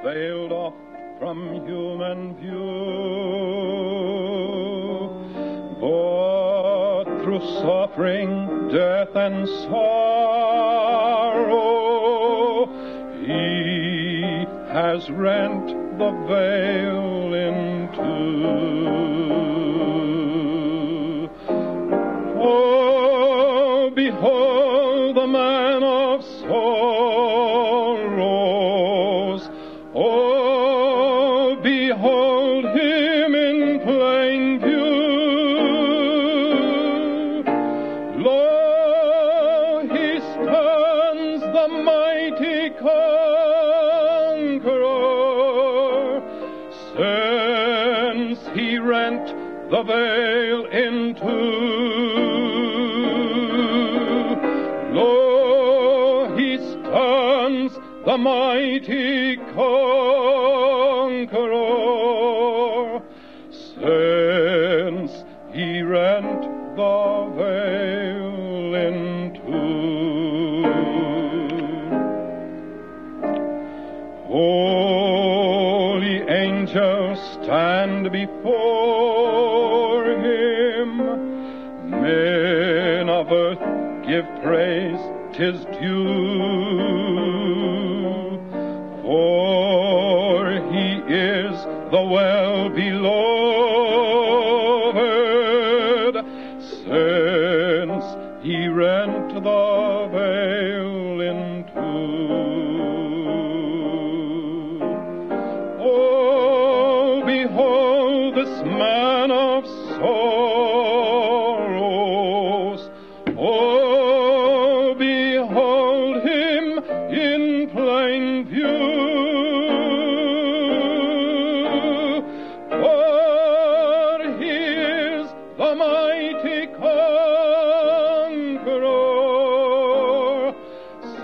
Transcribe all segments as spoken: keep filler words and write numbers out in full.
veiled off from human view. But through suffering, death, and sorrow, he has rent the veil in two. Oh, behold the man of sorrows. Oh, behold him in plain view. Lo, he stands the mighty conqueror, since he rent the veil in two. Lo, he stands the mighty conqueror, since he rent the veil in two. Holy angels stand before him, men of earth give praise, 'tis due. For he is the well-beloved, since he rent the veil in two. Oh, behold this man of sorrows. Oh, behold him in plain view. For he is the mighty conqueror,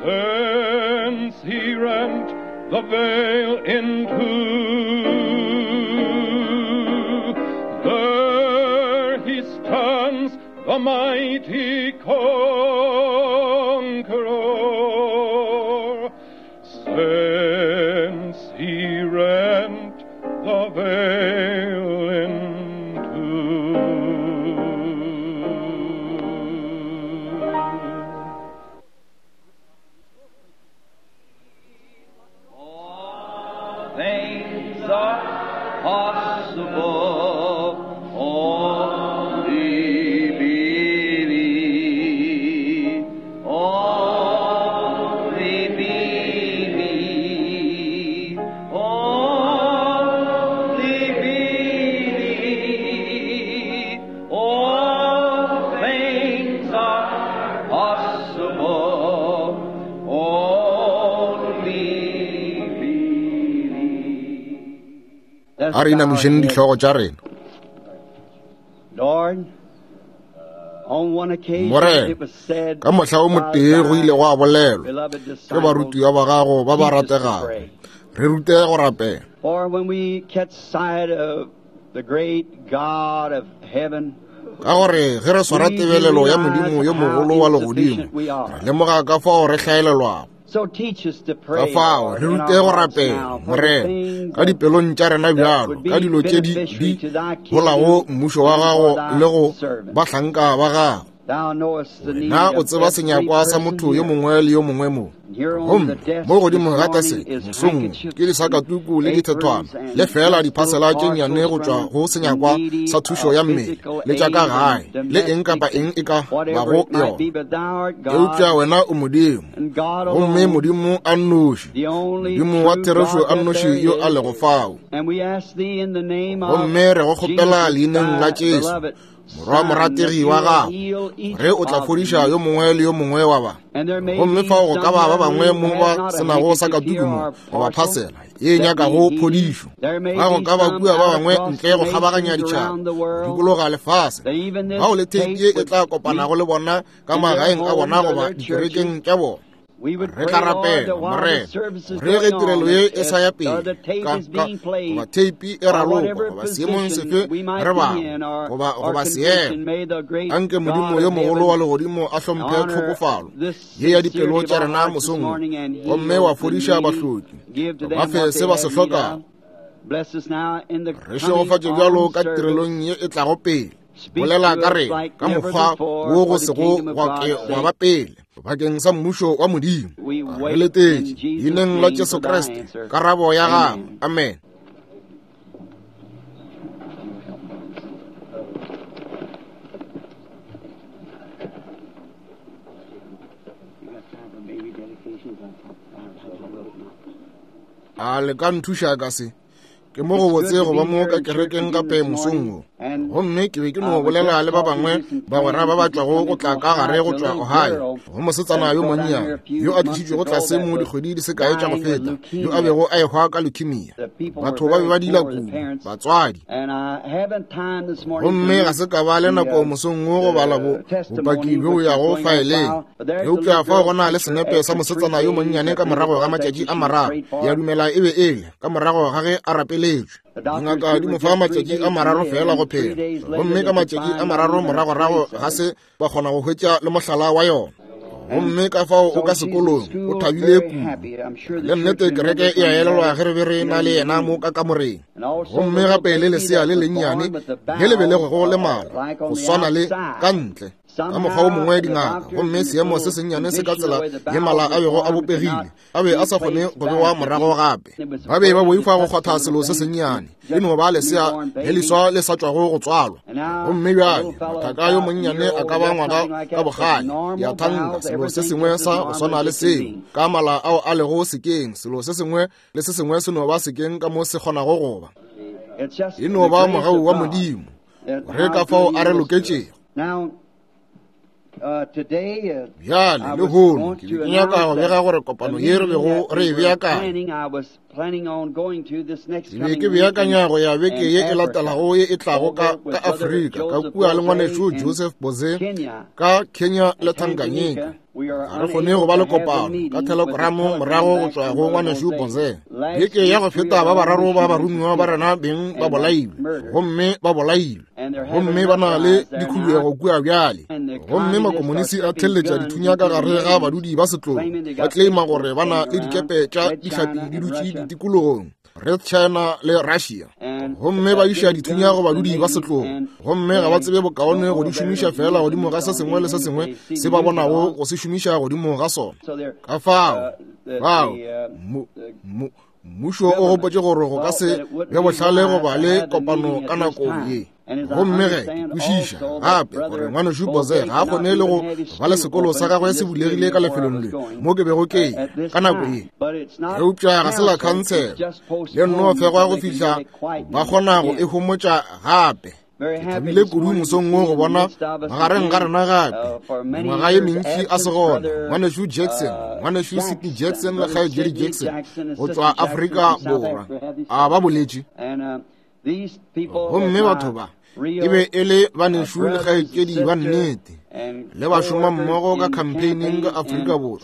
since he rent the veil in two. There he stands, the mighty conqueror, since he rent the veil in two. All things are possible, only believe, only believe, only believe. All things are possible, only believe. A re inamišeng dihlogo tša rena. Lord, on one occasion Morena, it was said ka mohla o by motee go ile thy gwa bolelwa beloved ke disciples, barutiwa ba gago ba ba teach us to rategago, pray. re rute go rapela. For when we catch sight of the great God of heaven, Ka gore ge re swara we do tebelelo ya realize Modimo yo how mogolo wa legodimo, insufficient we are. re lemoga ka fao re hlaelelwago. So teach us to Ka pray, fao Lord, re in rute our go hearts rapela, now for the Morena, things ka that dipelong tša rena that bjalo, would be ka dilo tše di beneficiary di to thy holago kingdom mmušo wa and for gago thy le go servants. bahlanka ba gago. Thou knowest the need Wena o of tseba every senyakwa sa person motho yo here. mongwe le yo mongwe mo. And here on Gomme the desk mo godimo this ga morning taseke is mosong handkerchiefs ke disakatuku le and dithethwana aprons and le fela just little diphasela tše nnyane parcels go tšwa from go the senyakwa needy sa thušo of ya mmele physical le tša ka aid gae and le eng kapa domestic eng e ka and whatever bago it might yona. be, but thou art Eupša God wena o Modimo, and God gomme alone, Modimo a nnoši, the only Modimo wa true therešo God a that nnoši there yo a is. lego fao. And we ask thee in the name of Gomme re go kgopela Jesus, leineng la thy Jesu, beloved morwa Son, that morategi you wa will gago, heal each ge o tla of fodiša these. yo mongwe le yo mongwe wa ba. And there may Gomme be fao go ka some ba ba here bangwe who mo has ba not a senago sa handkerchief here katuku mo or goba parcel phasela ye that nyakago need healing. phodišo. There may Ga go be ka ba some kua ba out bangwe across ntle the go kgabaganya nations ditšhaba, around the go world dikologa lefase, that even this bao le theipi tape ye e would tla kopanago meet le bona ka in their magaeng a bona homes or goba their churches. dikerekeng tša bona. Re tla rapela, Morena, re ge tirelo ye e sa ya pele, ka, ka, goba theipi e raloka, goba seemong sefe re bago, goba, goba seemo. Anke Modimo yo mogolo wa legodimo a hlomphe tlhokofalo ye ya dipelo tša rena mosong wo, gomme wa fodiša bahloki, ba fe se ba se hlokago. Re šegofatše bjalo ka tirelong ye e tlago pele. Bolela ka rena ka mokgwa wo go sego gwa ke gwa ba pele bakeng sa mmušo wa Modimo. Re letetše leineng la Jesu Kriste karabo ya gago. Amen. A le ka nthuša ka se? Ke mo go botse go ba mo ka kerekeng gape mosong wo. Gomme ke be ke no bolela le ba bangwe bagwera ba ba tšwago go tla ka gare go tšwa Ohio, go mosetsana yo monnyane yo a tlišitšwego tlase mo dikgwedi di se kae tša go feta, yo a bego a ehwa ka leukemia. Batho ba be ba dila kudu, batswadi. Gomme ga se ka ba le nako mosong wo go bala bo bopaki bjo bo yago faeleng. Eupša fao go na le senepe sa mosetsana yo monnyane ka morago ga matšatši a mararo, ke a dumela e be e le ka morago ga ge a rapeletšwe. Dingaka di mo fa matšatši a mararo fela go phela, gomme ka matšatši a mararo moragorago ga se ba kgona go hwetša le mohlala wa yona. Gomme ka fao o ka sekolong o thabile kudu. Le nnete kereke e a elelwa ge re be re na le yena mo ka kamoreng. Gomme gape le lesea le lennyane le le belegwego le mala go swana le ka ntle ka mokgwa o mongwe dingaka, gomme seemo se sennyane se ka tsela ye mala a bego a bopegile, a be a sa kgone go bewa morago gape. Ba be ba boifa go kgwatha selo se sennyane, e no ba lesea le leswa le sa tšwago go tswalwa. Gomme bjale mothaka yo monnyane a ka ba ngwaga ka bogale, ya thanka selo se sengwe sa go swana le seo, ka mala ao a lego sekeng, selo se sengwe le se sengwe se no ba sekeng ka mo se kgonago go ba. E no ba mogau wa Modimo, re ka fao a re loketšego. Bjale lehono ke be ke nyaka go bega gore kopano ye re bego re e beakanya, ke be ke beakanya go ya beke ye e latelago ye e tlago ka, ka Afrika, ka kua le ngwanešu Joseph Boze ka Kenya le Tanganyika. Ga re kgone go ba le kopano ka telegramo morago go tšwa go ngwanešu Boze. Beke ya go feta ba bararo ba baromiwa ba rena beng ba bolailwe, gomme ba bolailwe, gomme ba na le dikhuduego kua bjale. Gomme makomonisi a theletša dithunya ka gare ga badudi ba setlogo, ba claima gore ba na le dikepe tša dihlapi di dutše ditikologong, Red China le Russia, gomme ba iša dithunya go badudi ba setlogo, gomme ga ba tsebe bokaone go di šomiša fela godimo ga se sengwe le se sengwe se ba bonago go se šomiša godimo ga sona. Ka fao, fao, mo, mo, mmušo o gopotše gore go ka se be bohlale go ba le kopano ka nako ye. Gomme ge ke kwešiša gape gore ngwanešu Boze ga a kgone le go ba le sekolo sa gagwe se bulegile ka lefelong le mo ke bego ke ya ka nako ye, eupša ga se la khansela, le nno fegwa go fihla ba kgona go e homotša gape. Ke thabile kudu mosong wo go bona magareng ga rena gape mengwaga ye mentši a se gona, ngwanešu Jackson, ngwanešu Sidney Jackson le kgaetšedi Jackson go tšwa Afrika Borwa. A ba boletše. Gomme batho ba e be e le banešu le kgaetšedi ba nnete, le ba šoma mmogo ka campaigning ka Afrika Borwa,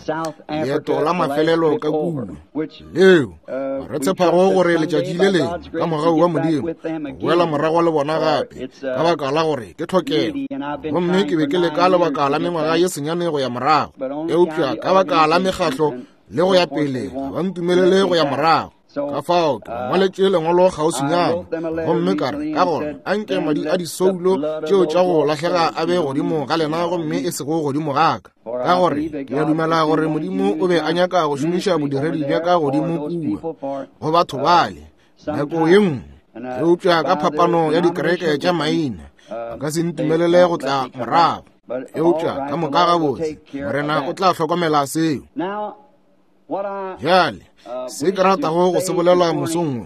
leeto la mafelelo ka kua leo re tshepago gore letšatši le lengwe ka mogau wa Modimo go boela morago le bona gape, ka baka la gore ke tlhokego. Gomme ke be ke leka lebaka la mengwaga ye senyane go ya morago, eupša ka baka la mekgahlo le go ya pele ga ba ntumelele go ya morago. Ka fao ke ngwaletše lengwalo kgauswinyana, gomme ka re ka gona anke madi a disoulo tšeo tša go lahlega a be godimo ga lena gomme e sego godimo ga ka, ka gore ke a dumela gore Modimo o be a nyaka go šomiša bodiredi bja ka godimo kua go batho bale nako ye nngwe, eupša ka phapano ya dikereke tša maina ba ka se ntumelele go tla morago. Eupša ka moka gabotse, Morena o tla hlokomela seo. Bjale se ke ratago go se bolela mosong wo,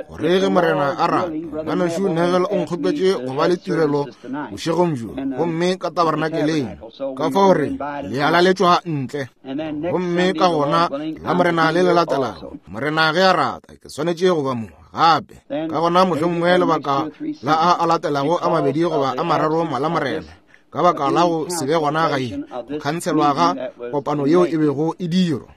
gore ge Morena a rata, ngwanešu Neville o nkgopetše go ba le tirelo bošegong bjo, gomme ka tabernakeleng, ka fao re le a laletšwa ntle. Gomme ka gona la Morena le le latelago, Morena ge a rata, ke swanetše go ba mo gape. Ka gona mohlomongwe lebaka la a a latelago a mabedi goba a mararo mala Morena, ka baka la go se be gona ga ye, go khanselwa ga kopano yeo e bego e dirwa.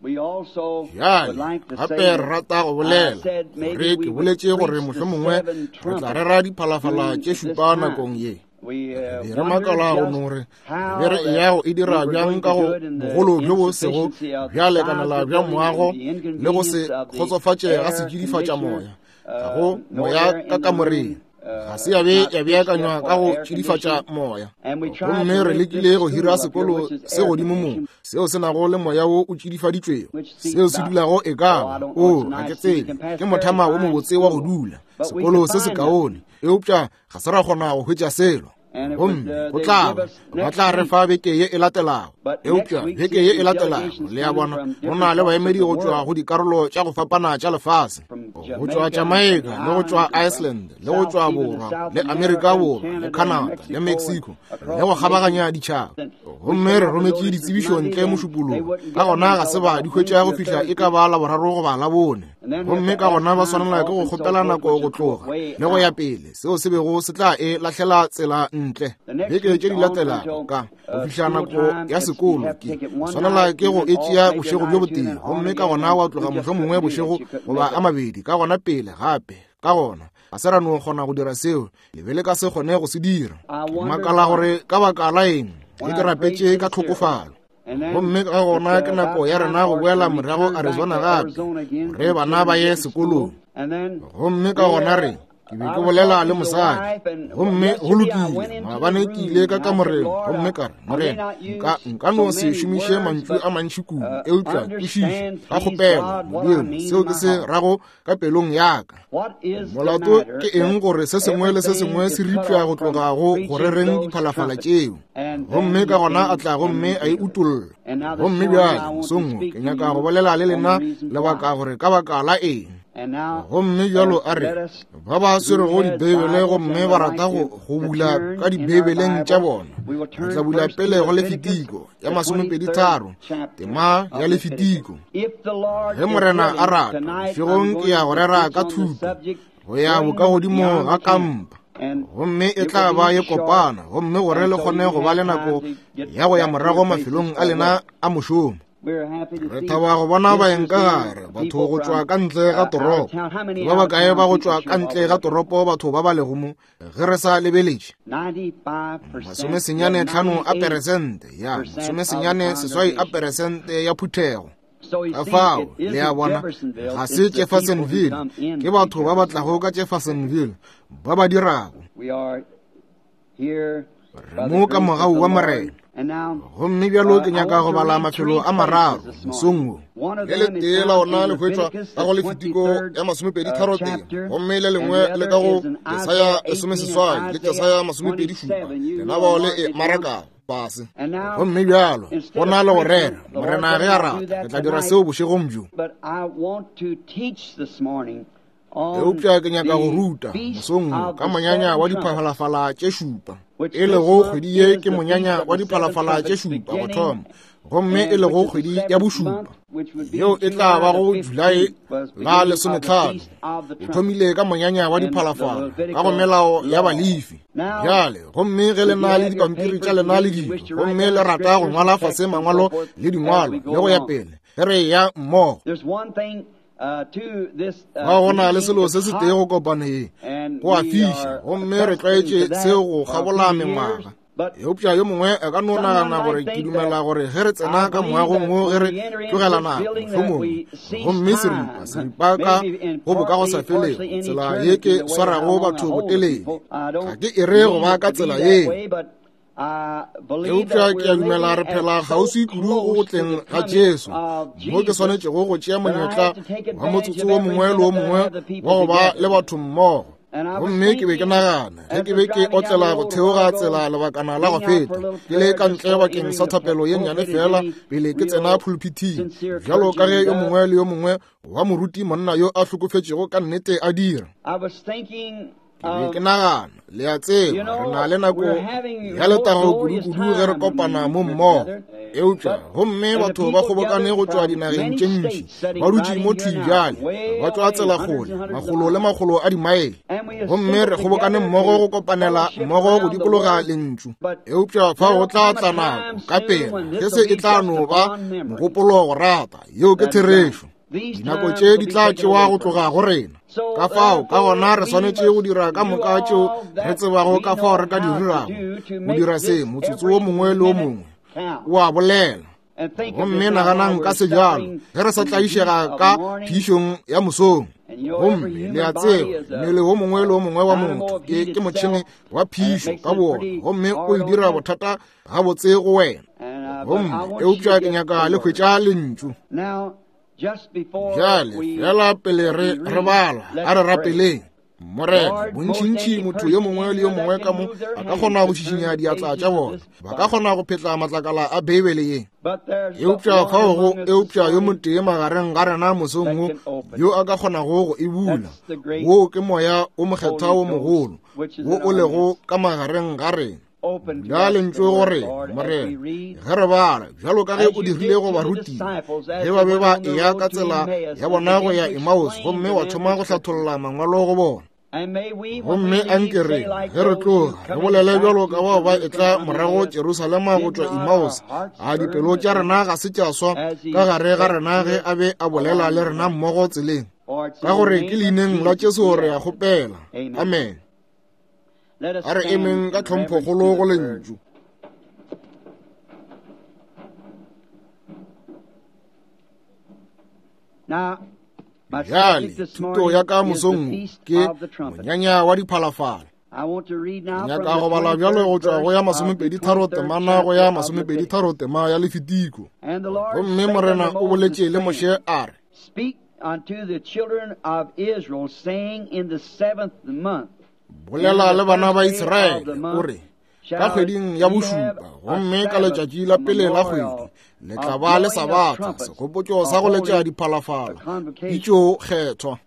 Bjale gape re rata go bolela gore ke boletše gore mohlomongwe re tla rera diphalafala tše šupa nakong ye. Be re makala go no re be re eya go e dira bjang ka go bogolo bjo bo sego bja lekanela bja moago le go se kgotsofatše ga setšidifatša moya, ga go moya ka kamoreng. Ga se ya be ya beakanywa ka go tšidifatša moya. Gomme re lekile go hira sekolo se godimo mo seo se nago le moya wo o tšidifaditšwego, seo se dulago e ka ba, o ga ke tsebe, ke mothama wo mobotse wa go dula, sekolo se sekaone, eupša ga se ra kgona go hwetša selo. Gomme go tla ba, ba tla re fa beke ye e latelago, eupša beke ye e latelago, le a bona, go na le baemedi go tšwa go dikarolo tša go fapana tša lefase, go tšwa Jamaica le go tšwa Iceland le go tšwa Borwa le Amerika Borwa le Canada le Mexico le go kgabaganya ditšhaba. Gomme re rometše ditsebišo ntle mošupologo, ka gona ga se ba di hwetša go fihla e ka ba Laboraro goba Labone. Gomme ka gona ba swanela ke go kgopela nako go tloga le go ya pele, seo se bego se tla e lahlela tsela ntle. Beke tše di latelago ka go fihla nako ya sekolo ke swanela ke go e tšea bošego bjo botee, gomme ka gona wa tloga mohlomongwe bošego goba a mabedi, ka gona pele gape. Ka gona ga se ra no kgona go dira seo, le be le ka se kgone go se dira. Ke makala gore ka baka la eng ge ke rapetše ka tlhokofalo. Gomme ka gona ke nako ya rena go boela morago Arizona gape, gore bana ba ye sekolong. Gomme ka gona re, ke be ke bolela le mosadi, gomme go lokile, maabane ke ile ka kamoreng, gomme ka re, Morena, nka nka no se šomiše mantšu a mantši kudu, eupša kwešiša ka kgopelo, Modimo, seo ke se rago ka pelong ya ka. Molato ke eng gore se sengwe le se sengwe se ripša go tloga go go rereng diphalafala tšeo? Gomme ka gona a tla gomme a e utolla. Gomme bjale mosong wo ke nyaka go bolela le lena lebaka gore ka baka la eng. Gomme bjalo a re, ba ba swerego dibeibele gomme ba rata go go bula ka dibeibeleng tša bona, re tla bula pele go Lefitiko ya masomepedi tharo, tema ya Lefitiko. Ge Morena a rata, bošegong ke ya go rera ka thuto go ya bokagodimo ga kampa, gomme e tla ba ye kopana, gomme gore le kgone go ba le nako ya go ya morago mafelong a lena a mošomo. Re thaba go bona baeng ka gare, batho go tšwa ka ntle ga toropo. Ke ba bakae ba go tšwa ka ntle ga toropo batho ba ba lego mo, ge re sa lebeletše? Masomesenyane tlhano a peresente ya, masomesenyane seswai a peresente ya phuthego. Ka fao, le a bona, ga se Jeffersonville, ke batho ba ba tlago ka Jeffersonville ba ba dirago. Re mo ka mogau wa Morena. Gomme bjalo ke nyaka go bala mafelo a mararo mosong wo. Le letee la ona le hwetšwa ka go Lefitiko ya masomepedi tharo tee, gomme le lengwe le ka go Jesaya lesomeseswai le Jesaya masomepedi šupa, lena bao le e marakago fase. Gomme bjalo go na le go rera, Morena ge a rata, re tla dira seo bošegong bjo. Eupša ke nyaka go ruta mosong wo ka monyanya wa diphalafala tše šupa, e lego kgwedi ye ke monyanya wa diphalafala tše šupa go thoma, gomme e lego kgwedi ya bošupa, yeo e tla bago Julae la lesometlhano. O thomile ka monyanya wa diphalafala ka go melao ya Balefi. Bjale gomme ge le na le dipampiri tša lena le dilo, gomme le rata go ngwala fase mangwalo le dingwalo le go ya pele, ge re ya mmogo. Ga go na le selo se se tee go kopano ye, go a fiša, gomme re tlwaetše seo go kgabola mengwaga. Eupša yo mongwe a ka no nagana gore ke dumela gore ge re tsena ka moagong wo ge re tlogela nako mohlomongwe, gomme seripa seripa ka go bokagosafelego, tsela ye ke swarago batho botelele, ga ke e re go ba ka tsela yeo. Eupša ke a dumela re phela kgauswi kudu go go tleng ga Jesu, mo ke swanetšego go tšea monyetla wa motsotso wo mongwe le wo mongwe wa go ba le batho mmogo. Gomme ke be ke nagana ge ke be ke otlela go theoga tsela lebakana la go feta, ke le ka ntle bakeng sa thapelo ye nnyane fela pele ke tsena pulpithing, bjalo ka ge yo mongwe le yo mongwe wa moruti monna yo a hlokofetšego ka nnete a dira. Ke be ke nagana, le a tseba, re na le nako ya letago kudu-kudu ge re kopana mo mmogo. Eupša gomme batho ba kgobokane go tšwa dinageng tše ntši, ba dutše mo thwi bjale, ba tšwa tsela kgole, makgolo le makgolo a dimaele, gomme re kgobokane mmogo go kopanela mmogo go dikologa lentšu. Eupša fao go tla tla nako ka pela ge se e tla no ba mogopolo go rata. Yeo ke therešo. Dinako tše di tla tšewa go tloga go rena. Ka fao ka gona re swanetše go dira ka moka tšeo re tsebago ka fao re ka di dirago go dira se motsotso wo mongwe le wo mongwe o a bolela. Gomme naganang ka sejalo ge re sa tlaišega ka phišong ya mosong. Gomme le a tseba mmele wo mongwe le wo mongwe wa motho ke ke motšhene wa phišo ka bowona, gomme o e dira bothata gabotse go wena. Gomme eupša ke nyaka le hwetša lentšu. Bjale fela pele re re bala, a re rapeleng. Morena, bontšintši motho yo mongwe le yo mongwe ka mo a ka kgona go šišinya diatla tša bona, ba ka kgona go phetla matlakala a Beibele ye. Eupša fao go eupša yo motee magareng ga rena mosong wo yo a ka kgonago go e bula. Wo ke moya o mokgethwa wo mogolo wo o lego ka magareng ga rena. Bula lentšu go rena, Morena, ge re bala, bjalo ka ge o dirile go barutiwa ge ba be ba eya ka tsela ya bona go ya Emmaus, gomme wa thoma go hlatholla mangwalo go bona. Gomme anke re ge re tloga re bolele bjalo ka bao ba etla morago Jerusalema go tšwa Emmaus, a dipelo tša rena ga se tša swa ka gare ga rena ge a be a bolela le rena mmogo tseleng. Ka gore ke leineng la Jesu re a kgopela. Amen. A re emeng ka tlhomphokgolo go lentšu. Bjale thuto ya ka mosong ke monyanya wa diphalafala. Nyaka go bala bjalo go tšwa go ya masomepedi tharo temana go ya masomepedi tharo tema ya Lefitiko. Gomme Morena o boletše le Moshe a re, Speak unto the children of Israel, saying, in the seventh month, bolela le bana ba Israele o re, ka kgweding ya bošupa gomme ka letšatši la pele la kgwedi le tla ba le sabatha, segopotšo sa go letša diphalafala pitšo kgethwa.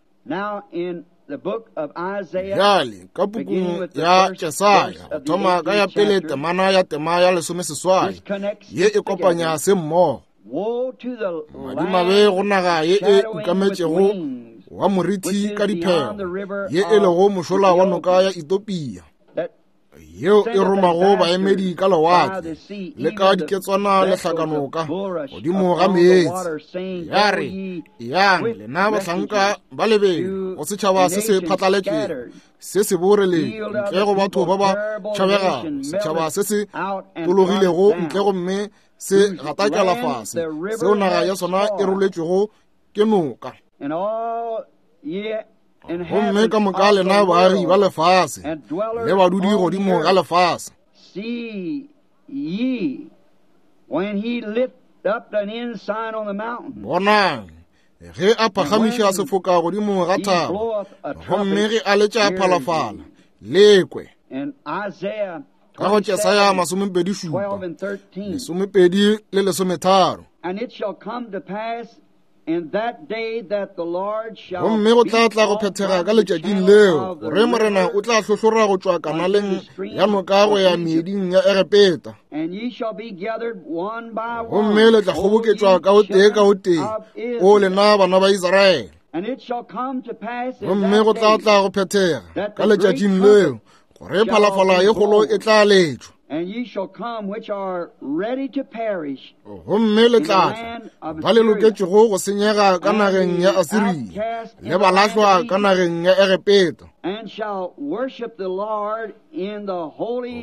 Bjale ka pukung ya Jesaya go thoma ka ya pele temana ya tema ya lesomeseswai ye e kopanya se mmogo. Madimabe go naga ye e ukametšego wa moriti ka diphego, ye e lego mošola wa noka ya Ethiopia, yeo e romago baemedi ka lewatle le ka diketswana le hlakanoka godimo ga meetse. Ya re, yang lena bahlanka ba lebelo go setšhaba se se phatlaletšego, se se boreleng ntle go batho ba ba tšhabegago, setšhaba se se tologilego ntle gomme se gatakela fase, seo naga ya sona e roletšwego ke noka. Gomme ka moka lena baagi ba lefase le badudi godimo ga lefase, bonang ge a phagamiša sefoka godimo ga thaba, gomme ge a letša phalafala le kwe. Ka go Jesaya masomepedi šupa lesomepedi le lesometharo. Gomme go tla tla go phethega ka letšatšing leo gore Morena o tla hlohlora go tšwa kanaleng ya noka go ya meeding ya Egepeta, gomme le tla kgoboketšwa ka o tee ka o tee, o lena bana ba Israele. Gomme go tla tla go phethega ka letšatšing leo gore phalafala ye kgolo e tla letšwa, gomme le tla tla ba le loketšego go senyega ka nageng ya Asiria le ba lahlwa ka nageng ya Egepeta,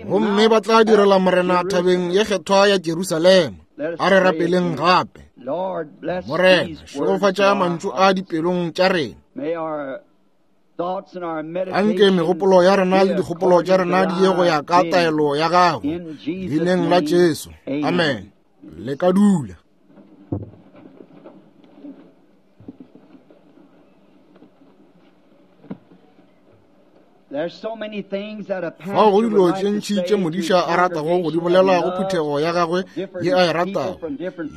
gomme ba tla direla Morena thabeng ye kgethwa ya Jerusalema. A re rapeleng gape. Morena, šegofatša mantšu a dipelong tša rena. Anke megopolo ya rena le dikgopolo tša rena di ye go ya ka taelo ya gago, leineng la Jesu. Amen. Le ka dula. Fao go dilo tše ntši tše modiša a ratago go di bolela go phuthego ya gagwe ye a e ratago,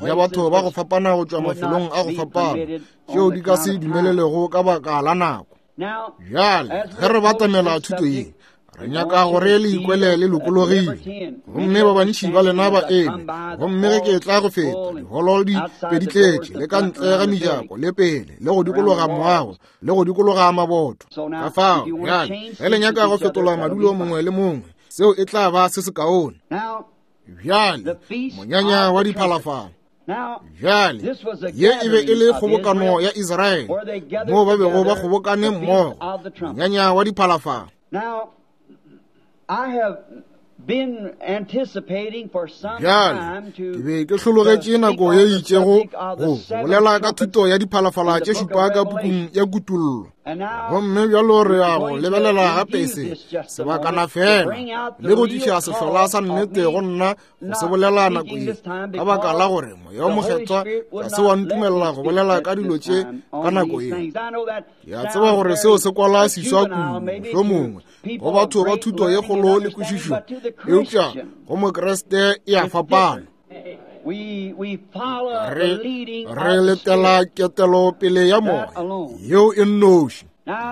ya batho ba go fapana go tšwa mafelong a go fapana, tšeo di ka se dumelelego ka baka la nako. Bjale ge re batamela thuto ye, Re nyaka gore le ikwele le lokologile. Gomme ba bantši ba lena ba eme, gomme ge ke tla go feta diholo di be di tletše, le ka ntle ga mejako le pele, le go dikologa moago, le go dikologa maboto. Ka fao bjale ge le nyaka go fetola madulo mongwe le mongwe, seo e tla ba se sekaone. Bjale monyanya wa diphalafala. Bjale ye e be e le kgobokano ya Israele, moo ba bego ba kgobokane mmogo, monyanya wa diphalafala. Bjale ke be ke hlologetše nako ye itšego go bolela ka thuto ya diphalafala tše šupa ka pukung ya Kutollo. Gomme bjalo re ya go lebelela gape se sebakana fela le go tliša sehlola sa nnete go nna go se bolela nako ye, ka baka la gore Moya o Mokgethwa ga se wa ntumelela go bolela ka dilo tše ka nako ye. Ke a tseba gore seo se kwala seswa kudu mohlomongwe go batho ba thuto ye kgolo le kwešišo, eupša go Mokriste e a fapana. Re re letela ketelopele ya moya yeo e nnoši.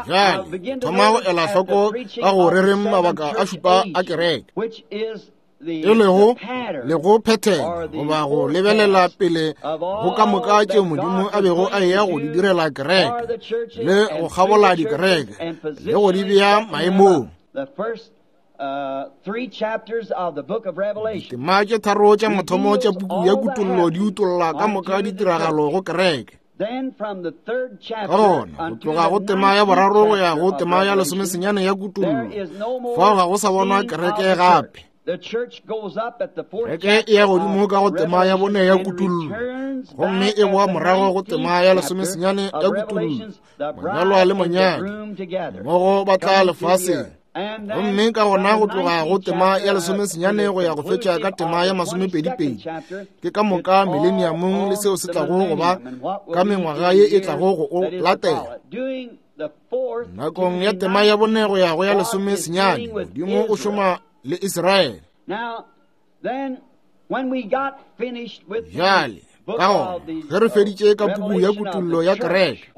Bjale thoma go ela hloko ka go rereng mabaka a šupa a kereke, e lego le go phethela goba go lebelela pele go ka moka tšeo Modimo a bego a eya go di direla kereke, le go kgabola dikereke le go di bea maemong. Ditema tše tharo tša mathomo tša puku ya Kutollo di utolla ka moka ditiragalo go kereke. Ka gona go tloga go tema ya boraro go ya go tema ya lesomesenyane ya Kutollo, fao ga go sa bonwa kereke gape. Kereke e ya godimo ka go tema ya bone ya Kutollo, gomme e boa morago go tema ya lesomesenyane ya Kutollo, monyalwa le monyadi mmogo ba tla lefaseng. Gomme ka gona go tloga go tema ya lesomesenyane go ya go fetša ka tema ya masomepedipedi, ke ka moka mileniamong le seo se tlago go ba ka mengwaga ye e tlago go o latela. Nakong ya tema ya bone go ya go ya lesomesenyane, Modimo o šoma le Israele. Bjale ka gona ge re feditše ka puku ya Kutollo ya kereke,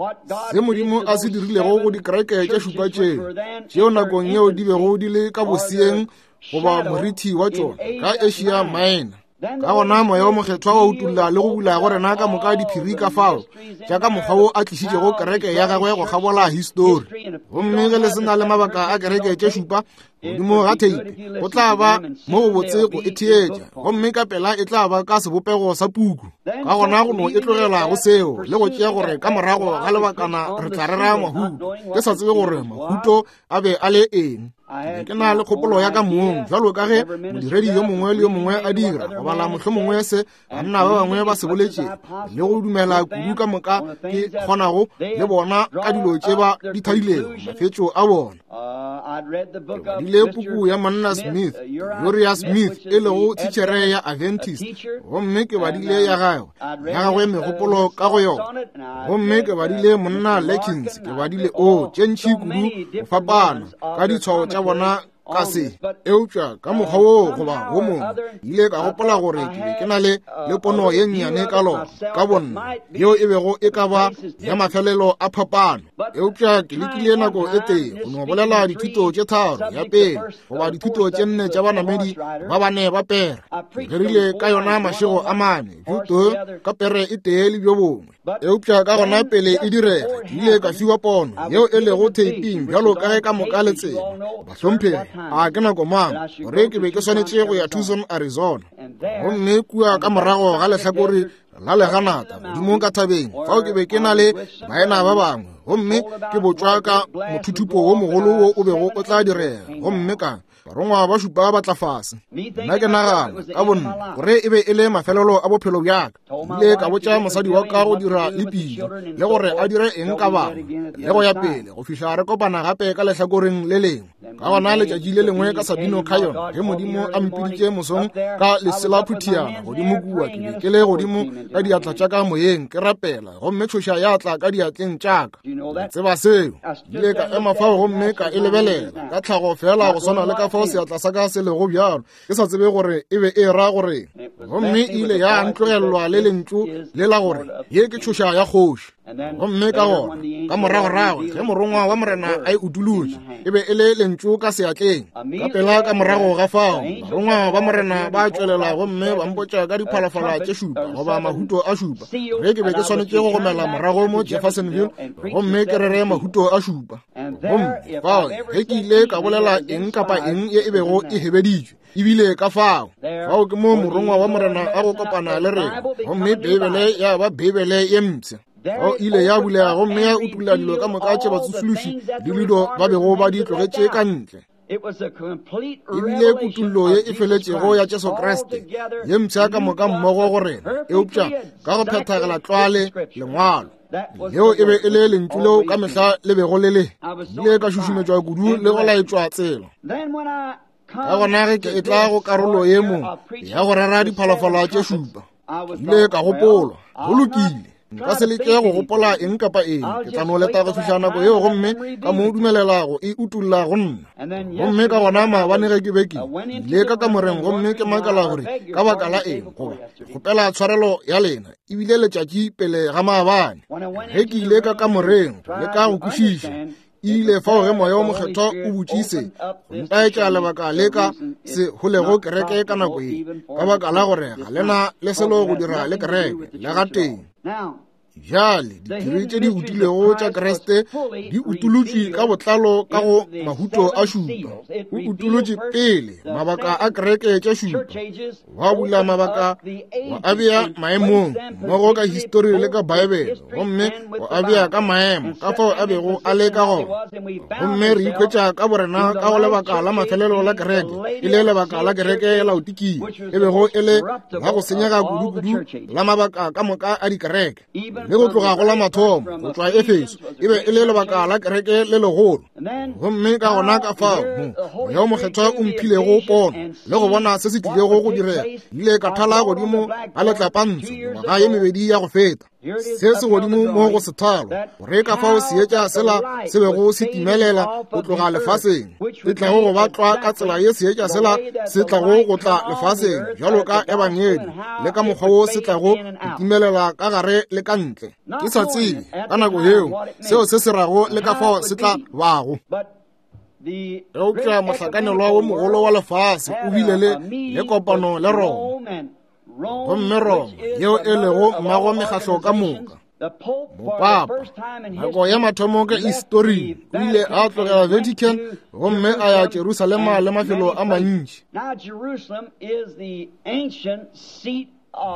se Modimo a se dirilego go dikereke tše šupa tšeo, tšeo nakong yeo di bego di le ka boseeng goba morithi wa tšona ka Asia Minor. Ka gona Moya o Mokgethwa wa utolla le go bula go rena ka moka diphiri ka fao tša ka mokgwa wo a tlišitšego kereke ya gagwe go kgabola histori. Gomme ge le se na le mabaka a kereke tše šupa godimo ga theipe, go tla ba mo go botse go e theetša, gomme ka pela e tla ba ka sebopego sa puku. Ka gona go no e tlogela go seo le go tšea gore ka morago ga lebakana re tla rera mahuto. Ke sa tsebe gore mahuto a be a le eng. Ke na le kgopolo ya ka mong, bjalo ka ge modiredi yo mongwe le yo mongwe a dira, go bala mohlomongwe se banna ba bangwe ba se boletše le go dumela kudu ka moka ke kgonago le bona ka dilo tše ba di thadilego mafetšo a bona. Ke badile puku ya monna Smith, Uriah Smith, e lego thitšhere ya Adventist, gomme ke badile ya gagwe ya gagwe megopolo ka go yona. Gomme ke badile monna Larkins, ke badile o tše ntši kudu go fapana ka ditshwao tša bona ka se, eupša ka mokgwa wo goba wo mongwe ile ka gopola gore ke be ke na le le pono ye nnyane ka lona ka bonna, yeo e bego e ka ba ya mafelelo a phapano. Eupša ke lekile nako e tee go no bolela dithuto tše tharo ya pele goba dithuto tše nne tša banamedi ba bane ba pere. Ke rerile ka yona mašego a mane, bjo ka pere e tee le bjo bongwe. Eupša ka gona pele e direga, ke ile ka fiwa pono yeo e lego theiping bjalo ka ge ka moka le tseba. Bahlomphegi, a ke nako mang gore ke be ke swanetše go ya Tucson, Arizona. Gomme kua ka morago ga lehlakore la leganata godimo ka thabeng, fao ke be ke na le baena ba bangwe, gomme ke botšwa ka mothuthupo wo mogolo wo o bego o tla direga, gomme ka barongwa ba šupa ba tla fase. Nna ke nagana ka bonna gore e be e le mafelelo a bophelo bjaka. Ile ka botša mosadi wa ka go dira le pidi le gore a dire eng ka bana le go ya pele go fihla re kopana gape ka lehlakoreng le lengwe. Ka gona letšatši le lengwe ka Sabino Canyon, ge Modimo a mpiditše mosong ka leselaphuthiana godimo kua, ke be ke le godimo ka diatla tša ka moyeng ke rapela, gomme tšhoša ya tla ka diatleng tša ka. Tseba seo, ile ka ema fao gomme ka e lebelela ka tlhago fela go swana le ka fao fao seatla sa ka se lego bjalo, ke sa tsebe gore e be e ra gore. Gomme e ile ya ntlogelelwa le lentšu le la gore ye ke tšhoša ya kgoši. Gomme ka gona ka moragorago ge morongwa wa Morena a e utolotše, e be e le lentšu ka seatleng. Ka pela ka morago ga fao barongwa ba Morena ba tšwelela gomme ba mpotša ka diphalafala tše šupa goba mahuto a šupa, ge ke be ke swanetše go gomela morago mo Jeffersonville gomme ke rere mahuto a šupa. Gomme fao ge ke ile ka bolela eng kapa eng ye e bego e hebeditšwe, ebile ka fao fao ke mo morongwa wa Morena a go kopana le rena, gomme Beibele ya ba Beibele ye mpsha. Fao ile ya bulega gomme ya utolla dilo ka moka tše batsošološi le dilo ba bego ba di tlogetše ka ntle. Ebile kutullo ye e feletšego ya Jesu Kriste ye mpsha ka moka mmogo go rena, eupša ka go phethagala tlwale lengwalo. Leo e be e le lentšu leo ka mehla le bego le le. Ile ka šušumetšwa kudu le go laetšwa tsela. Ka gona ge ke etla go karolo ye mo ya go rera diphalafala tše šupa, ile ka gopola, go lokile, nka se leke go gopola eng kapa eng, ke tla no leta go fihla nako yeo gomme ka mo dumelela go e utolla go nna. Gomme ka gona maabane ge ke be ke ile ka kamoreng gomme ke makala gore ka baka la eng, goba kgopela tshwarelo ya lena, ebile letšatši pele ga maabane ge ke ile ka kamoreng le ka go kwešiša, ile fao ge moya o mokgethwa o botšise go ntaetša lebaka le ka se holego kereke ka nako ye, ka baka la gore ga lena le selo go dira le kereke le gateng. Bjale diphiri tše di utilwego tša Kriste di utolotšwe ka botlalo ka go mahuto a šupa. O utolotše pele mabaka a kereke tša šupa, wa bula mabaka, wa a bea maemong mmogo ka histori le ka Baebele, gomme wa a bea ka maemo ka fao a bego a le ka gona. Gomme re ikhwetša ka borena ka go lebaka la mafelelo la kereke, e le lebaka la kereke ya Laodikia, e bego e le la go senyega kudu-kudu la mabaka ka moka a dikereke. Le go tloga go la mathomo go tšwa Efeso e be e le lebaka la kereke le legolo. Gomme ka gona ka fao mo moya o mokgethwa o mphilego pono le go bona se se tlilego go direga, ile ka thala godimo ga letlapantsho mengwaga ye mebedi ya go feta. Se se godimo mo go sethalo, gore ka fao seetša sela se bego se timelela go tloga lefaseng, e tlago go ba tlwa ka tsela ye seetša sela se tlago go tla lefaseng bjalo ka ebangedi, le ka mokgwa wo se tlago go timelela ka gare le ka ntle. Ke sa tsebe ka nako yeo seo se se rago le ka fao se tla bago. Eupša mohlakanelwa wo mogolo wa lefase o bile le le kopano le Roma, gomme Roma yeo e lego mmago mekgahlo ka moka. Mopapa nako ya mathomo ka historing o ile a tlogela Vatican gomme a ya Jerusalema le mafelo a mantši.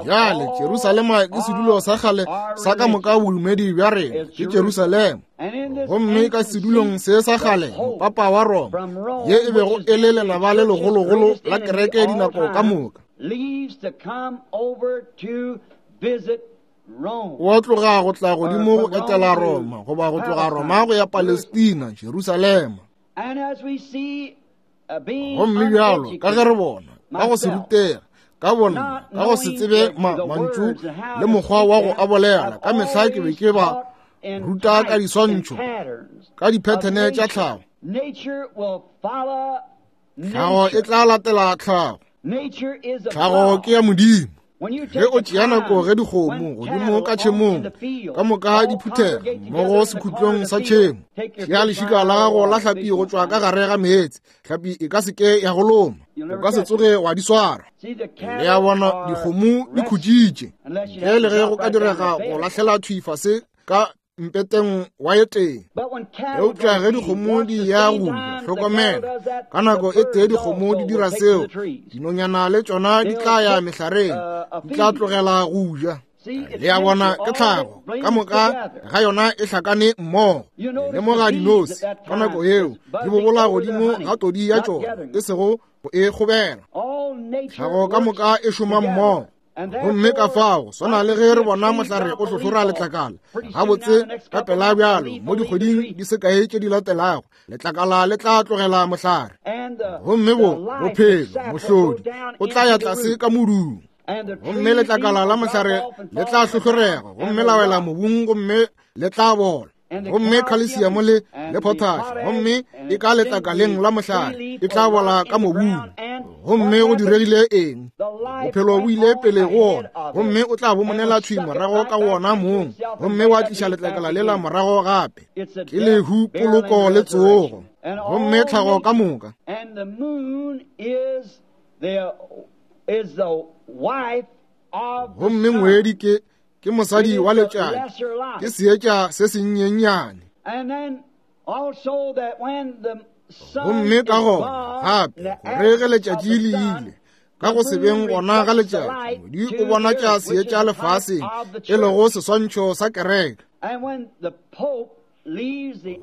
Bjale Jerusalema ke sedulo sa kgale sa ka moka bodumedi bja rena, ke Jerusalema. Gomme ka sedulong se sa kgale mopapa wa Roma, ye e bego e le lenaba le legologolo la kereke dinako ka moka, o tloga go tla godimo go etela Roma, goba go tloga Roma go ya Palestina, Jerusalema. Gomme bjalo ka ge re bona ka go se rutega ka bona ka go se tsebe mantšu le mokgwa wa go a bolela, ka mehla ke be ke ba ruta ka diswantšho, ka diphethene tša tlhago. Tlhago e tla latela tlhago. Tlhago ke ya Modimo. Ge o tšea nako ge dikgomo godimo ka tšhemong ka moka di phuthega mmogo sekhutlong sa tšhemo, tšea lešika la gago la hlapi go tšwa ka gare ga meetse, hlapi e ka se ke ya go loma, o ka se tsoge wa di swara. Le a bona dikgomo di khutšitše, ntle le ge go ka direga go lahlela thwi fase ka mpeteng wa ye teng. Eupša ge dikgomo di ya go hlokomela, ka nako e tee dikgomo di dira seo, dinonyana le tšona di tla ya mehlareng, di tla tlogela go ja. Le a bona ke tlhago ka moka ga yona e hlakane mmogo. Lemoga dinose ka nako yeo di bobola godimo ga todi ya tšona, e sego go e kgobela. Tlhago ka moka e šoma mmogo. Gomme ka fao swana le ge re bona mohlare o hlohlora letlakala gabotse ka pela bjalo mo dikgweding di se kae tše di latelago, letlakala le tla tlogela mohlare. Gomme bo bophelo mohlodi o tla ya tlase ka modung, gomme letlakala la mohlare le tla hlohlorega gomme la wela mobung gomme le tla bola. Gomme khalesiamo le le potash, gomme e ka letlakaleng la mohlare, e tla bola ka mobung. Gomme go diregile eng? Bophelo bo ile pele go wona, gomme o tla bo monela thwi morago ka wona mong, gomme wa tliša letlakala lela morago gape. Ke lehu, poloko le tsogo, gomme tlhago ka moka. Gomme ngwedi ke ke mosadi wa letšatši, ke seetša se senyenyane. Gomme ka gona gape gore ge letšatši le ile, ka go se beng gona ga letšatši, ngwedi o bonatša seetša lefaseng, e lego seswantšho sa kereke.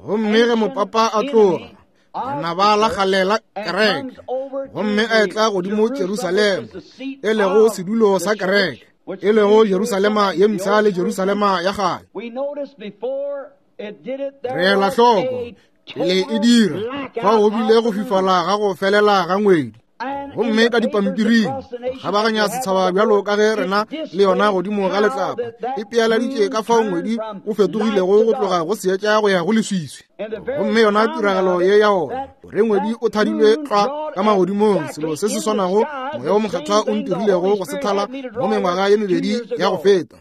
Gomme ge mopapa a tloga, lenaba la kgale la kereke, gomme a etla godimo Jerusalema, e lego sedulo sa kereke, e lego Jerusalema ye mpsha le Jerusalema ya kgale. Re ela hloko pele e dira, fao go bile go fifala ga go felela ga ngwedi. Gomme ka dipampiring kgabaganya setšhaba bjalo ka ge rena le yona godimo ga letlapa, e pealaditše ka fao ngwedi o fetogilego go tloga go seetša go ya go leswiswi. Gomme yona tiragalo ye ya ona, gore ngwedi o thadilwe tlwa ka magodimong, selo se se swanago Moya wo Mokgethwa o ntirilego go se thala mo mengwaga ye mebedi ya go feta.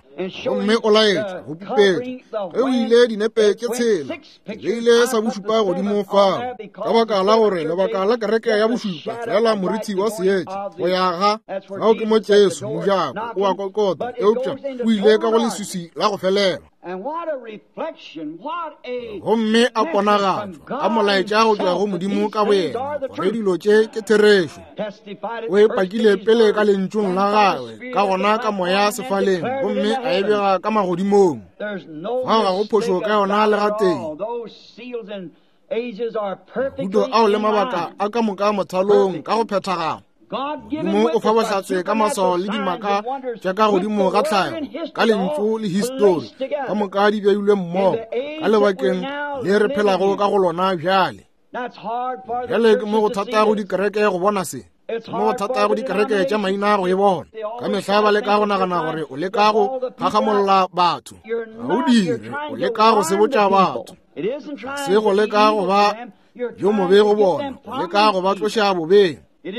Gomme o laetša go pupetša ge o ile dinepe tše tshela, ke beile sa bošupa godimo fao, ka baka la gore lebaka la kereke ya bošupa fela morithi wa seetša go ya ga fao ke mo Jesu mojako o a kokota, eupša o ile ka go leswiswi la go felela. Gomme a ponagatšwa a molaetša go tšwa go Modimo ka boyena gore dilo tše ke therešo. O e pakile pele ka lentšung la gagwe, ka gona ka moya sefaleng, gomme a e bega ka magodimong. Fao ga go phošo ka yona le gatee. Mahuto ao le mabaka a ka moka mothalong ka go phethagala. Modimo o fa bohlatse ka maswao le dimaka tša ka godimo ga tlhago, ka lentšu le histori, ka moka di beilwe mmogo ka lebakeng le re phelago ka go lona bjale. Bjale ke mo go thata go dikereke go bona se, ke mo go thata go dikereke tša maina go e bona. Ka mehla ba leka go nagana gore o leka go phagamolla batho. Ga o dire, o leka go sebotša batho. Se go leka go ba yo mobe go bona, o leka go ba tloša bobeng. Ga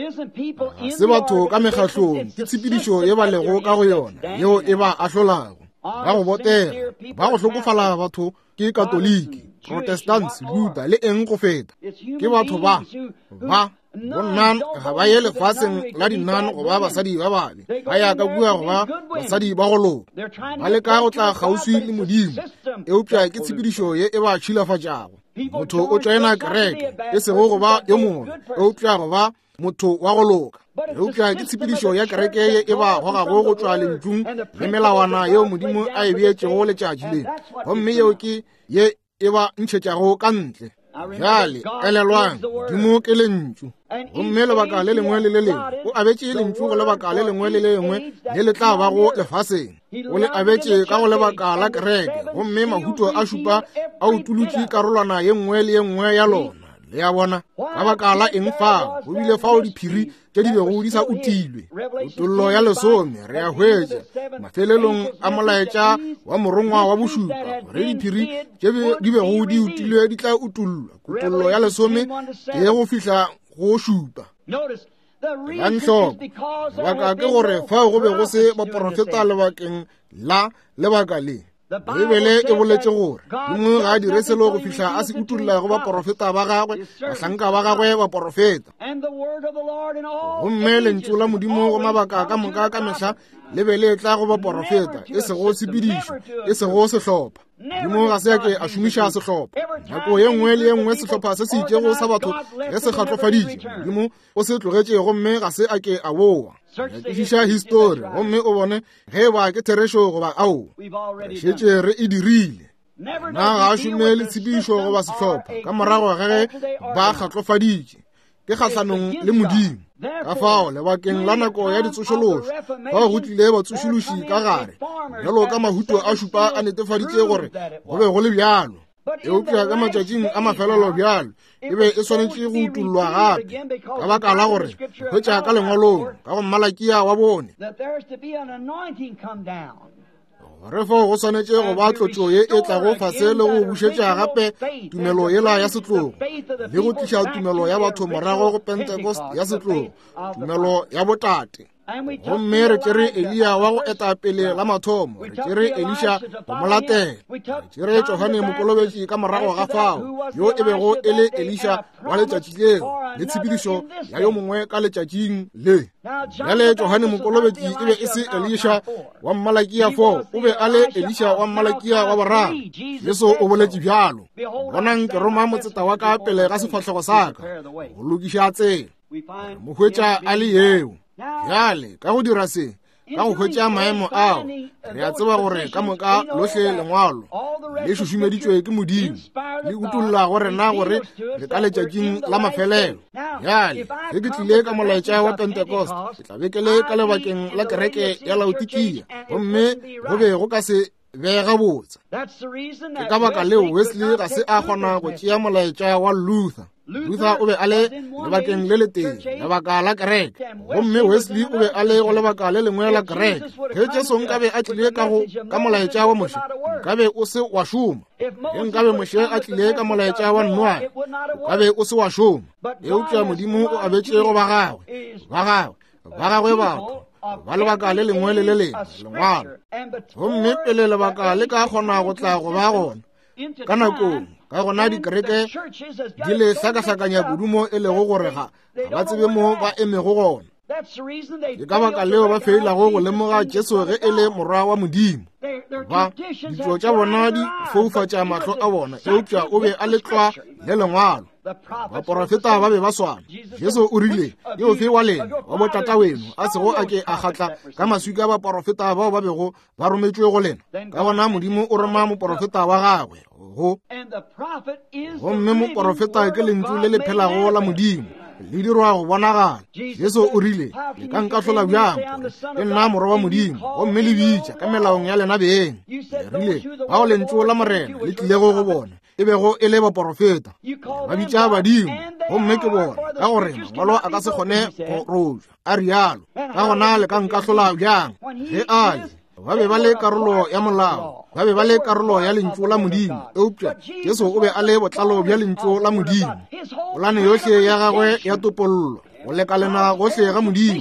se batho ka mekgahlong, ke tshepedišo ye ba lego ka go yona yeo e ba ahlolago. Ba go botega, ba go hlokofala batho ke Katoliki, Protestants, Luther le eng go feta. Ke batho ba ba bonnan ga ba ye lefaseng la dinnan go ba basadi ba babe, ba ya ka kua go ba basadi ba go loka. Ba leka go tla kgauswi le Modimo, eupša ke tshepedišo ye e ba tšhilafatšago. Motho o tšoena kereke, e sego go ba yo mongwe, eupša go ba motho wa go loka. Eupša ke tshepedišo ya kereke ye e ba gogago go tšwa lentšung le melawana yeo Modimo a e beetšego letšatši le, gomme yeo ke ye e ba ntšhetšago ka ntle. Bjale elelwang, Modimo ke lentšu, gomme lebaka le lengwe le le lengwe o abetše lentšu go lebaka le lengwe le le lengwe le le tla bago lefaseng. O le abetše ka go lebaka la kereke, gomme mahuto a šupa a utolotše karolwana ye nngwe le ye nngwe ya lona. Le a bona, ka baka la eng fao go bile fao diphiri tše di bego di sa utilwe. Kutollo ya lesome re a hwetša mafelelong a molaetša wa morongwa wa bošupa gore diphiri tše di bego di utilwe di tla utollwa. Kutollo ya lesome ke go fihla go šupa. Elang hloko, lebaka ke gore fao go be go se baporofeta lebakeng la lebaka le. Beibele e boletše gore Modimo ga a dire selo go fihla a se utolla go baporofeta ba gagwe, bahlanka ba gagwe baporofeta. Gomme lentšu la Modimo go mabaka ka moka ka mehla le be le tla go baporofeta, e sego tshepedišo, e sego sehlopha. Modimo ga se a ke a šomiša sehlopha. Nako ye nngwe le ye nngwe sehlopha se se itšego sa batho ge se kgatlofaditše, Modimo o se tlogetše gomme ga se a ke a boa. Nyakišiša histori gomme o bone ge e ba ke therešo goba ao. Re šetše re e dirile. Na ga a šome le tshepedišo goba sehlopha ka morago ga ge ba kgatlofaditše, ke kgahlanong le Modimo. Ka fao lebakeng la nako ya ditsošološo, fao go tlile batsošološi ka gare, bjalo ka mahuto a šupa a netefaditše gore go be go le bjalo. Eupša ka matšatšing a mafelelo bjalo e be e swanetše go utollwa gape, ka baka la gore hwetša ka lengwalong ka go Malakia wa bone Gore fao go swanetše go ba tlotšo ye e tlago fase le go bušetša gape tumelo yela ya setlogo, le go tliša tumelo ya batho morago go Pentecost ya setlogo, tumelo ya botate. Gomme re tšere Eliya wa go eta pele la mathomo, re tšere Elisha go mo latela, re tšere Johane Mokolobetši ka morago ga fao, yo e bego e le Elisha wa letšatši leo, le tshepedišo ya yo mongwe ka letšatšing le. Bjale Johane Mokolobetši e be e se Elisha wa Mmalakia four, o be a le Elisha wa Mmalakia wa boraro. Jesu o boletše bjalo, bonang ke roma motseta wa ka pele ga sefahlego sa ka, go lokiša tsela. Re mo hwetša a le yeo. Bjale ka go dira se, ka go hwetša maemo ao, re a tseba gore ka moka lohle lengwalo le šušumeditšwe ke Modimo, le utolla go rena gore re ka letšatšing la mafelelo. Bjale ge ke tlile ka molaetša wa Pentecost, ke tla be ke le ka lebakeng la kereke ya Laodikia, gomme go be go ka se be gabotse. Ke ka baka leo Wesley ga se a kgona go tšea molaetša wa Luther. Luther o be a le lebakeng le letee, lebaka la kereke, gomme Wesley o be a le go lebaka le lengwe la kereke. Ge Jesu nkabe a tlile ka go ka molaetša wa Moshe, nkabe o se wa šoma. Ge nkabe Moshe a tlile ka molaetša wa Noa, nkabe o se wa šoma. Eupša Modimo o abetše go ba gagwe, ba gagwe, ba gagwe batho ba lebaka le lengwe le le lengwe lengwalo. Gomme pele lebaka le ka kgona go tla go ba gona ka nakong, ka gona dikereke di le hlakahlakanya kudu mo e lego gore ga ba tsebe mo ba emego gona. Ke ka baka leo ba feilago go lemoga Jesu ge e le morwa wa Modimo. Ba ditšo tša bona di foufatša mahlo a bona, eupša o be a le tlwa le lengwalo. Baporofeta ba be ba swana. Jesu o rile, ke ofe wa lena wa botata weno a sego a ke a kgatla ka maswika baporofeta bao ba bego ba rometšwe go lena? Ka gona Modimo o roma moporofeta wa gagwe go. Gomme moporofeta ke lentšu le le phelago la Modimo, le dirwa go bonagala. Jesu o rile, le ka nkahlola bjang ke nna morwa wa Modimo, gomme le bitša ka melaong ya lena beng? Le rile, bao lentšu la Morena le tlilego go bona e bego e le baporofeta, ba bitša badimo, gomme ke bona, ka gore mangwalo a ka se kgone go rojwa, a rialo. Ka gona le ka nkahlola bjang? Ge a le ba be ba le karolo ya molao, ba be ba le karolo ya lentšu la Modimo, eupša Jesu o be a le botlalo bja lentšu la Modimo. Polane yohle ya gagwe ya topollo, go lekalena gohle ga Modimo,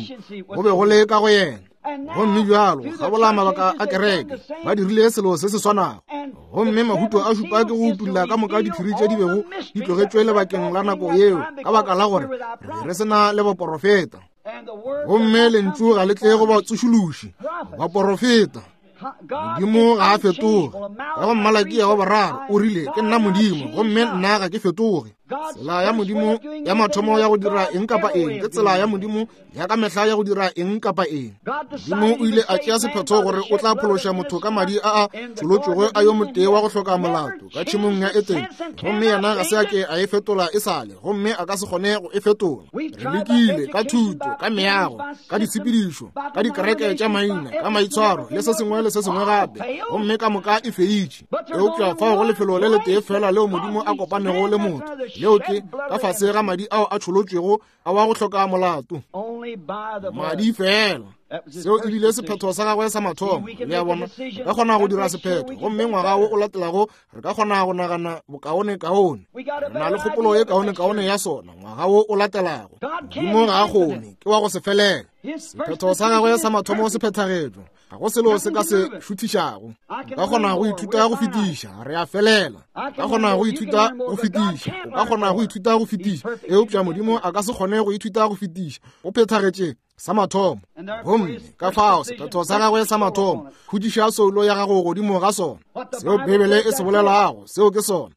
go be go le ka go yena. Gomme bjalo gabola mabaka a kereke, ba dirile selo se se swanago. Gomme mahuto a šupa ke go utulla ka moka diphiri tše di bego di tlogetšwe lebakeng la nako yeo, ka baka la gore re be re se na le baporofeta. Gomme lentšu ga le tle go ba tsošološi, baporofeta. Modimo ga a fetoge. Ka go Mmalakia wa boraro o rile, ke nna Modimo, gomme nna ga ke fetoge. Tsela ya Modimo ya mathomo ya go dira eng kapa eng ke tsela ya Modimo ya ka mehla ya go dira eng kapa eng. Modimo o ile a tšea sephetho gore o tla phološa motho ka madi a a tšholotšwego a yo motee wa go hloka molato ka tšhemong ya Etene, gomme yena ga se a ke a e fetola e sale, gomme a ka se kgone go e fetola. Re lekile ka thuto, ka meago, ka ditshepedišo, ka dikereke tša maina, ka maitshwaro le se sengwe le se sengwe gape, gomme ka moka e feitše. Eupša fao go lefelo le letee fela leo Modimo a kopanego le motho, leo ke ka fase ga madi ao a tšholotšwego a wa go hloka molato. Madi fela. Seo e bile sephetho sa gagwe sa mathomo. Le a bona, re ka kgona go dira sephetho, gomme ngwaga wo o latelago re ka kgona go nagana bokaonekaone. Re na le kgopolo ye kaonekaone ya sona ngwaga wo o latelago. Modimo ga a kgone, ke wa go se felele. Sephetho sa gagwe sa mathomo se phethagetšwe, ga go selo se ka se šuthišago. O ka kgona go ithuta go fetiša, re a felela. O ka kgona go ithuta go fetiša, o ka kgona go ithuta go fetiša, eupša Modimo a ka se kgone go ithuta go fetiša. O phethagetše sa mathomo. Gomme ka fao sephetho sa gagwe sa mathomo, khutiša soulo ya gago godimo ga sona. Seo Bibele e se bolelago, seo ke sona.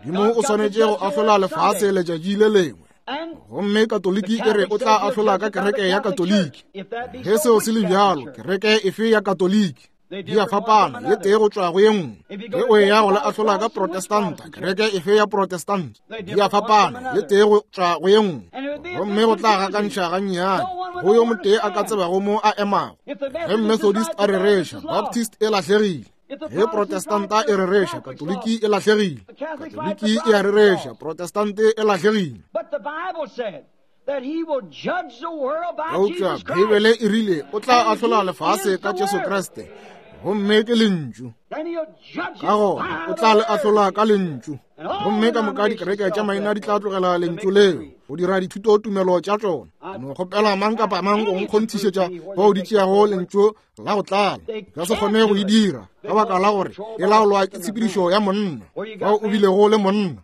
Modimo o swanetše go ahlola lefase letšatši le lengwe. Gomme Katoliki e re o tla ahlola ka kereke ya Katoliki. Ge seo se le bjalo, kereke efe ya Katoliki? Di a fapana, ye tee go tšwa go ye nngwe. Ge o eya go le ahlola ka Protestanta, kereke efe ya Protestanta? Di a fapana, ye tee go tšwa go ye nngwe. Gomme go tla gakantšha gannyane, go yo motee a ka tsebago mo a emago. Ge Methodist a rereša, Baptist e lahlegile. Ge Protestanta e rereša, Katoliki e lahlegile. Katoliki e a rereša, Protestante e lahlegile. Eupša Beibele e rile o tla ahlola lefase ka Jesu Kriste, Gomme ke lentšu. Ka gona o tla le ahlola ka lentšu. Gomme ka moka dikereke tša maina di tla tlogela lentšu leo go dira dithutotumelo tša tšona. No kgopela mang kapa mang go nkgonthišetša bao di tšeago lentšu la go tlala. Ka se kgone go e dira ka baka la gore e laolwa ke tshepedišo ya monna, bao o bilego le monna.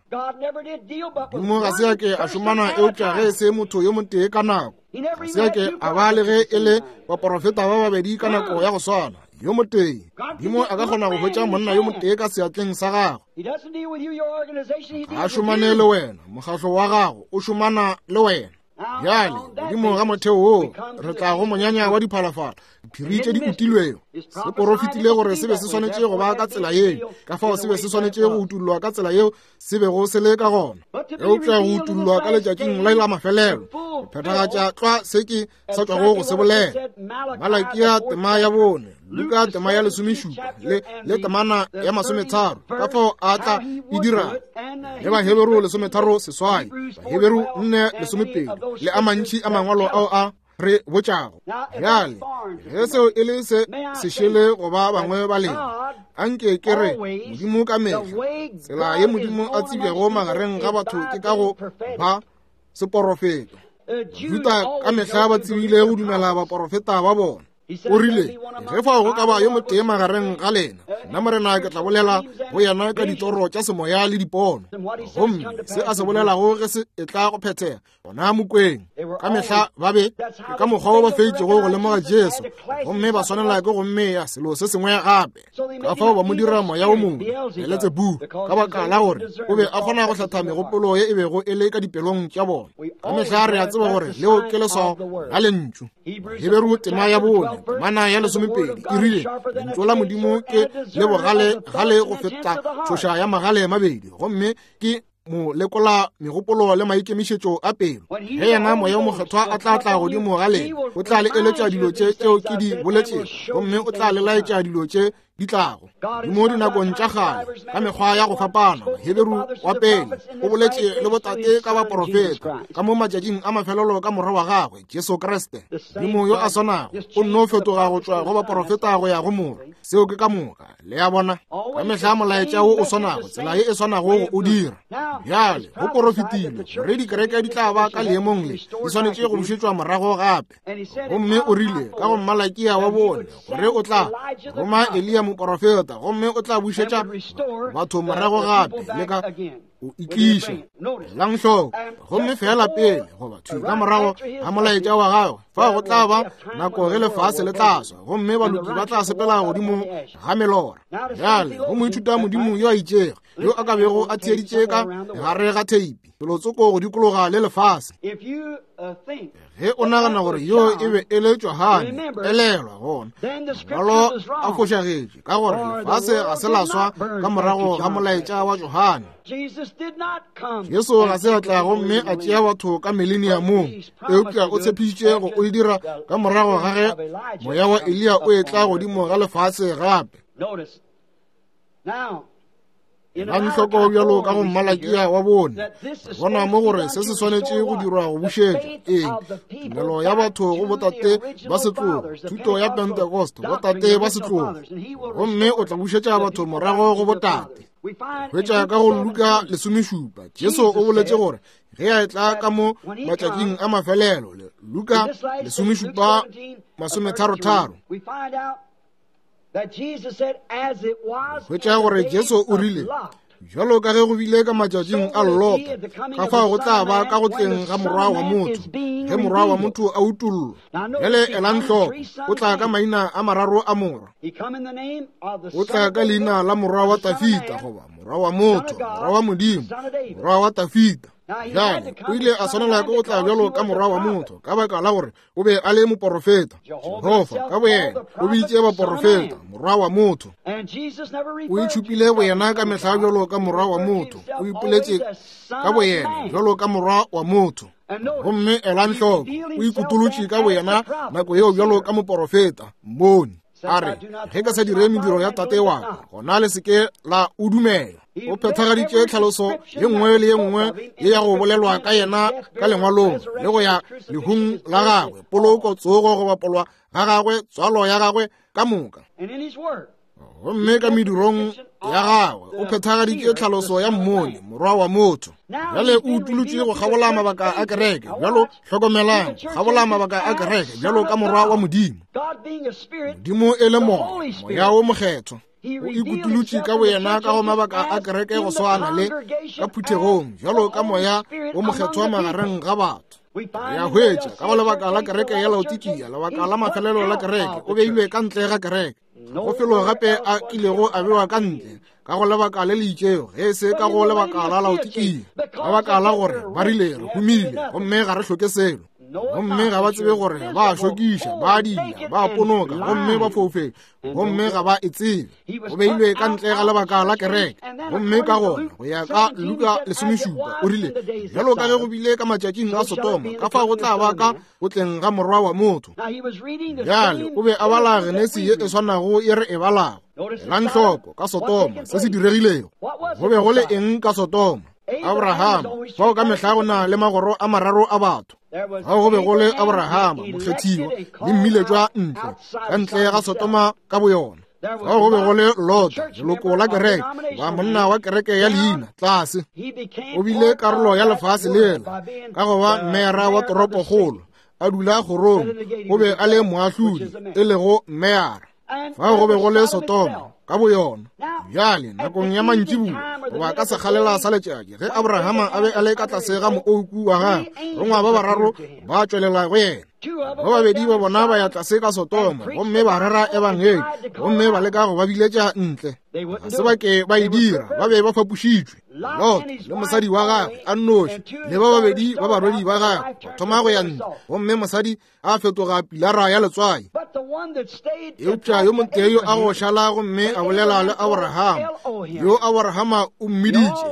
Modimo ga se a ke a šomana eupša ge e se motho yo motee ka nako. Ga se a ke a ba le ge e le baporofeta ba babedi ka nako ya go swana. Yo motee. Modimo a ka kgona go hwetša monna yo motee ka seatleng sa gagwe. Ga a šomane le wena, mokgahlo wa gago o šomana le wena. Bjale, godimo ga motheo woo, re tla go monyanya wa diphalafala, diphiri tše di utilwego. Se porofetile gore se be se swanetše go ba ka tsela yeo, ka fao se be se swanetše go utullwa ka tsela yeo se bego se le ka gona. Eupša go utullwa ka letšatšing la la mafelelo, go phethagatša tlwa se ke sa tšwago go se bolela. Malakia tema ya bone, Luka tema ya lesomešupa le le temana ya masometharo, ka fao a tla e dira. Le Baheberu lesometharo seswai, Baheberu nne lesomepedi, le a mantši a mangwalo ao a re botšago. Bjale, ge seo e le se sešele go ba bangwe ba lena, anke ke re Modimo ka mehla, tsela ye Modimo a tsebjago magareng ga batho ke ka go ba seporofeto. Bajuda ka mehla ba tsebile go dumela baporofeta ba bona. O rile, ge fao go ka ba yo motee magareng ga lena, nna Morena ke tla bolela go yena ka ditoro tša semoya le dipono. Gomme se a se bolelago ge se etla go phethega, gona mokweng. Ka mehla ba be ke ka mokgwa wo ba feitšego go lemoga Jesu, gomme ba swanela ke go mmea selo se sengwe gape. Ka fao ba mo dira moya o mongwe, Beletsebu, ka baka la gore o be a kgona go hlatha megopolo ye e bego e le ka dipelong tša bona. Ka mehla re a tseba gore leo ke leswao la lentšu. Heberu tema ya bone, temana ya lesomepedi e rile, lentšu la Modimo ke le bogale gale go feta tšhoša ya magale mabedi, gomme ke mo lekola megopolo le maikemišetšo a pelo. Ge yena Moya o Mokgethwa a tla tla godimo ga lena, o tla le eletša dilo tše tšeo ke di boletšego, gomme o tla le laetša dilo tše di tlago. Modimo dinakong tša kgale ka mekgwa ya go fapana, Heberu wa pele o boletše le botate ka baporofeta, ka mo matšatšing a mafelelo ka morwa wa gagwe Jesu Kriste. Modimo yo a swanago o nno fetoga go tšwa go baporofeta go ya go morwa. Seo ke ka moka. Le a bona, ka mehla molaetša wo o swanago, tsela ye e swanago go o dira. Bjale go porofetilwe gore dikereke di tla ba ka leemong le, di swanetše go bušetšwa morago gape. Gomme o rile ka go Malakia wa bone gore o tla roma Eliya moporofeta, gomme o tla bušetša batho morago gape le ka o itliša. Elang hloko, gomme fela pele goba thwi ka morago ga molaetša wa gagwe, fao go tla ba nako ge lefase le tla swa, gomme baloki ba tla sepela godimo ga melora. Bjale go moithuta Modimo yo a itšego yo a ka bego a theeditše ka gare ga theipi felotsoko go dikologa le lefase. Ge o nagana gore yo e be e le Johane, elelwa gona mangwalo a fošagetše, ka gore lefase ga se la swa ka morago ga molaetša wa Johane. Jesu ga se a tla gomme a tšea batho ka mileniamong, eupša o tshepišitše go o e dira ka morago ga ge moya wa Eliya o etla godimo ga lefase gape. Elang hloko bjalo ka go Malakia wa bone, bona mo gore se se swanetše go dirwa go bušetša eng tumelo ya batho go botate ba setlogo, thuto ya Pentecost, botate ba setlogo, gomme o tla bušetša batho morago go botate. Hwetša ka go Luka lesomešupa, Jesu o boletše gore ge a etla ka mo matšatšing a mafelelo, Luka lesomešupa masometharotharo, hwetša gore Jesu o rile, bjalo ka ge go bile ka matšatšing a Lota, ka fao go tla ba ka go tleng ga morwa wa motho, ge morwa wa motho a utollwa. Bjale elang hloko, o tla ka maina a mararo a morwa. O tla ka leina la morwa wa Tafita, goba morwa wa motho, morwa wa Modimo, morwa wa Tafita. Bjale o ile a swanela ke go tla bjalo ka morwa wa motho, ka baka la gore o be a le moporofeta. Jehofa ka boyena o bitše baporofeta morwa wa motho. O itšhupile boyena ka mehla bjalo ka morwa wa motho, o ipoletše ka boyena bjalo ka morwa wa motho. Gomme elang hloko, o ikutolotše ka boyena nako yeo bjalo ka moporofeta, mmoni. A re, ge ka sa dire mediro ya Tate wa ka, gona le se ke la o dumela. O phethagaditše tlhaloso ye nngwe le ye nngwe ye ya go bolelwa ka yena ka lengwalong, le go ya lehung la gagwe, poloko, tsogo, go bapolwa ga gagwe, tswalo ya gagwe ka moka. Gomme ka medirong ya gagwe o phethagaditše tlhaloso ya mmoni, morwa wa motho. Bjale o utulotše go kgabola mabaka a kereke. Bjalo hlokomelang, kgabola mabaka a kereke bjalo ka morwa wa Modimo. Modimo e le moya, moya wo mokgethwa. O ikutulotše ka boyena ka go mabaka a kereke go swana le ka phuthegong, bjalo ka moya wo mokgethwa magareng ga batho. Re a hwetša ka go lebaka la kereke ya Laodikia, lebaka la mafelelo la kereke, o beilwe ka ntle ga kereke. Go felo gape a kilego a bewa ka ntle ka go lebaka le le itšego, ge e se ka go lebaka la Laodikia, ka baka la gore ba rile re humile gomme ga re hloke selo. Gomme ga ba tsebe gore ba šokiša, ba dila, ba ponoka, gomme ba foufetše, gomme ga ba e tsebe. O beilwe ka ntle ga lebaka la kereke. Gomme ka gona go ya ka Luka lesomešupa o rile, bjalo ka ge go bile ka matšatšing a Sodoma, ka fao go tla ba ka go tleng ga morwa wa motho. Bjale o be a bala Genesi ye e swanago ye re e balago. Elang hloko ka Sodoma se se diregilego. Go be go le eng ka Sodoma? Abrahama. Fao ka mehla go na le magoro a mararo a batho. Fao go be go le Abrahama, mokgethiwa, le mmiletšwa ntle, ka ntle ga Sodoma ka boyona. Fao go be go le Lota, leloko la kereke, ba monna wa kereke ya leina, tlase. O bile karolo ya lefase lela, ka go ba mmeara wa toropokgolo, a dula kgorong, o be a le moahlodi, e lego mmeara. Fao go be go le Sodoma ka boyona. Bjale nakong ya mantšiboa, goba ka sekgalela sa letšatši, ge Abrahama a be a le ka tlase ga moouku wa gagwe, rongwa ba bararo ba tšwelela go yena. Ba babedi ba bona ba ya tlase ka Sodoma, gomme ba rera ebangedi, gomme ba leka go ba biletša ntle. Ga se ba ke ba e dira, ba be ba fapošitšwe. Lot le mosadi wa gagwe a nnoši, le ba babedi ba barwedi ba gagwe, ba thoma go ya ntle, gomme mosadi a fetoga pilara ya letswai. Eupša yo motee yo a go šala gomme a bolela le Abrahama, yo Abrahama o mmiditše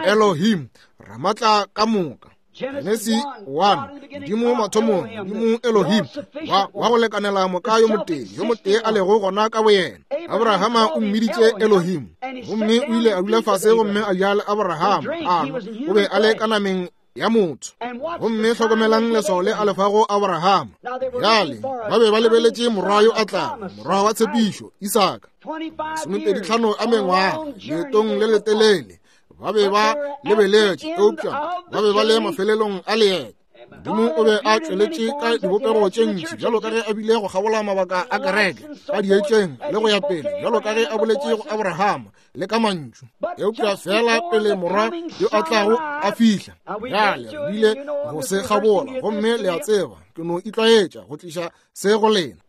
Elohim, Ramatla ka moka. Genesi one, Modimo mathomong, Modimo Elohim, wa, wa go lekanela moka yo motee, yo motee a lego gona ka boyena. Abrahama o mmiditše Elohim, gomme o ile a dula fase gomme a ja le Abrahama, a nwa, o be a le ka nameng ya motho. Gomme hlokomelang leswao le a lefago Abrahama. Bjale ba be ba lebeletše morwa yo a tlago, morwa wa tshepišo, Isaka. Masomepedi tlhano a mengwaga, leetong le letelele, ba be ba lebeletše, eupša ba be ba le mafelelong a leeto. Modimo o be a tšweletše ka dibopego tše ntši, bjalo ka ge a bile go kgabola mabaka a kereke, ka dietšeng le go ya pele, bjalo ka ge a boletše go Abrahama le ka mantšu. Eupša fela pele morwa yo a tlago a fihla, bjale re bile go se kgabola, gomme le a tseba ke no itlwaetša go tliša se go lena.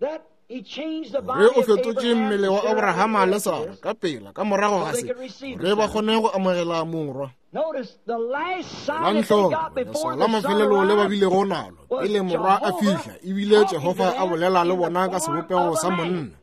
Gore o fetotše mmele wa Abrahama le Sara ka pela ka morago ga se, gore ba kgone go amogela morwa. Elang hloko leswao la mafelelo le ba bilego nalo pele morwa a fihla, ebile Jehofa a bolela le bona ka sebopego sa monna.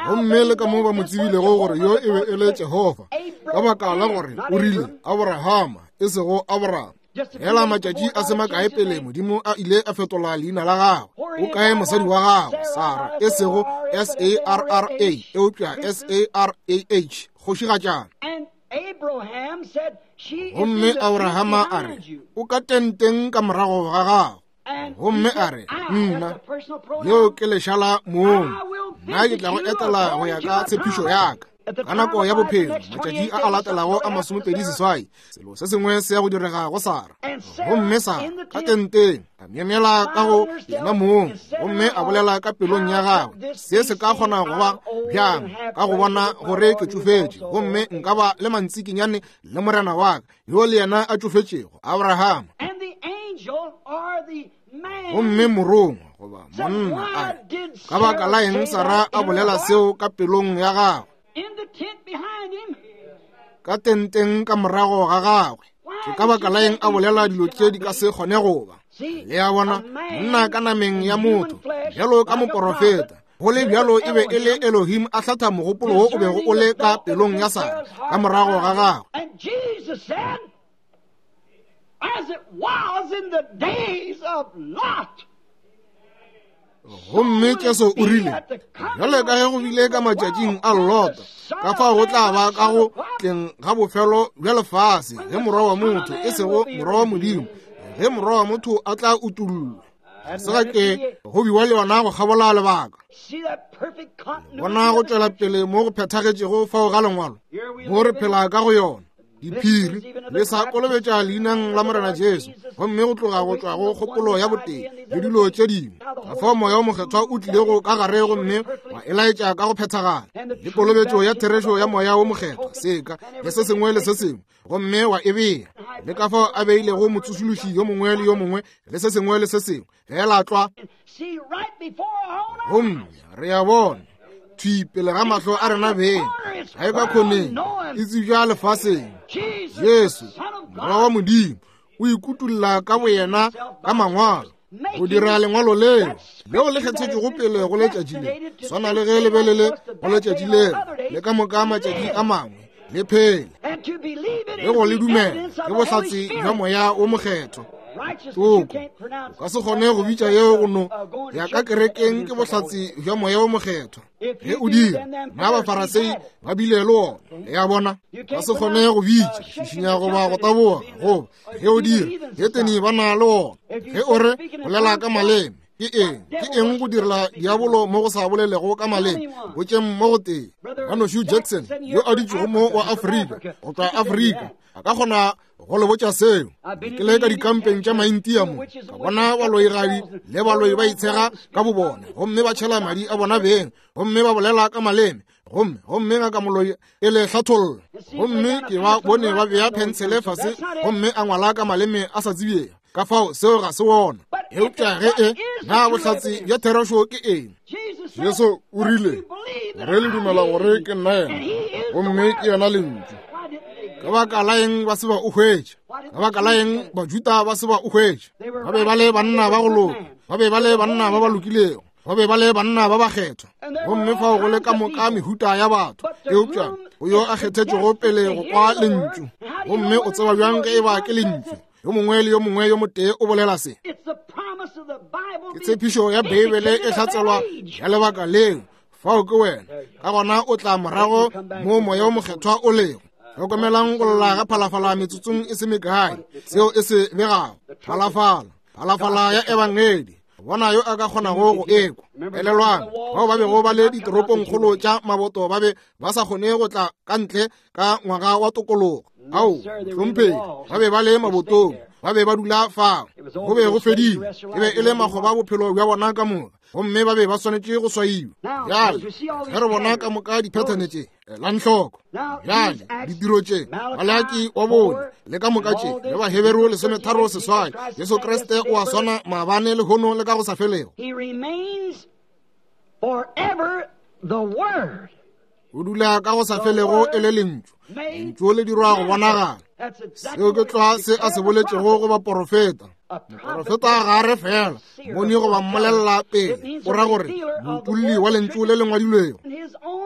Gomme le ka mo ba mo tsebilego gore yo e be e le Jehofa, ka baka la gore o rile Abrahama, e sego Abraham. Hela matšatši a se makae pele Modimo a ile a fetola leina la gagwe. O kae mosadi wa gagwe, Sara, e sego S A R R A, eupša S A R A H, kgošigatšana. Gomme Abrahama a re, o ka tenteng ka morago ga gago. Gomme a re, nna, yeo ke lešala mong, nna ke tla go etela go ya ka tshepišo ya ka. Ka nako ya bophelo, matšatši a a latelago a masomepedi seswai, selo se sengwe se ya go direga go Sara. Gomme Sara ka tenteng a myemyela ka go yena mong, gomme a bolela ka pelong ya gagwe, se se ka kgona go ba bjang ka go bona gore ke tšofetše, gomme nka ba le mantsikinyane le morena wa ka yo le yena a tšofetšego, Abrahama. Gomme morongwa goba monna a re, ka baka la eng Sara a bolela seo ka pelong ya gagwe? Ka tenteng ka morago ga gagwe. Ke ka baka la eng a bolela dilo tše di ka se kgone go ba? Le a bona, monna ka nameng ya motho, bjalo ka moporofeta, go le bjalo e be e le Elohim a hlatha mogopolo wo o bego o le ka pelong ya Sara ka morago ga gagwe. As it was in the days of Lot. Gomme Jesu o rile, bjale ka ge go bile ka matšatšing a Lota, ka fao go tla ba ka go tleng ga bofelo bja lefase, ge morwa wa motho, e sego morwa wa Modimo, ge morwa wa motho a tla utullwa. Se ga ke go biwa le yona go kgabola lebaka. Bona go tšwela pele mo go phethagetšego fao ga lengwalo, mo re phela ka go yona. Diphiri le sa kolobetša leineng la Morena Jesu, gomme go tloga go tšwa go kgopolo ya botee le dilo tše dingwe. Ka fao Moya o Mokgethwa o tlilego ka gare gomme wa e laetša ka go phethagala, le kolobetšo ya therešo ya Moya o Mokgethwa, seka le se sengwe le se sengwe, gomme wa e bea. Le ka fao a beilego motsošološi yo mongwe le yo mongwe le se sengwe le se sengwe, fela tlwa. Gomme re a bona thwi pele ga mahlo a rena beng, ga e ka kgoneng e tsebja lefaseng. Jesu morwa wa Modimo o ikutulla ka boyena ka mangwalo, go dira lengwalo leo leo le kgethetšwego pele go letšatši le, swana le ge le be le le go letšatši leo le ka moka matšatši a mangwe le phele, le go le dumela ke bohlatse bja Moya o Mokgethwa. Toko o ka se kgone go bitša yeo go no ya ka kerekeng ke bohlatse bja Moya o Mokgethwa. Ge o dira, na Bafarasei ba bile le wona, le a bona. Ka se kgone go bitša šišinya goba go taboga, goba ge o dira, hetene ba na le wona. Ge o re bolela ka maleme, ke eng? Ke eng go direla diabolo mo go sa bolelego ka maleme? Botšeng mo go tee. Ngwanešu Jackson yo a dutšego mo wa Afrika, go tšwa Afrika, a ka kgona go le botša seo. Ke le ka dikampeng tša Maintia mo, ka bona baloigadi le baloi ba itshega ka bobone, gomme ba tšhela madi a bona beng, gomme ba bolela ka maleme, gomme gomme ngaka moloi e le hlatholla. Gomme ke ba bone ba bea phensele fase gomme a ngwala ka maleme a sa tsebjego. Ka fao seo ga se wona. Eupša ge e na bohlatse bja therešo ke eng? Jesu o rile, re le dumela gore ke nna yena, gomme ke yena lentšu. Ka baka la eng ba se ba o hwetša? Ka baka la eng Bajuda ba se ba o hwetša? Ba be ba le banna ba go loka, ba be ba le banna ba ba lokilego, ba be ba le banna ba bakgethwa, gomme fao go le ka moka mehuta ya batho. Eupša o yo a kgethetšwego pele go kwa lentšu, gomme o tseba bjang ge e ba ke lentšu? Yo mongwe le yo mongwe yo motee o bolela se. Ke tshepišo ya Beibele e hlatselwa ya lebaka leo. Fao ke wena. Ka gona o tla morago mo Moya o Mokgethwa o lego. Hlokomelang go lla ga phalafala metsotsong e se mekae, seo e se begago. Phalafala, phalafala ya Ebangedi, bona yo a ka kgonago go ekwa. Elelwang, bao ba bego ba le ditoropongkgolo tša maboto ba be ba sa kgone go tla ka ntle ka ngwaga wa tokologo. Ao, hlomphegi, ba be ba le mabotong, ba be ba dula fao. Go be go fedile, e be e le makgoba bophelo bja bona ka moka, gomme ba be ba swanetše go swaiwa. Bjale ge re bona ka moka diphethene tše, elang hloko. Bjale ditiro tše, Malaki wa bone le ka moka tše, le Baheberu lesometharo seswai, Jesu Kriste o a swana maabane lehono le ka go sa felego. O dula ka go sa felego e le lentšu. Lentšu le dirwa go bonagala. Seo ke tlwa se a se boletšego go baporofeta. Moporofeta ga a re fela moni goba mmolelela pele, o ra gore moutulli wa lentšu le le ngwadilwego.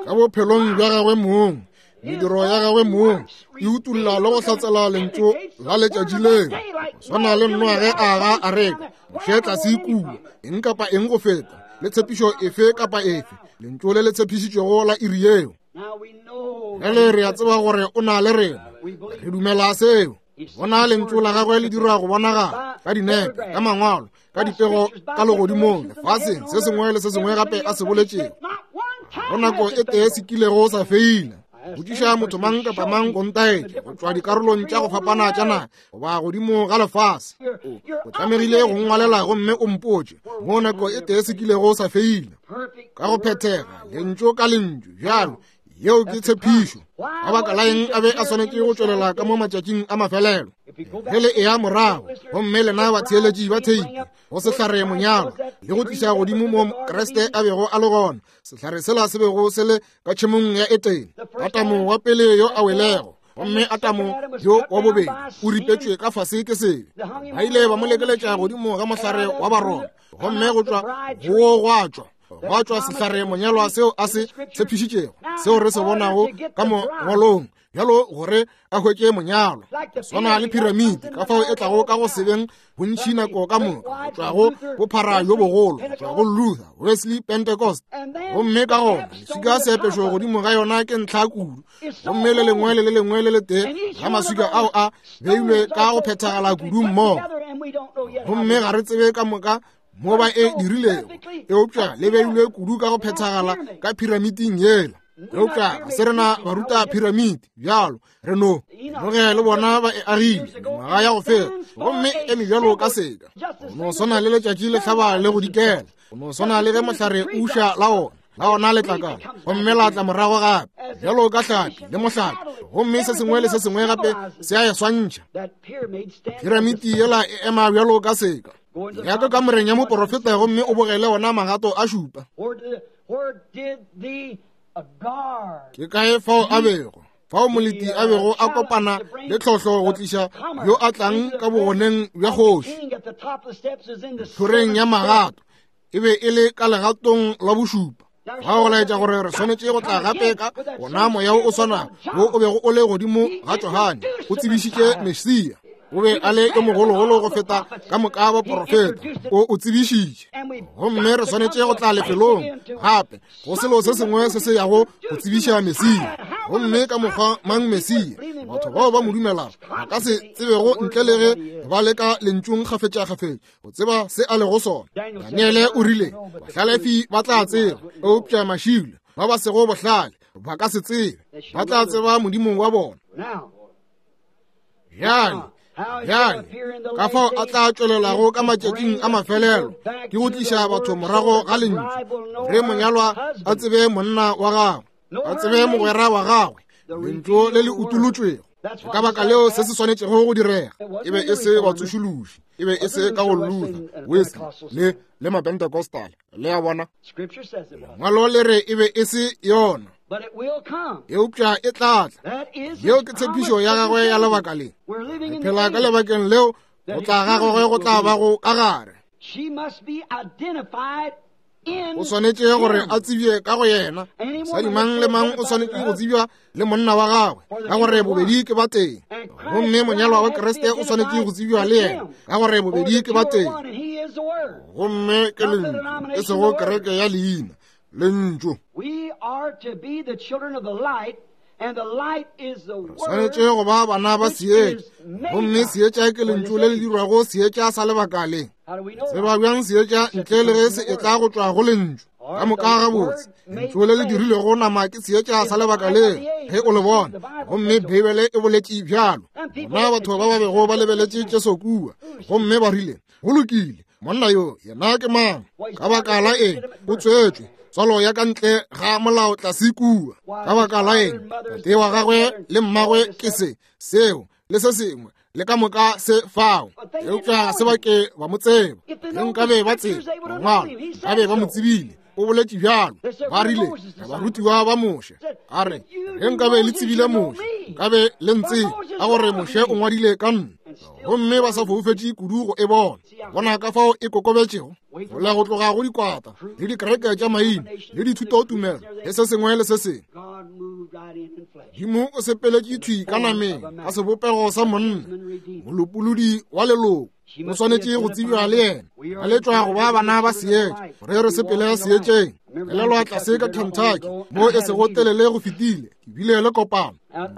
Ka bophelong bja gagwe mong, mediro ya gagwe mong e utulla le go hlatsela lentšu la letšatši leo. Go swana le Noa ge a aga areka, Moshe tlase kua, eng kapa eng go feta, le tshepišo efe kapa efe, lentšu le le tshepišitšwego la iri yeo. Bjale re a tseba gore o na le rena, re dumela seo. Bona lentšu la gagwe le dirwa go bonagala ka dinepe, ka mangwalo, ka dipego, ka legodimong, lefaseng, se sengwe le se sengwe gape a se boletšego. Go nako e tee se kilego sa feila. Botšiša motho mang kapa mang go ntaetša go tšwa dikarolong tša go fapana tša naga goba godimo ga lefase. O tlamegile go ngwalela gomme o mpotše mo nako e tee se kilego sa feila. Ka go phethega lentšu ka lentšu bjalo, yeo ke tshepišo. Ka baka la eng a be a swanetše go tšwelela ka mo matšatšing a mafelelo? Ge le eya morago gomme lena batheeletši ba theipi go sehlare monyalo le go tliša godimo mo Kriste a bego a le gona, sehlare sela se bego se le ka tšhemong ya Etene, Atamo wa pele yo a welego, gomme Atamo yo wa bobedi o ripetšwe ka fase ke sebe. Ba ile ba mo lekeletša godimo ga mohlare wa Baroma, gomme go tšwa go gwa tšwa gwa tšwa sehlare monyalwa seo a se tshepišitšego, seo re se bonago ka mongwalong bjalo gore a hwetše monyalwa. Swana le phiramiti ka fao e tlago ka go sebeng bontši nako ka moka, go tšwa go bophara bjo bogolo, go tšwa go Luther, Wesley, Pentecost. Gomme ka gona leswika seapešo godimo ga yona ke ntlha kudu, gomme le lengwe le le lengwe le letee ga maswika ao a beilwe ka go phethagala kudu mmogo. Gomme ga re tsebe ka moka mo ba e dirilego, eupša le beilwe kudu ka go phethagala ka phiramiting yela. Eupša ga se rena baruta phiramiti bjalo, re no noge le bona ba e agile mengwaga ya go feta, gomme e eme bjalo ka seka. Go no swana le letšatši le hlaba le go dikela, go no swana le ge mohlare o uša la ona la ona letlakala, gomme la tla morago gape bjalo ka hlapi le mohlapi, gomme se sengwe le se sengwe gape se a e swantšha. Phiramiti yela e ema bjalo ka seka. Ya ka kamoreng ya moporofeta gomme o bogele ona magato a šupa. Ke kae fao a bego, fao moleti a bego a kopana le tlhohlo go tliša yo a tlang ka bogoneng bja kgoši. Tlhoreng ya magato e be e le ka legatong la bošupa. Ga go laetša gore re swanetše go tla gape ka ona moya o swanago wo o bego o le godimo ga Johane, o tsebišitše Mesia. O be a le yo mogologolo go feta ka moka baporofeta, o o tsebišitše. Gomme re swanetše go tla lefelong gape go selo se sengwe se se yago go tsebiša Mesia. Gomme ka mokgwa mang Mesia, batho bao ba mo dumelago ba ka se tsebego ntle le ge ba le ka lentšung kgafetšakgafetša go tseba se a lego sona. Daniele o rile bahlalefi ba tla tseba, eupša mašilo ba ba sego bohlale ba ka se tsebe, ba tla tseba Modimo wa bona. Bjale bjale ka fao a tla tšwelelago ka matšatšing a mafelelo ke go tliša batho morago ga lentšu, re monyalwa a tsebe monna wa gagwe, a tsebe mogwera wa gagwe, lentšu le le utolotšwego. Ka baka leo se se swanetšego go direga e be e se batsošološi, e be e se ka go Luther, Wesley le le Mapentecostal. Le a bona, lengwalo le re e be e se yona, eupša e tla tla. Yeo ke tshepišo ya gagwe ya lebaka le. Re phela ka lebakeng leo go tla ga gagwe go tla bago ka gare. O swanetše gore a tsebje ka go yena. Mosadi mang le mang o swanetše go tsebja le monna wa gagwe, ka gore bobedi ke ba teng. Gomme monyalwa wa Kriste o swanetše go tsebja le yena, ka gore bobedi ke ba teng. Gomme ke lentšu, e sego kereke ya leina, lentšu. Re swanetše go ba bana ba seetša, gomme seetša ke lentšu le le dirwago seetša sa lebaka le. Tseba bjang seetša ntle le ge se etla go tšwa go lentšu? Ka moka gabotse, lentšu le le dirilego nama ke seetša sa lebaka le ge o le bona, gomme Beibele e boletše bjalo. Bona batho ba ba bego ba lebeletše Jesu kua, gomme ba rile, go lokile, monna yo yena ke mang? Ka baka la eng o tswetšwe tswalo ya ka ntle ga molao tlase kua? Ka baka la eng tate wa gagwe le mmagwe ke se seo le se sengwe le ka moka se fao? Eupša se ba ke ba mo tseba. Ge nkabe ba tseba mangwalo, nkabe ba mo tsebile. O boletše bjalo. Ba rile barutiwa ba Moshe, a re ge nkabe le tsebile Moshe, nkabe le ntsebe, ka gore Moshe o ngwadile ka nna. Gomme ba sa foufetše kudu go e bona. Bona ka fao e kokobetšego go la go tloga go dikwata le dikereke tša maina le dithutotumelo le se sengwe le se sengwe. Modimo o sepeletše thwi ka nameng ka sebopego sa monna, molopolodi wa leloko. O swanetše go tsebja le yena. Ba letšwa go ba bana ba seetša, gore re sepele seetšeng. Elelwa tlase ka Kentucky mo e sego telele go fetile, ke bile le kopano.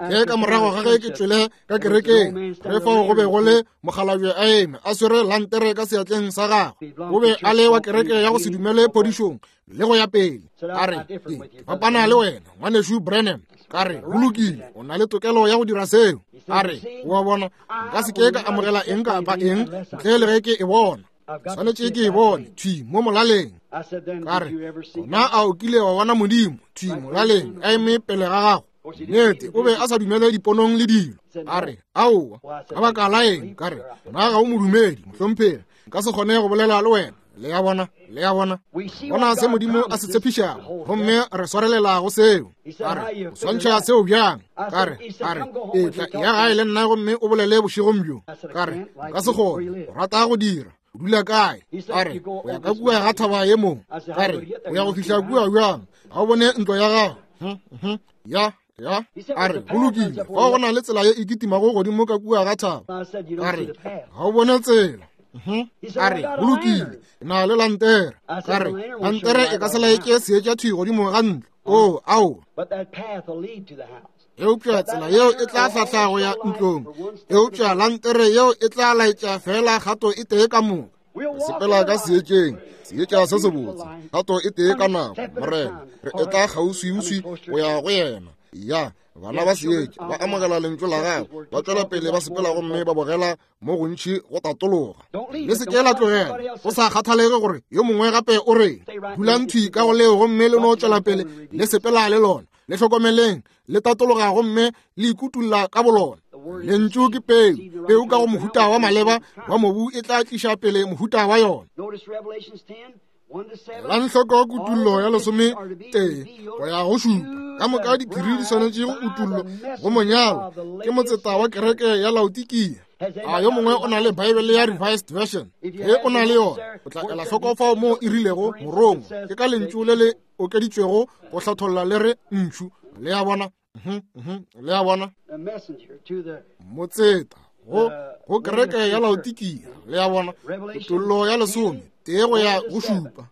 Ke ka morago ga ge ke tšwele ka kerekeng, re fao go be go le mokgalabje a eme a swere lantere ka seatleng sa gagwe. O be a le wa kereke ya go se dumele phodišong le go ya pele. A re, ke fapana le wena ngwanešu Branham. Ka re, go lokile, o na le tokelo ya go dira seo. A re, o a bona, nka se ke ka amogela eng kapa eng ntle le ge ke e bona. Swanetše ke e bone thwi mo molaleng. Ka re, gona a o kile wa bona Modimo thwi molaleng a eme pele ga gago? Nnete, o be a sa dumele diponong le dilo. A re, aowa, ka baka la eng? Ka re, gona ga o modumedi, mohlomphegi, nka se kgone go bolela le wena. Le a bona, le a bona. Bona se Modimo a se tshepišago, gomme re swarelela go seo. A re, o swantšha seo bjang? Ka re, a re, etla ya gae le nna gomme o bolele bošegong bjo. Ka re, nka se kgone, o rata go dira. O dula kae? A re, o ya ka kua ga thaba ye mongwe. Ka re, o ya go fihla kua bjang? Ga o bone ntlo ya gago? Ya, Ya, a re, go lokile, fao go na le tsela ye e kitimago godimo ka kua ga thaba. A re, ga o bone tsela. A re, go lokile, na le lantere. A re, lantere e ka se laetše seetša thwi godimo ga ntlo. Oo, ao. Eupša tsela yeo e tla hlahla go ya ntlong. Eupša lantere yeo e tla laetša fela kgato e tee ka moka. Sepela ka seetšeng, seetša se sebotse, kgato e tee ka nako, Morena. Re etla kgauswiuswi go ya go yena. Ya, bana ba seetša ba amogela lentšu la gagwe, ba tšwela pele ba sepela gomme ba bogela mo gontši go tatologa. Le se ke la tlogela, go sa kgathalege gore yo mongwe gape o reng. Dulang thwi ka go leo gomme le no tšwela pele le sepela le lona. Le hlokomeleng, le tatologa gomme le ikutulla ka bolona. Lentšu ke peu, peu ka go mohuta wa maleba wa mobu e tla tliša pele mohuta wa yona. Elang hloko kutullo ya lesome tee go ya go šupa. Ka moka diphiri di swanetše go utullwa go monyalo ke motseta wa kereke ya Laodikia. A yo mongwe o na le Bible ya Revised Version? Ge o na le yona, o tla ela hloko fao moo e rilego morongwa. Ke ka lentšu le le okeditšwego go hlatholla le re ntšhu. Le a bona? Le a bona? Motseta go go kereke ya Laodikia. Le a bona? Kutullo ya lesome tee go ya go šupa.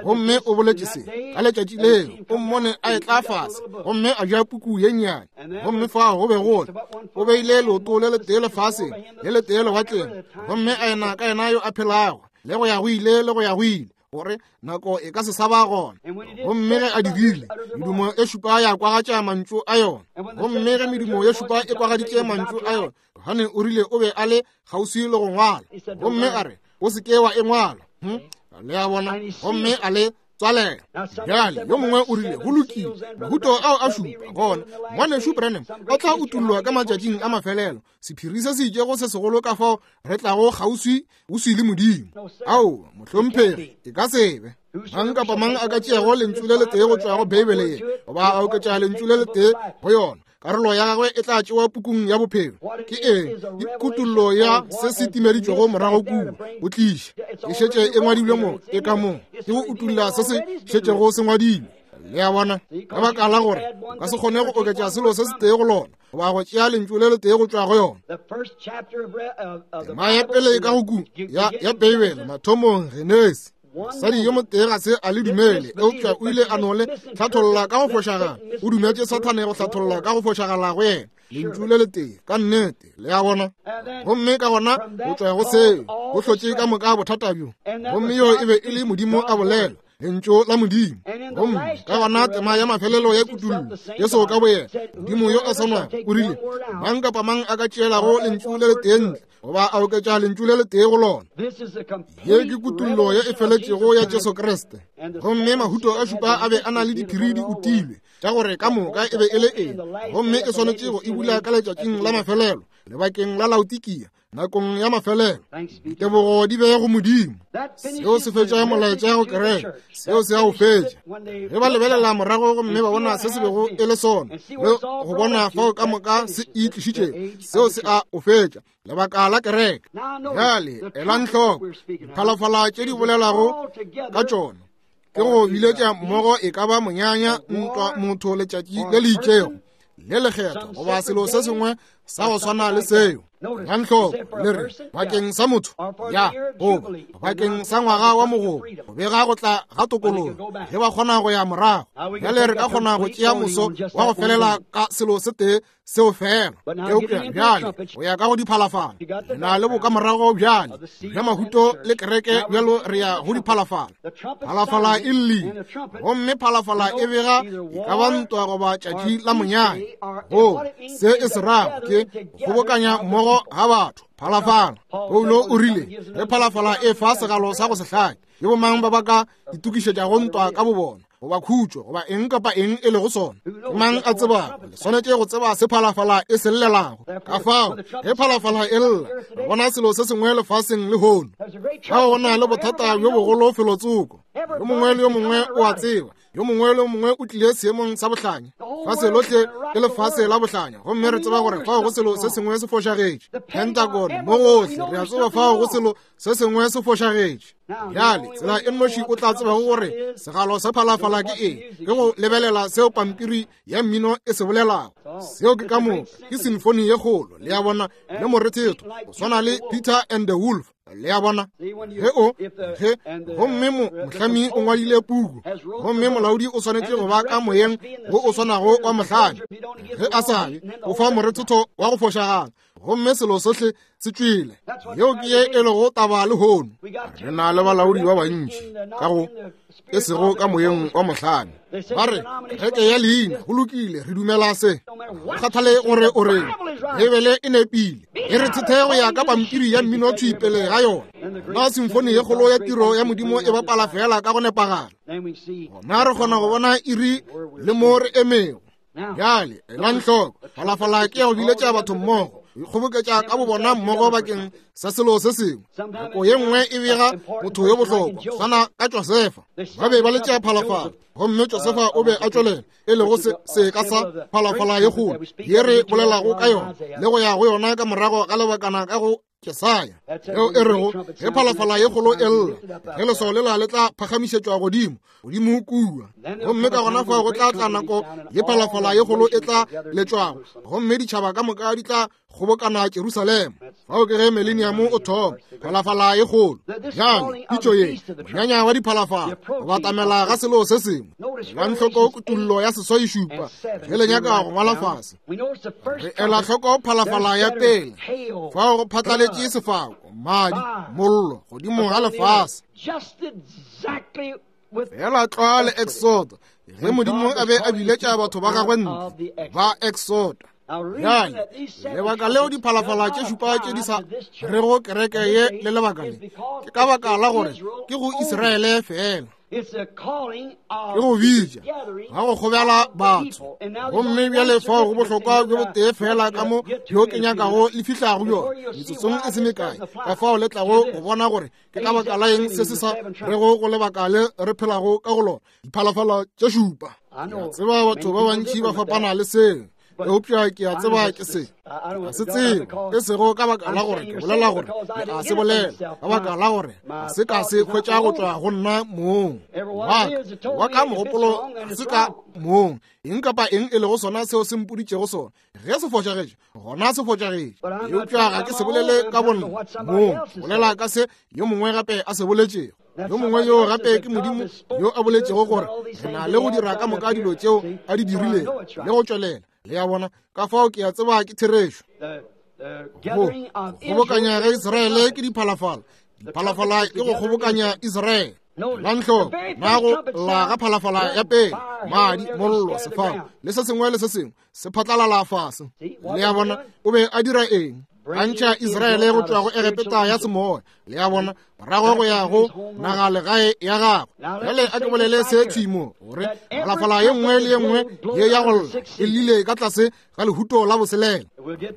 Gomme o boletše se ka letšatši leo, o mmone a etla fase gomme a ja puku ye nnyane. Gomme fao go be go le, o beile leoto le letee lefaseng le letee lewatleng, gomme a ena ka yena yo a phelago le go ya go ile le go ya go ile, gore nako e ka se sa ba gona. Gomme ge a dirile, medumo e šupa ya kwagatša mantšu a yona. Gomme ge medumo ye šupa e kwagaditše mantšu a yona, Johane o rile o be a le kgauswi le go ngwala. Gomme a re, o se ke wa e ngwala. Le a bona? Gomme a le tswalela. Bjale yo mongwe o rile, go lokile, mahuto ao a šupa gona ngwanešu Branham o tla utullwa ka matšatšing a mafelelo, sephiri se se itšego se segolo ka fao re tlago kgauswi uswi le Modimo. Ao, mohlomphegi, e ka se be. Mang kapa mang a ka tšeago lentšu le letee go tšwa go Beibele ye, goba a oketša lentšu le letee go yona, karolo ya gagwe e tla tšewa pukung ya bophelo. Ke eng? Ke kutullo ya se se timeditšwego morago kua go tliša. E šetše e ngwadilwe mo, e ka mo. Ke go utulla se se šetšego se ngwadilwe. Le a bona? Ka baka la gore o ka se kgone go oketša selo se setee go lona, goba go tšea lentšu le letee go tšwa go yona. Tema ya pele ka go ku ya ya Beibele, mathomong, Genesi. Mosadi yo motee ga se a le dumele, eupša o ile a no le hlatholla ka go fošagala. O dumetše Sathane go hlatholla ka go fošagala go yena lentšu le letee, ka nnete. Le a bona? Gomme ka gona go tšwa go seo go hlotše ka moka bothata bjo. Gomme yo e be e le Modimo a bolela, lentšu la Modimo. Gomme ka gona tema ya mafelelo ya kutullo, Jesu ka boyena, Modimo yo a swanago, o rile, mang kapa mang a ka tšeelago lentšu le letee ntle, goba a oketša lentšu le letee go lona. Ye ke kutullo ye e feletšego ya Jesu Kriste. Gomme mahuto a šupa a be a na le diphiri di utilwe tša gore ka moka e be e le eng, gomme e swanetše go e bula ka letšatšing la mafelelo, lebakeng la Laodikia, nakong ya mafelelo. Ditebogo di be go Modimo. Seo se fetša molaetša go kereke, seo se a o fetša. Ge ba lebelela morago gomme ba bona se se bego e le sona, le go bona fao ka moka se e tlišitšego, seo se a o fetša lebaka la kereke. Bjale elang hloko diphalafala tše di bolelago ka tšona, ke go biletša mmogo e ka ba monyanya, ntwa, motho, letšatši le le itšego le lekgetho, goba selo se sengwe sa go swana le seo. Elang hloko, le re bakeng sa motho, ya, goba bakeng sa ngwaga wa mogobo, go bega go tla ga tokologo, ge ba kgona go ya morago. Bjale re ka kgona go tšea moso wa go felela ka selo se tee seo fela. Eupša bjale go ya ka go diphalafala, re na le bokamorago bjale bja mahuto le kereke, bjalo re ya go diphalafala. Phalafala e llile, gomme phalafala e bega e ka ba ntwa goba tšatši la monyanya. Go se e se rago ke go kgobokanya mmogo ga batho. Phalafala, Paulo o rile, ge phalafala e fa segalo sa go se hlake, ke bomang ba ba ka itokišetšago ntwa ka bobona, goba khutšo, goba eng kapa eng e lego sona? Ke mang a tsebago? Le swanetše go tseba se phalafala e se llelago. Ka fao ge phalafala e lla, re bona selo se sengwe lefaseng lehono. Ga go na le bothata bjo bogolo felotsoko. Yo mongwe le yo mongwe o a tseba, yo mongwe le yo mongwe o tlile seemong sa bohlanya. Fase lohle ke lefase la bohlanya, gomme re tseba gore fao go selo se sengwe se fošagetše. Pentagon mo gohle, re a tseba fao go selo se sengwe se fošagetše. Bjale tsela e nnoši o tla tsebago gore segalo sa phalafala ke eng ke go lebelela seo pampiri ya mmino e se bolelago. Seo ke ka moka, ke sinfoni ye kgolo, le a bona, le morethetho go swana le Peter and the Wolf, le a bona. Ge o ge gomme mohlami o ngwadile puku, gomme molaodi o swanetše go ba ka moyeng wo o swanago wa mohlami. Ge a sa be, o fa morethetho wa go fošagala, gomme selo sohle se tšwele. Yeo ke ye e lego taba lehono. Re na le balaodi ba bantši ka go e sego ka moyeng wa mohlami. Ba re kereke ya leina, go lokile, re dumela se. Go kgathale gore o reng, Beibele e nepile. E re thethe go ya ka pampiri ya mmino thwi pele ga yona. Na simfoni ye kgolo ya tiro ya Modimo e bapala fela ka go nepagala. Gona re kgona go bona iri le mo re emego. Bjale elang hloko, phalafala ke ya go biletša batho mmogo, ikgoboketša ka bobona mmogo bakeng sa selo se sengwe. Nako ye nngwe e bega motho yo bohlokwa, swana ka Josefa. Ba be ba letša phalafala, gomme Josefa o be a tšwelela, e lego seka sa phalafala ye kgolo ye re bolelago ka yona le go ya go yona ka morago ga lebakana ka go Jesaya, yeo e rego ge phalafala ye kgolo e lla, ge leswao lela le tla phagamišetšwa godimo godimo kua, gomme ka gona fao go tla tla nako ye phalafala ye kgolo e tla letšwago, gomme ditšhaba ka moka di tla kgobokana Jerusalema. Fao ke ge mileniamo o thoma, phalafala ye kgolo. Bjale pitšo ye, monyanya wa diphalafala, go batamela ga selo se sengwe. Elang hloko kutullo ya seswai šupa ge le nyaka go ngwala fase. Re ela hloko phalafala ya pele, fao go phatlaletše sefako, madi, mollo godimo ga lefase. Fela tlwa le Exodo, ge Modimo a be a biletša batho ba gagwe ntle ba Exodo. Bjale lebaka leo diphalafala tše šupa tše di sa rego kereke ye le lebaka le, ke ka baka la gore ke go Israele fela. Ke go bitša ga go kgobela batho, gomme bjale fao go bohlokwa bjo botee fela ka mo bjo ke nyakago le fihlago bjona metsotsong e se mekae, ka fao le tlago go bona gore ke ka baka la eng se se sa rego go lebaka le re phelago ka go lona, diphalafala tše šupa. Ke a tseba batho ba bantši ba fapana le seo, eupša ke a tseba ke se ga se tsebe, e sego ka baka la gore ke bolela gore le a se bolela, ka baka la gore ga se ka se hwetša go tšwa go nna mong wa ka wa ka mogopolo, ga se ka mong. Eng kapa eng e lego sona seo se mpoditšego sona, ge se fošagetše, gona se fošagetše. Eupša ga ke se bolele ka bonna mong, bolela ka se yo mongwe gape a se boletšego. Yo mongwe yo gape ke Modimo yo a boletšego gore re na le go dira ka moka dilo tšeo a di dirilego le go tšwelela. Le a bona, ka fao ke a tseba ke therešo. Go kgobokanya ga Israele ke diphalafala, diphalafala ke go kgobokanya Israele. Elang hloko, na go lla ga phalafala ya pele, madi, mollo, sefako le se sengwe le se sengwe se phatlalala fase. Le a bona, o be a dira eng? A ntšha Israele go tšwa go Egepeta ya semoya, le a bona, morago go ya go naga legae ya gagwe. Bjale a ke bolele se thwi mo, gore phalafala ye nngwe le ye nngwe ye ya go lla e llile ka tlase ga lehuto la boselela.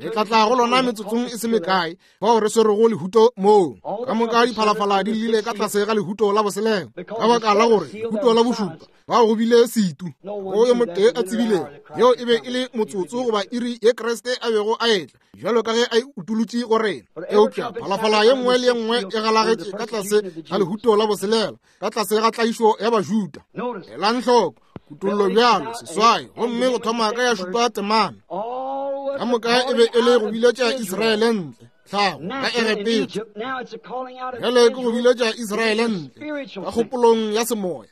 Le tla tla go lona metsotsong e se mekae, fao re swerego lehuto moo. Ka moka diphalafala di llile ka tlase ga lehuto la boselela, ka baka la gore lehuto la bošupa bao go bile setu. Go yo motee a tsebilego, yeo e be e le motsotso goba iri ye Kriste a bego a etla, bjalo ka ge a e utolotše go rena. Eupša phalafala ye nngwe le ye nngwe e galagetše ka tlase ga lehuto la boselela, ka tlase ga tlaišo ya Bajuda. Elang hloko kutollo bjalo seswai, gomme go thoma ka ya šupa temana. Ka moka e be e le go biletša Israele ntle tlhago ka Egepeta. Bjale ke go biletša Israele ntle ka kgopolong ya semoya.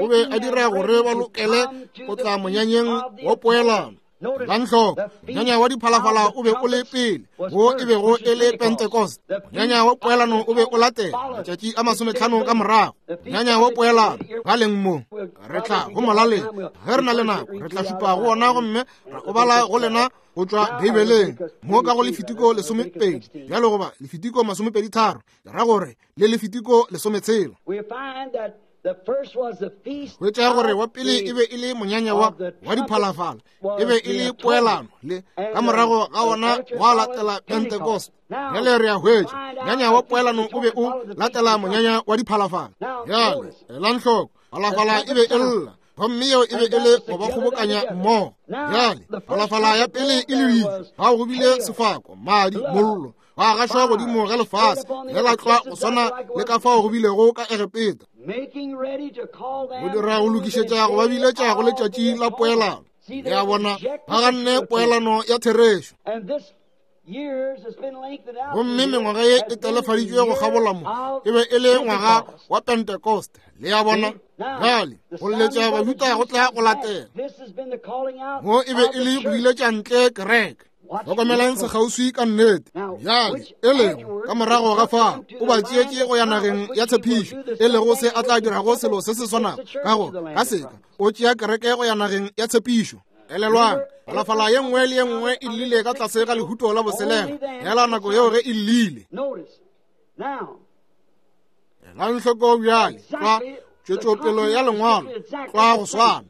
O be a dira gore ba lokele go tla monyanyeng wa poelano. Elang hloko, monyanya wa diphalafala o be o le pele, wo e bego e le Pentecost. Monyanya wa poelano o be o latela matšatši a masometlhano ka morago. Monyanya wa poelano ba leng mo, re tla go molaleng ge re na le nako, re tla šupa go ona gomme ra o bala go lena go tšwa Beibeleng mo ka go Lefitiko lesomepedi bjalo goba Lefitiko masomepedi tharo, le ra gore le Lefitiko lesometshela. Hwetša gore wa pele e be e le monyanya wa wa diphalafala, e be e le poelano, le ka morago ga wona gwa latela Pentecost. Bjale re a hwetša monyanya wa poelano o be o latela monyanya wa diphalafala. Bjale elang hloko, phalafala e be e lla, gomme yeo e be e le go ba kgobokanya mmogo. Bjale phalafala ya pele e leditšwe, fao go bile sefako, madi, mollo, ba gašwa godimo ga lefase, ge la tlwa go swana le ka fao go bilego ka Egepeta, go dira go lokišetša go ba biletša go letšatši la poelano. Le a bona, ba ganne poelano ya therešo. Gomme mengwaga ye e telefaditšwe go kgabola mo, e be e le ngwaga wa Pentecost. Le a bona, bjale go letša Bajuda go tla go latela mo, e be e le go iletša ntle kereke. Hlokomelang sekgauswi ka nnete. Bjale e lego ka morago ga fao o ba tšeetše go ya nageng ya tshepišo, e lego se a tla dirago selo se se swanago, ka gore ka seka o tšea kereke go ya nageng ya tshepišo. Elelwang, phalafala ye nngwe le ye nngwe e llile ka tlase ga lehuto la boselela, hela nako yeo ge e llile. Elang hloko bjale, tlwa tšwetšopelo ya lengwalo, tlwa go swana.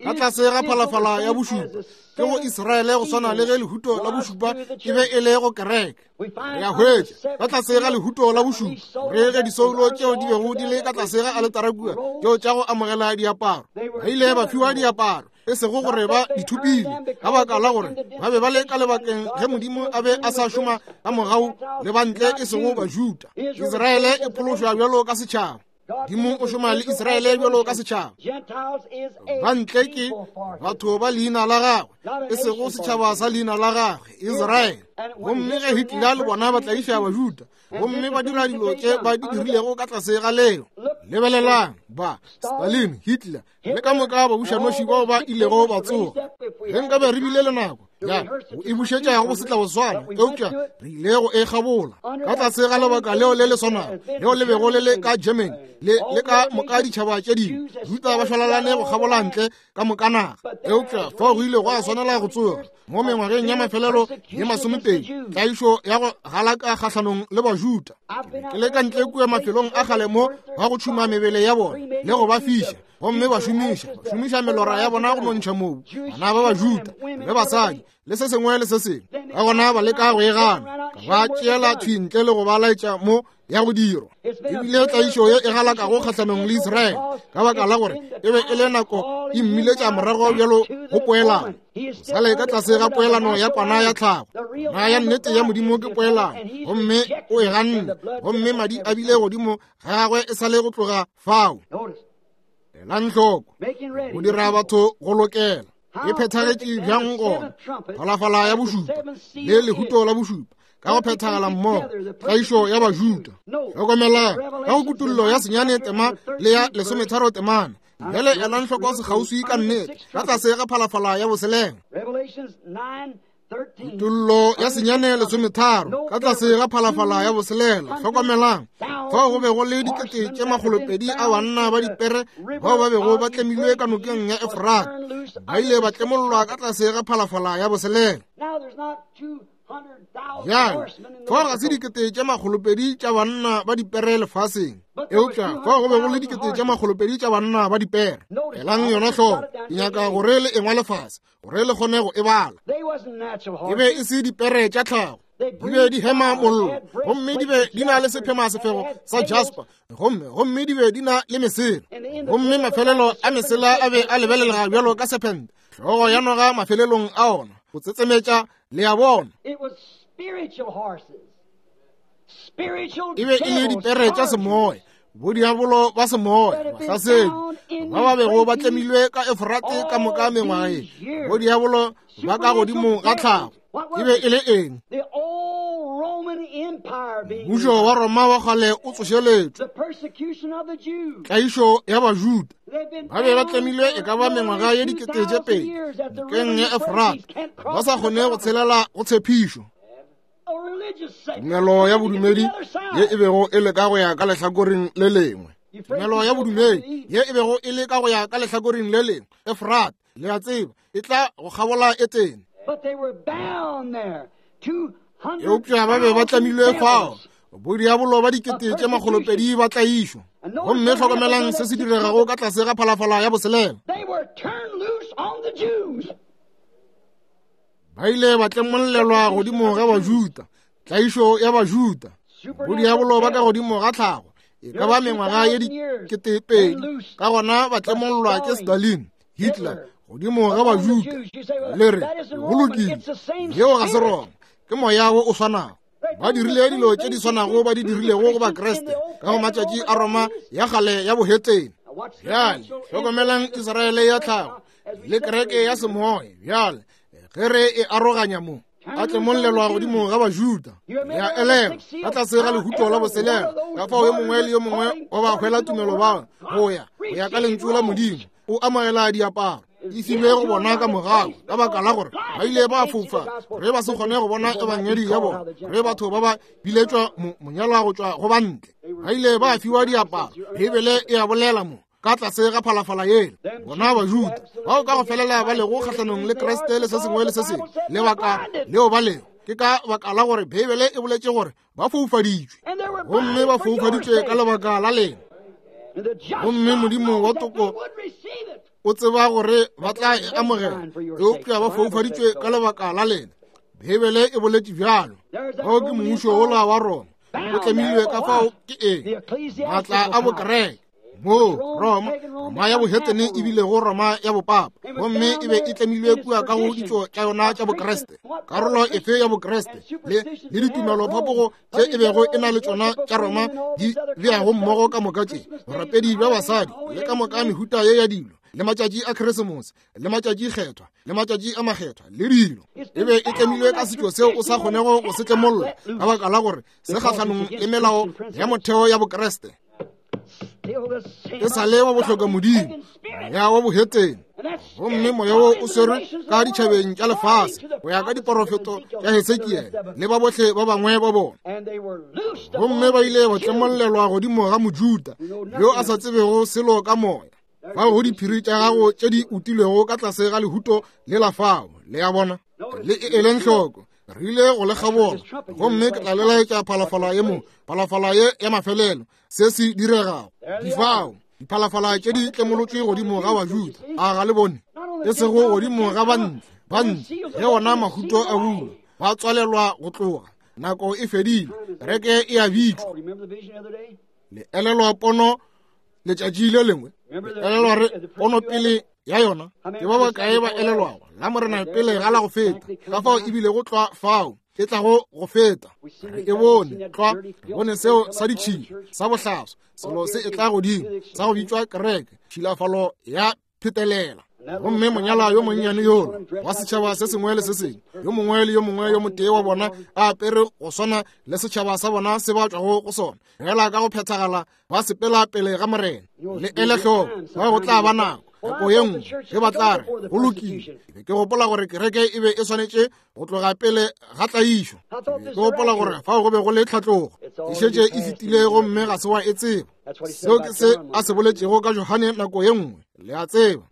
Ka tlase ga phalafala ya bošupa, ke go Israele go swana le ge lehuto la bošupa e be e le go kereke. Re a hwetša ka tlase ga lehuto la bošupa re ge disoulo tšeo di bego di le ka tlase ga aletara kua, tšeo tša go amogela diaparo, ba ile ba fiwa diaparo, e sego gore ba di thopile, ka baka la gore ba be ba le ka lebakeng ge Modimo a be a sa šoma ka mogau le bantle, e sego Bajuda. Israele e phološwa bjalo ka setšhaba. Modimo o šoma le Israele bjalo ka setšhaba. Bantle ke batho ba leina la gagwe, e sego setšhaba sa leina la gagwe, Israele. Gomme ge Hitler le bona ba tlaiša Bajuda, gomme ba dira dilo tše ba di dirilego ka tlase ga leo. Lebelelang ba Stalin, Hitler le ka moka babušanoši bao ba ilego ba tsoga. Ge nkabe re bile le nako ya go e bušetša go setla go swana, eupša re ile go e kgabola ka tlase ga lebaka leo le le swanago leo le bego le le ka Germany le le ka moka ditšhaba tše dingwe. Juda ba šwalalane go kgabola ntle ka moka naga, eupša fao go ile gwa swanela go tsoga mo mengwageng ya mafelelo ye masomepedi, tlaišo ya go galaka kgahlanong le Bajuda. Ke le ka ntle kua mafelong a kgale mo ba go tšhuma mebele ya bona le go ba fiša, gomme ba šomiša ba šomiša melora ya bona go nontšha mobu, bana ba Bajuda le basadi le se sengwe le se sengwe. Ka gona ba leka go e gana, ka ba tšeela thwi ntle le go ba laetša mo ya go dirwa. Ebile tlaišo ye e galakago kgahlanong le Israele, ka baka la gore e be e le nako e mmiletša morago bjalo go poelano. Sa le ka tlase ga poelano ya kwana ya tlhago, na ya nnete ya Modimo ke poelano, gomme o e ganne, gomme madi a bile godimo ga gagwe e sa le go tloga fao. Elang hloko, go dira batho go lokela. E phethagetše bjang gona phalafala ya bošupa le lehuto la bošupa ka go phethagala mmogo, tlaišo ya Bajuda. Hlokomelang ka go kutullo ya senyane tema le ya lesometharo temana. Bjale elang hloko sekgauswi ka nnete ka tlase ga phalafala ya boselela. Kutullo ya senyane lesometharo ka tlase ga phalafala ya boselela. Hlokomelang fao go be go le dikete tše makgolopedi a banna ba dipere bao ba bego ba tlemilwe ka nokeng ya Efrate, ba ile ba tlemollwa ka tlase ga phalafala ya boselela. Bjale fao ga se dikete tše makgolopedi tša banna ba dipere lefaseng, eupša fao go be go le dikete tše makgolopedi tša banna ba dipere. Elang yona hloko, ke nyaka gore le engwa lefase gore le kgone go e bala. E be e se dipere tša tlhago, di be di hema mollo, gomme di be di na le sephema sefego sa jasper, gomme gomme di be di na le mesela, gomme mafelelo a mesela a be a lebelelega bjalo ka sephente, hlogo ya noga mafelelong a ona go tsetsemetša. Le a bona, e be e le dipere tša semoya, bodiabolo ba semoya, bahlasedi ba ba bego ba tlemilwe ka Efrate ka moka mengwaga ye, bodiabolo ba ka godimo ga tlhago. E be e le eng? Mmušo wa Roma wa kgale o tsošeletšwe, tlaišo ya Bajuda. Ba be ba tlemilwe e ka ba mengwaga ye dikete tše pedi nokeng ya Efrate, ba sa kgone go tshelela go tshepišo. Tumelo ya bodumedi ye e bego e le ka go ya ka lehlakoreng le lengwe, tumelo ya bodumedi ye e bego e le ka go ya ka lehlakoreng le lengwe, Efrate, le a tseba, e tla go kgabola Etene. Eupša ba be ba tlamilwe fao, bodiabolo ba dikete tše makgolopedi ba tlaišwa. Gomme hlokomelang se se diregago ka tlase ga phalafala ya boselela. Ba ile ba tlemollelwa godimo ga Bajuda, tlaišo ya Bajuda, bodiabolo ba ka godimo ga tlhago, e ka ba mengwaga ye diketepedi. Ka gona ba tlemollwa ke Stalin, Hitler, godimo ga Bajuda. Le re, go lokile, yeo ga se Roma, ke moya wo o swanago. Ba dirile dilo tše di swanago ba di dirilego go Bakriste ka go matšatši a Roma ya kgale ya bohetene. Bjale hlokomelang Israele ya tlhago le kereke ya semoya. Bjale ge re e aroganya mo, a tlemollelwa godimo ga Bajuda. Ya elelwa ka tlase ga lehuto la boselela, ka fao yo mongwe le yo mongwe wa ba hwela tumelo ba go ya go ya ka lentšu la Modimo, o amogela diaparo. E filwe go bona ka morago, ka baka la gore ba ile ba fofa re ba se kgone go bona ebangedi ya bona, re batho ba ba biletšwa monyalwa go tšwa go bantle. Ba ile ba fiwa diaparo. Bibele e a bolela mo ka tlase ga phalafala yela, bona Bajuda bao ka go felela ba lego kgahlanong le Kriste le se sengwe le se sengwe. Lebaka leo ba lego ke ka baka la gore Bibele e boletše gore ba foufaditšwe, gomme ba foufaditšwe ka lebaka la lena. Gomme Modimo wa toko o tseba gore ba tla e amogela, eupša ba foufaditšwe ka lebaka la lena. Bibele e boletše bjalo. Bao ke mmušo wola wa Roma o tlemilwe ka fao ke eng? Maatla a bokereke. Moo Roma, Roma ya bohetene e bilego Roma ya bopapa, gomme e be e tlemilwe kua ka go ditšo tša yona tša Bokriste. Karolo efe ya Bokriste le le ditumelo-phapogo tše e bego e na le tšona tša Roma di beago mmogo ka moka tše, borapedi bja basadi le ka moka mehuta ye ya dilo, le matšatši a Keresemose, le matšatši kgethwa, le matšatši a makgethwa, le dilo. E be e tlemilwe ka setšo seo o sa kgonego go se tlemolla, ka baka la gore se kgahlanong le melao ya motheo ya Bokriste. E sa le wa bohloka Modimo, moya wa bohetene. Gomme moya wo o swerwe ka ditšhabeng tša lefase go ya ka diporofeto tša Hesekiele le ba bohle ba bangwe ba bona. Gomme ba ile ba tlemollelwa godimo ga Mojuda yo a sa tsebego selo ka moya. Fao go diphiri tša gago tše di utilwego ka tlase ga lehuto le la fao. Le a bona, le e eleng hloko. Re ile go le kgabola, gomme ke tla le laetša phalafala ye mo, phalafala ye ya mafelelo, se se diregago. Difao, diphalafala tše di tlemolotšwe godimo ga Bajuda. A ga le bone? E sego godimo ga bantle, bantle ge ona mahuto a bulwa, ba tswalelwa go tloga. Nako e fedile, kereke e a bitšwa. Le elelwa pono letšatši le lengwe? Le elelwa re pono pele ya yona? Ke ba bakae ba elelwago la Morena pele ga la go feta, ka fao e bilego tlwa fao e tlago go feta? Re e bone tlwa, re bone seo sa ditšhila, sa bohlaswa, selo se e tla godimo sa go bitšwa kereke, tšhilafalo ya phetelela. Gomme monyala yo monnyane yola wa setšhaba se sengwe le se sengwe, yo mongwe le yo mongwe yo motee wa bona a apere go swana le setšhaba sa bona se ba tšwago go sona, fela ka go phethagala ba sepela pele ga Morena. Le ele hloko, ba go tla ba nako nako ye nngwe ge ba tla re go lokile. Ke be ke gopola gore kereke e be e swanetše go tloga pele ga tlaišo. Ke be ke gopola gore fao go be go le tlhatlogo, e šetše e fetile gomme ga se wa e tseba. Seo ke se a se boletšego ka Johane nako ye nngwe. Le a tseba,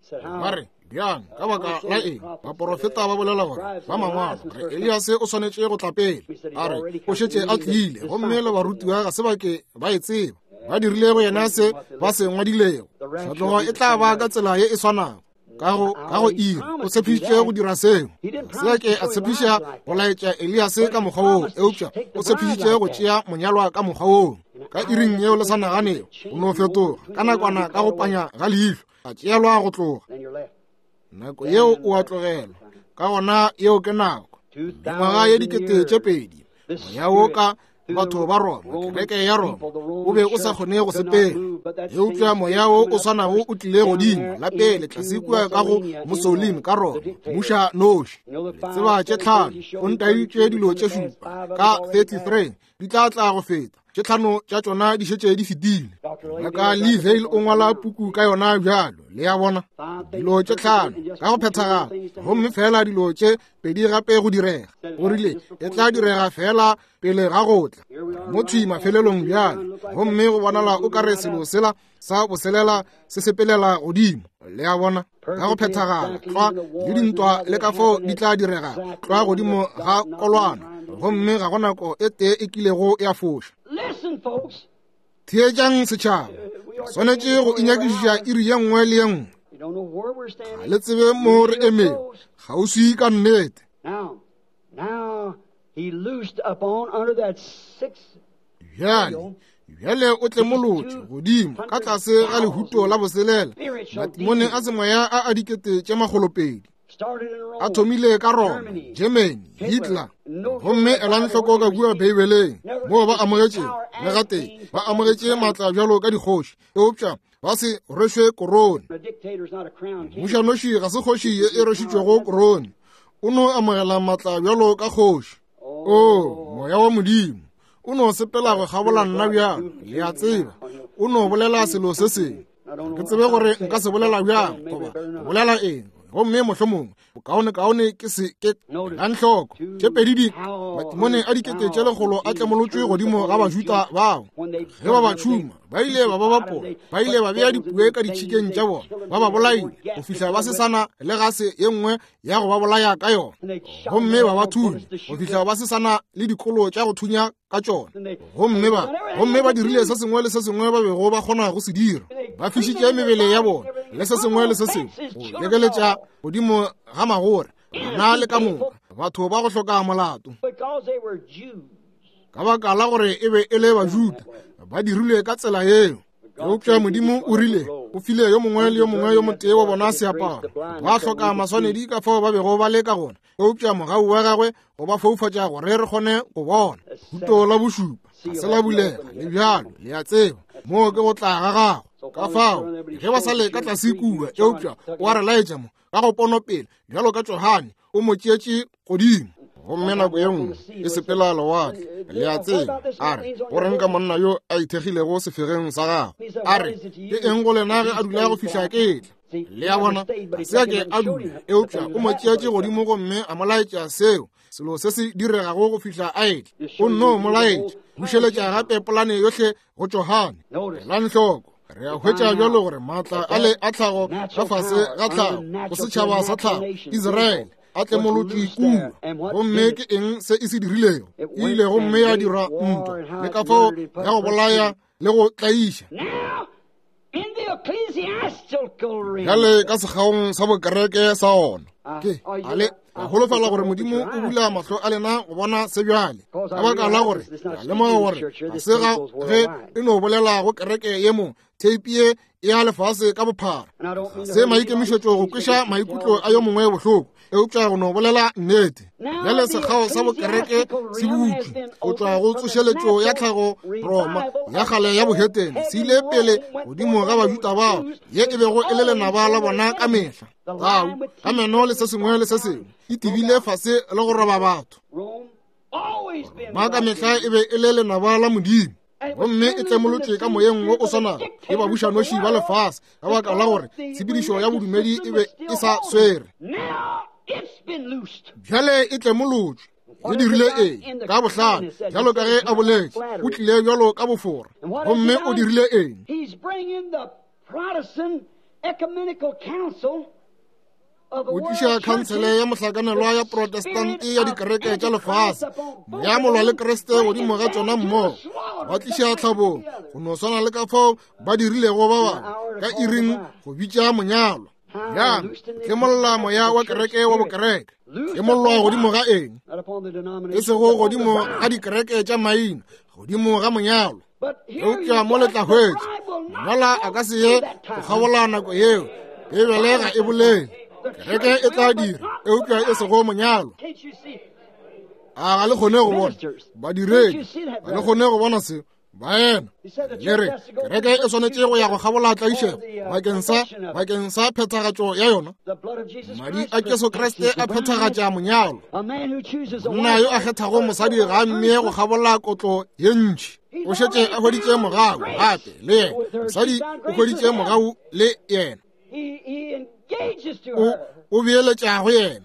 ba re bjang ka baka la eng baporofeta ba bolela gore ba mangwalo gore Eliase o swanetše go tla pele? A re o šetše a tlile, gomme le barutiwa ga se ba ke ba e tseba. Ba dirile go yena se ba se ngwadilego. Tlhatlogo e tla ba ka tsela ye e swanago. Ka go ka go iri o tshepišitše go dira seo. Se ke a tshepiša go laetša Eliase ka mokgwa woo, eupša o tshepišitše go tšea monyalwa ka mokgwa woo. Ka iring yeo le sa naganego, o no fetoga ka nakwana ka go panya ga leihlo, a tšeelwa go tloga. Nako yeo o a tlogelwa. Ka gona yeo ke nako. Mengwaga ye dikete tše pedi, moya wo ka batho ba Roma, kereke ya Roma, o be o sa kgone go sepela. Eupša moya wo o swanago o tlile godimo la pele tlase kua ka go Mussolini ka Roma, mmuša noši. Le tseba tše tlhano, o ntaeditše dilo tše šupa ka thirty-three, di tla tla go feta. Tše tlhano tša tšona di šetše di fetile. Ngaka Lee Vayle o ngwala puku ka yona bjalo. Le a bona, dilo tše tlhano ka go phethagala, gomme fela dilo tše pedi gape go direga. O rile e tla direga fela pele ga go tla mo thwi mafelelong bjalo, gomme go bonala o ka re selo sela sa boselela se sepelela godimo. Le a bona, ka go phethagala tlwa le dintwa le ka fao di tla direga tlwa godimo ga kolwana, gomme ga go nako e tee e kilego ya foša. Theetšang setšhaba, swanetše go inyakišiša iri ye nngwe le ye nngwe. Ga le tsebe mo re emego, kgauswi ka nnete. Bjale, bjale o tlemolotše godimo ka tlase ga lehuto la boselela, matimone a semoya a a dikete tše makgolopedi. A thomile ka Roma, Germany, Hitler. Gomme elang hloko ka kua Beibeleng moo ba amogetšego le gatee ba amogetše maatla bjalo ka dikgoši, eupša ba se rwešwe korone. Mmušanoši ga se kgoši ye e rwešitšwego korone, o no amogela maatla bjalo ka kgoši. O moya wa Modimo o no sepela go kgabola nna bjang, le a tseba, o no bolela selo se sengwe. Ke tsebe gore nka se bolela bjang goba bolela eng, gomme mohlomongwe bokaonekaone ke se ke. Elang hloko, tše pedi di matimone a dikete tše lekgolo a tlemolotšwe godimo ga Bajuda bao. Ge ba ba tšhuma, ba ile ba ba bapola, ba ile ba bea dipue ka ditšhikeng tša bona, ba ba bolaile go fihla ba se sana le gase ye nngwe ya go ba bolaya ka yona, gomme ba ba thunya go fihla ba se sana le dikolo tša go thunya ka tšona. Gomme ba gomme ba dirile se sengwe le se sengwe ba bego ba kgona go se dira, ba fišitše mebele ya bona le se sengwe le se sengwe go lekeletša godimo ga magore, bana le ka moka batho ba go hloka molato. Ka baka la gore e be e le Bajuda, ba dirilwe ka tsela yeo. Eupša Modimo o rile o file yo mongwe le yo mongwe yo motee wa bona seaparo. Ba hloka maswanedi ka fao ba bego ba le ka gona, eupša mogau wa gagwe go ba foufatša gore re kgone go bona. Huto la bošupa ga se la bulega le bjalo, le a tseba, moo ke go tla ga gago. Ka fao ge ba sa le ka tlase kua, eupša o a re laetša mo ka go ponopele bjalo ka Johane o mo tšeetše godimo. Gomme nako ye nngwe e sepela lewatle, le a tseba, a re, go reng ka monna yo a ithekgilego sefegeng sa gagwe? A re, ke eng go lena ge a dula go fihla ke tla? Le a bona, ga se a ke a dula, eupša o mo tšeetše godimo gomme a mo laetša seo selo se se diregago go fihla a etla. O nno mo laetša, bušeletša gape polane yohle go Johane. Elang hloko, re a hwetša bjalo gore maatla a le a tlhago ka fase ga tlhago go setšhaba sa tlhago Israele a tlemolotšwe kua. Gomme ke eng se e se dirilego? E ile gomme ya dira ntwa le ka fao ya go bolaya le go tlaiša. Bjale ka sekgaong sa bokereke sa ona, ke a le a holofela gore Modimo o bula mahlo a lena go bona se bjale, ka baka la gore a lemoga gore ga se ga ge e no bolela go kereke ye mo theipi ye ya lefase ka bophara. Ga se maikemišetšo go kweša maikutlo a yo mongwe bohloko, eupša go no bolela nnete. Bjale sekgao sa bokereke se butšwe go tšwa go tsošeletšo ya tlhago Roma ya kgale ya bohetene, se ile pele godimo ga Bajuda bao ye e bego e le lenaba la bona ka mehla. Tau ka meno le se sengwe le se sengwe e tibile fase le go roba batho. Roma ka mehla e be e le lenaba la Modimo, gomme e tlemolotšwe ka moyeng wo o swanago ke babušanoši ba lefase, ka baka la gore tshepedišo ya bodumedi e be e sa swere. Bjale e tlemolotšwe. E dirile eng? Ka bohlale, bjalo ka ge a boletše, o tlile bjalo ka bofora. Gomme o dirile eng? O tliša khansele ya mohlakanelwa ya Protestante ya dikereke tša lefase, moya molwa le Kriste godimo ga tšona mmogo, ba tliša tlhabong go no swana le ka fao ba dirilego ba bangwe ka iring go bitša monyalwa. Bjang tlemolla moya wa kereke wa bokereke. Tlemollwa godimo ga eng? E sego godimo ga dikereke tša maina, godimo ga monyalwa. Eupša mo le tla hwetša monyalwa a ka se ye go kgabola nako yeo. Beibele ga e bolele. Kereke e tla dira, eupša e sego monyalwa. A ga le kgone go bona badiredi? Ga le kgone go bona seo? Baena, le re kereke e swanetše go ya go kgabola tlaišego bakeng sa bakeng sa phethagatšo ya yona. Madi a Jesu Kriste a phethagatša monyalo. Monna yo a kgethago mosadi ga a mmee go kgabola kotlo ye ntši. O šetše a hweditše mogau gape le yena. Mosadi o hweditše mogau le yena. O o beeletša go yena.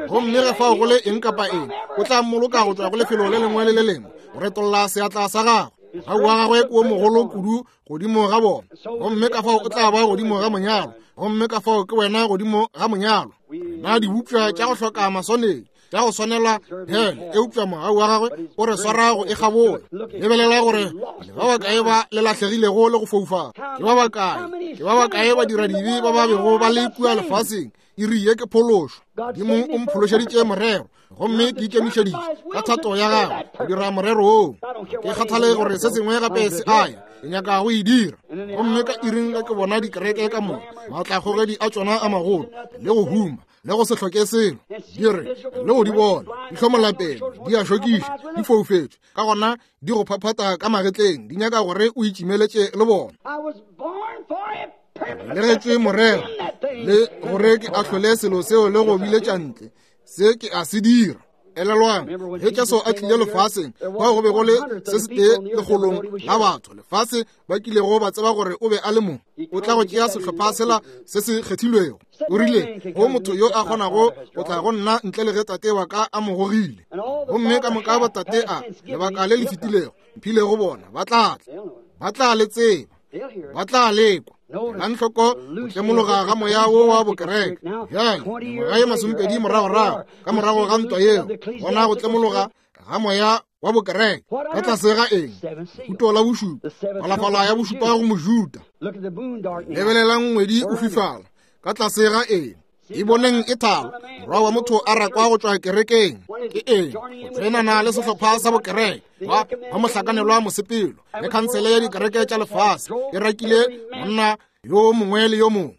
Gomme ge fao go le eng kapa eng, o tla mmoloka go tšwa go lefelo le lengwe le le lengwe go retolla seatla sa gagwe. Mogau wa gagwe ke o mogolo kudu godimo ga bona, gomme ka fao o tla ba godimo ga monyalo, gomme ka fao ke wena godimo ga monyalo. Rena dibopša tša go hloka maswanedi, tša go swanela hele, eupša mogau wa gagwe o re swara go e kgabola. Lebelela gore le ba bakae ba le lahlegilego le go foufala, ke ba bakae, ke ba bakae ba dira dibe ba ba bego ba le kua lefaseng. Iri ye ke phološo. Modimo o mphološeditše morero, gomme ke ikemišeditše ka thato ya gagwe go dira morero woo. Ke kgathale gore se sengwe gape se aya, ke nyaka go e dira. Gomme ka iring ge ke bona dikereke ka moka, maatlakgogedi a tšona a magolo, le go huma, le go se hloke selo, di re le go di bona di hlomola pele, di a šokiša, di foufetše, ka gona di go phaphata ka magetleng, di nyaka gore o itšimeletše le bona. Legetšwe morero le gore ke ahlole selo seo le go biletša ntle, se ke a se dira. Elelwang, ge Jesu a tlile lefaseng, bao go be go le se setee lekgolong la batho lefase ba kilego ba tseba gore o be a le mo, o tla go tšea sehlopha sela se se kgethilwego. O rile, go motho yo a kgonago go tla go nna ntle le ge tate wa ka a mo gogile. Gomme ka moka ba tate a lebaka le le fetilego mphilego bona ba tla tla, ba tla le tseba, ba tla lekwa. Elang hloko go tlemologa ga moya wo wa bokereke. Bjale, mengwaga ye masomepedi moragorago, ka morago ga ntwa yeo, gona go tlemologa ga moya wa bokereke ka tlase ga eng? Lehuto la bošupa, phalafala ya bošupa go Mojuda. Lebelelang ngwedi o fifala ka tlase ga eng? E boneng e thaba, morwa wa motho a rakwa go tšwa kerekeng. Ke eng? Go tsenana le sehlopha sa bokereke ba ba mohlakanelwa mosepelo le khansele ya dikereke tša lefase e rakile monna yo mongwe le yo mongwe.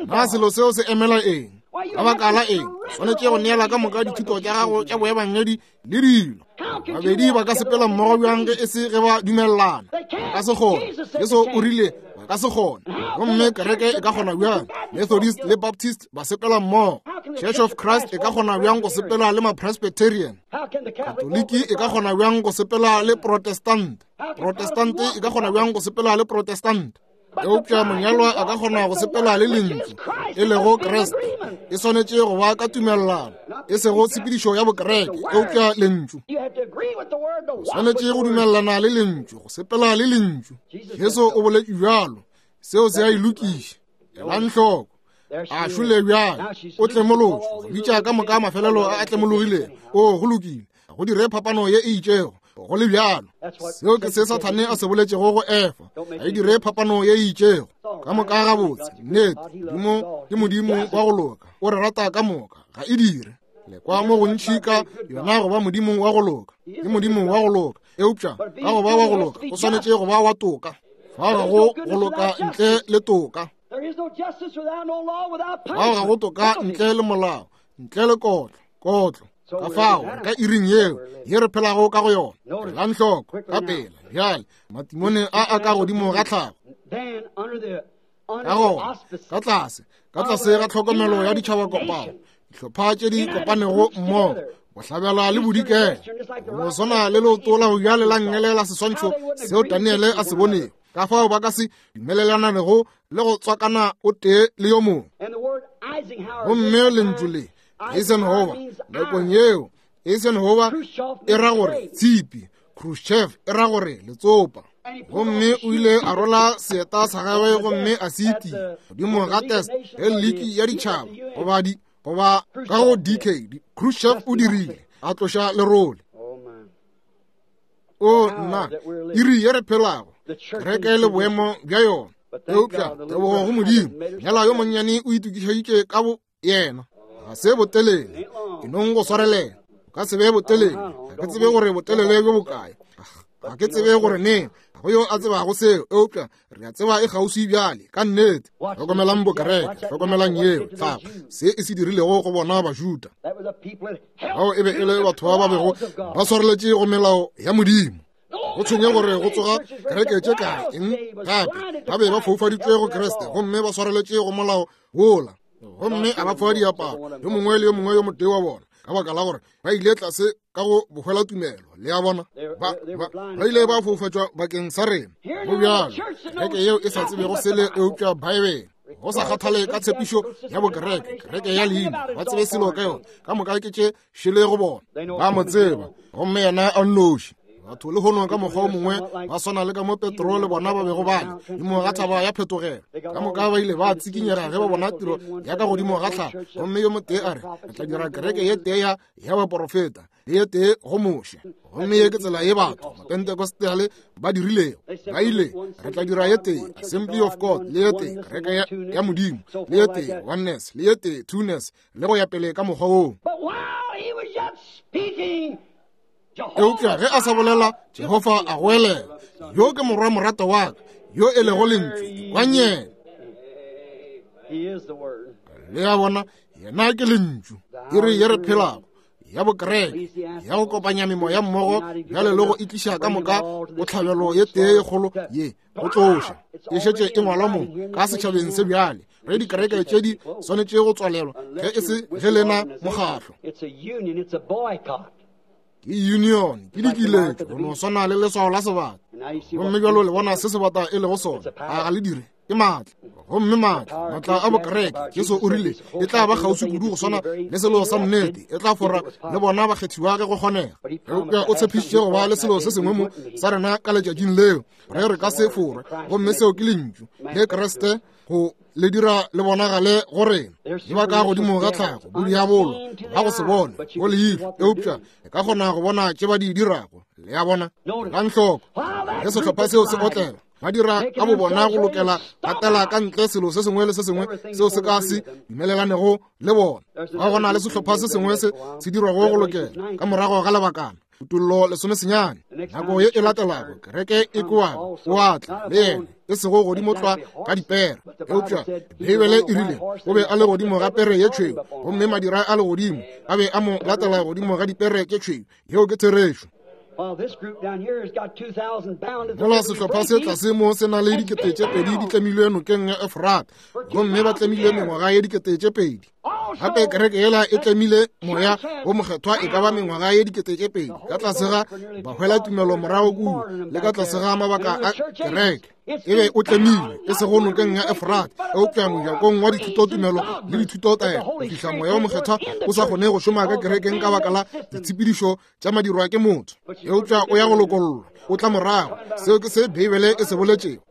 Na selo seo se emela eng? Ka baka la eng swanetše go neela ka moka dithuto tša gago tša boebangedi le dilo? Babedi ba ka sepela mmogo bjang ge e se ge ba dumelelana? Ba ka se kgone. Jesu o rile ba ka se kgone. Gomme kereke e ka kgona bjang? Methodist le Baptist ba sepela mmogo. Church of Christ e ka kgona bjang go sepela le ma-Presbyterian? Katoliki e ka kgona bjang go sepela le Protestant? Protestant e ka kgona bjang go sepela le Protestant? Eupša monyalwa a ka kgona go sepela le lentšu, e lego Kriste. E swanetše go ba ka tumelelano, e sego tshepedišo ya bokereke, eupša lentšu. O swanetše go dumelelana le lentšu, go sepela le lentšu. Jesu o boletše bjalo, seo se a e lokiša. Elang hloko, a šole bjale, o tlemolotšwe, go bitša ka moka mafelelo a a tlemologilego. O go lokile, go dire phapano ye e itšego. Go le bjalo, seo ke se Sathane a se boletšego go Efa, a e dire phapano ye e itšego. Ka moka gabotse, nnete, Modimo ke Modimo wa go loka, o re rata ka moka, ga e dire. Le kwa mo gontši ka yona go ba Modimo wa go loka, ke Modimo wa go loka, eupša ka go ba wa go loka o swanetše go ba wa toka. Fao ga go go loka ntle le toka, fao ga go toka ntle le molao, ntle le kotlo, kotlo. Ka fao ka iring yeo ye re phelago ka go yona. Elang hloko ka pela bjale, matimone a a ka godimo ga tlhago. Ka gona ka tlase, ka tlase ga tlhokomelo ya ditšhaba kopano, dihlopha tše di kopanego mmogo, bohlabela le bodikela, go swana le leoto la go bjale la nngele la seswantšho seo Daniele a se bonego. Ka fao ba ka se dumelelanego le go tswakana o tee le yo mongwe. Gomme lentšu le Eisenhower, nakong yeo Eisenhower e ra gore tshipi, Khrushchev e ra gore letsopa. Gomme o ile a rola seeta sa gagwe gomme a se itia godimo ga test ge liki ya ditšhaba goba di goba ka go D K. Khrushchev o dirile, a tloša lerole. O nna, iri ye re phelago, kereke le boemo bja yona. Eupša tebogo go Modimo, nyala yo monnyane o itokišeditše ka bo yena. Ga se botelele, ke nong go swarelela. O ka se be botelele, ga ke tsebe gore botelele bjo bokae, ga ke tsebe gore neng, ga go yo a tsebago seo, eupša re a tseba e kgauswi bjale ka nnete. Hlokomelang bokereke, hlokomelang yeo tlhago, se e se dirilego go bona Bajuda. Bao e be e le batho ba ba bego ba swareletše go melao ya Modimo. Go tshwenye gore go tsoga kereke tše kae eng gape, ba be ba foufaditšwe go Kriste gomme ba swareletše go molao wola. Gomme a ba fa diaparo, yo mongwe le yo mongwe yo motee wa bona, ka baka la gore ba ile tlase ka go bohwela tumelo. Le a bona, ba, ba, ba ile ba foufatšwa bakeng sa rena. Go bjalo, kereke yeo e sa tsebego sele eupša Baebele, go sa kgathale ka tshepišo ya bokereke, kereke ya leina, ba tsebe selo ka yona, ka moka ke tše šele go bona. Ba mo tseba, gomme yena a nnoši. Batho le hono ka mokgwa o mongwe ba swana le ka mo Petro le bona ba bego ba le godimo ga thaba ya phetogelo. Ka moka ba ile ba tsikinyega ge ba bona tiro ya ka godimo ga tlhago. Gomme yo motee a re, re tla dira kereke ye tee ya ya baporofeta le ye tee go Moshe. Gomme ye ke tsela ye batho Mapentecostale ba dirilego. Ba ile, re tla dira ye tee Assembly of God, le ye tee kereke ya, ya Modimo, le ye tee Oneness, le ye tee Twoness, le go ya pele ka mokgwa woo. Eupša ge a sa bolela, Jehofa a goelela, yo ke morwa morata wa ka, yo e lego lentšu, ekwang yena. Le a bona, yena ke lentšu. Iri ye re phelago ya bokereke ya go kopanya memoya mmogo bjale le go itliša ka moka bohlabelo ye tee ye kgolo ye go tloša e šetše e ngwalwa mo ka setšhabeng se bjale. Ge dikereke tše di swanetše go tswalelwa ge e se ge lena mokgahlo. Ke union, ke dikiletšo, go no swana le leswao la sebata. Gomme bjalo le bona se sebata e lego sona, a ga le dire? Ke maatla. Gomme maatla, maatla a bokereke, Jesu o rile e tla ba kgauswi kudu go swana le selo sa nnete, e tla fora le bona bakgethiwa ge go kgonega. Eupša o tshepišitše go ba le selo se sengwe mo sa rena ka letšatšing leo, re re ka se forwe. Gomme seo ke lentšu le Kriste go le dira le bonagale go rena. Di ba ka godimo ga tlhago, bodiabolo ba go se bone go leihlo, eupša e ka kgona go bona tše ba di dirago. Le a bona? Elang hloko ge sehlopha seo se otlela, ba dira ka bo bona go lokela gatela ka ntle selo se sengwe le se sengwe seo se ka se dumelelanego le bona. Ba gona le sehlopha se sengwe se se dirwago go lokela ka morago ga lebakana. Kutollo lesome senyane. Nako ye e latelago kereke e koago o atla le yena, e sego godimo tlwa ka dipere, eupša Beibele e rile o be a le godimo ga pere ye tšhweu, gomme madira a legodimo a be a mo latela godimo ga dipere tše tšhweu. Yeo ke therešo. Mola sehlopha se tlase mo se na le dikete tše pedi di tlemilwe nokeng ya Efrata, gomme ba tlemilwe mengwaga ye dikete tše pedi. Gape kereke yela e tlemile moya wo mokgethwa e ka ba mengwaga ye dikete tše pedi ka tlase ga bahwela tumelo morago kua le ka tlase ga mabaka a kereke. E be o tlemilwe e sego nokeng ya Efrata, eupša mojakong wa dithutotumelo le dithutotaelo, go fihla moya wo mokgethwa o sa kgone go šoma ka kerekeng ka baka la ditshepedišo tša madirwa ke motho. Eupša o ya go lokollwa, o tla morago. Seo ke se Beibele e se boletšego.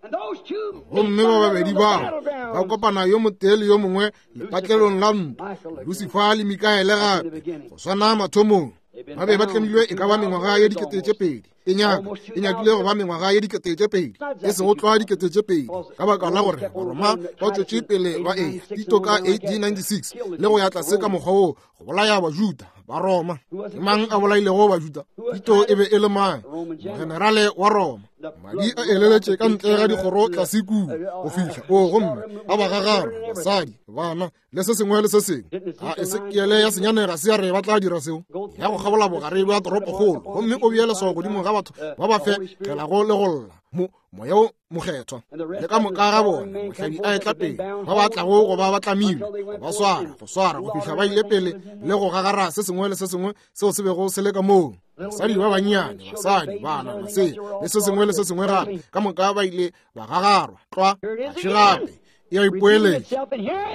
Gomme ba babedi bao ba kopana yo motee le yo mongwe lepatlelong la ntwa, Lucifer le Mikaele gape, go swana mathomong. Ba be ba tlemilwe e ka ba mengwaga ye dikete tše pedi. E nyaka e nyakile go ba mengwaga ye dikete tše pedi, e sego tlwa dikete tše pedi, ka baka la gore Baroma ba tšwetše pele ba eya Tito ka A D ninety-six le go ya tlase ka mokgwa wo go bolaya Bajuda ba Roma. Ke mang a bolailego Bajuda? Tito e be e le mang? Mogenerale wa Roma. Madi a eleletše ka ntle ga dikgoro tlase kua go fihla o, gomme a ba gagara, basadi, bana le se sengwe le se sengwe. A Esekiele ya senyane ga se ya re ba tla dira seo? Ya go kgabola bogare bja toropokgolo, gomme o bee leswao godimo ga batho ba ba fegelago le go lla mo moya o mokgethwa le ka moka ga bona. Mohlabi a etla pele, ba ba tlago go ba ba tlamilwe, ba swara go swara go fihla ba ile pele le go gagara se sengwe le se sengwe seo se bego se le ka moo. Basadi ba bannyane, basadi, bana, masea le se sengwe le se sengwe gape, ka moka ba ile ba gagarwa tlwa še gape e a ipoeletša.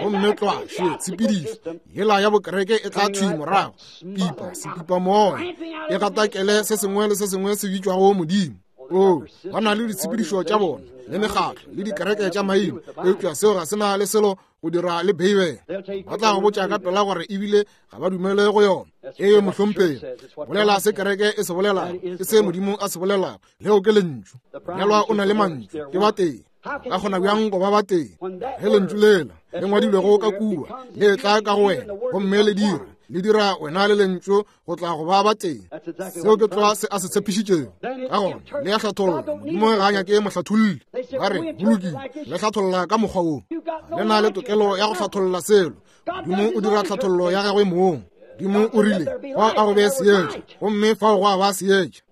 Gomme tlwa še tshepedišo yela ya bokereke e tla thwi morago, pipa sepipa moya e gatakele se sengwe le se sengwe se bitšwago Modimo. O, ba na le ditshepedišo tša bona le mekgatlo le dikereke tša maina, eupša seo ga se na le selo go dira le Beibele. Ba tla go botša ka pela gore ebile ga ba dumele go yona. Ee, mohlomphegi, bolela se kereke e se bolelago, ke se Modimo a se bolelago. Leo ke lentšu. Monyalwa o na le mantšu, ke ba tee. Ka kgona bjang go ba ba tee ge lentšu lela le ngwadilwego ka kua le tla ka go wena, gomme le dira le dira wena le lentšu go tla go ba ba tee? Seo ke tlwa se a se tshepišitšego. Ka gona le ya hlatholla. Modimo ga a nyake mohlatholli. Ba re go lokile, le hlatholla ka mokgwa wo. Le na le tokelo ya go hlatholla selo. Modimo o dira hlathollo ya gagwe mong. Modimo o rile fa a go be seetša, gomme fao go a ba seetša.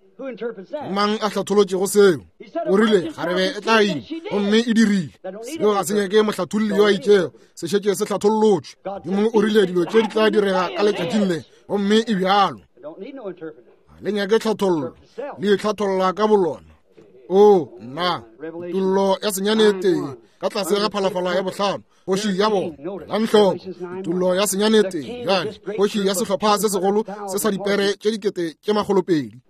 Mang a hlatholotšego seo? O rile kgarebe e tla ima, gomme e dirile. Seo ga se nyake mohlatholli yo a itšego, se šetše se hlathollotšwe. Modimo o rile dilo tše di tla direga ka letšatšing le, gomme e bjalo. Le nyake hlathollo, le itlhatholla ka bolona. O nna, Kutollo ya senyane tee ka tlase ga phalafala ya bohlano, kgoši ya bona. Elang hloko, Kutollo ya senyane tee bjale, kgoši ya sehlopha se segolo se sa dipere tše dikete tše makgolopedi.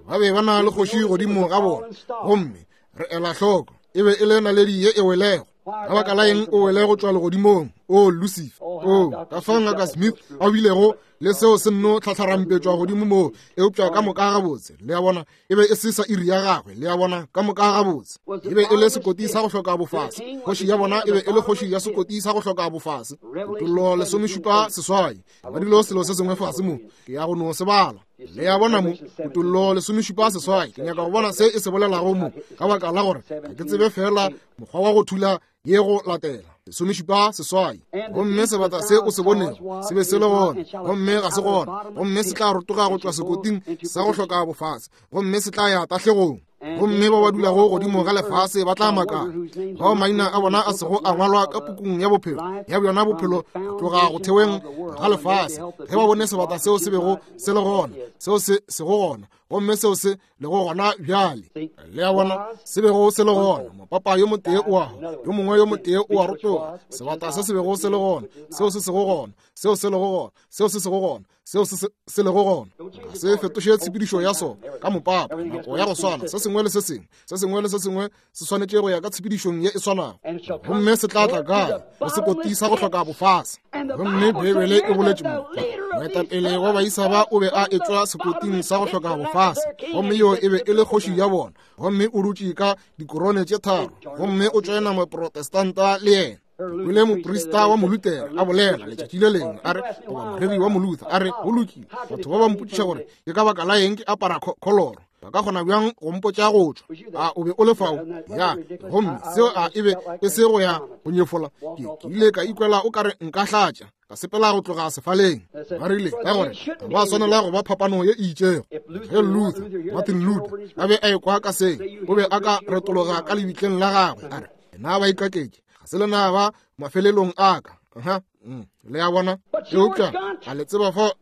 Ba be ba na le kgoši godimo ga bona, gomme re ela hloko e be e le naledi ye e welego. Ka baka la eng o wele go tšwa legodimong, o Lucifer? O ka fao Ngaka Smith a bilego le seo se nno tlhatlharampetšwa godimo moo, eupša ka moka gabotse. Le a bona, e be e se sa iri ya gagwe. Le a bona, ka moka gabotse. E be e le sekoti sa go hloka bofase. Kgoši ya bona e be e le kgoši ya sekoti sa go hloka bofase. Kutollo lesomešupa seswai. Ba dilo selo se sengwe fase mo, ke ya go no se bala. Le a bona mo, Kutollo lesomešupa seswai. Ke nyaka go bona se e se bolelago mo, ka baka la gore ga ke tsebe fela mokgwa wa go thula ye go latela. Lesomešupa seswai. Gomme sebata se o se bonego se be se le gona, gomme ga se gona, gomme se tla rotoga go tšwa sekoting sa go hloka bofase, gomme se tla ya tahlegong. Gomme ba ba dulago godimo ga lefase ba tla makala, bao maina a bona a sego a ngwalwa ka pukung ya bophelo ya bjona bophelo go tloga go theweng ga lefase, ge ba bone sebata seo se bego se le gona, seo se sego gona, gomme seo se lego gona bjale. Le a bona, se bego se le gona, mopapa yo motee o a hwa, yo mongwe yo motee o a rotoga. Sebata se se bego se le gona, seo se sego gona, seo se lego gona, seo se sego gona, seo se se lego gona, ga se fetoše tshepedišo ya sona ka mopapa. Nako ya go swana, se sengwe le se sengwe, se sengwe le se sengwe se swanetše go ya ka tshepedišong ye e swanago. Gomme se tla tla kae? Go sekoti sa go hloka bofase. Gomme Beibele e boletše mo, moetapele wa baisa ba o be a etšwa sekoting sa go hloka bofase, gomme yo e be e le kgoši ya bona, gomme o dutše ka dikorone tše tharo, gomme o tšoena moprotestanta le yena. Kwele moprista wa Molutera a bolela letšatši le lengwe, a re, goba moreri wa Moluther, a re, go lokile, batho ba ba mpotšiša gore ke ka baka la eng ke apara kholoro, ba ka kgona bjang go mpotša go tšwa? A o be o le fao? Ya, gomme seo a e be e se go ya go nyefola. Ke ke ile ka ikwela o kare nka hlatša, ka sepela go tloga sefaleng. Ba rile ka gore ga ba swanela go ba phapano ye e itšego. Ge Luther, Martin Luther, a be a ekwa ka seng, o be a ka retologa ka lebitleng la gagwe, a re, na ba ikaketše, ga se lena ba mafelelong a ka. Aha, mm, le a bona. Eupša a le tseba fao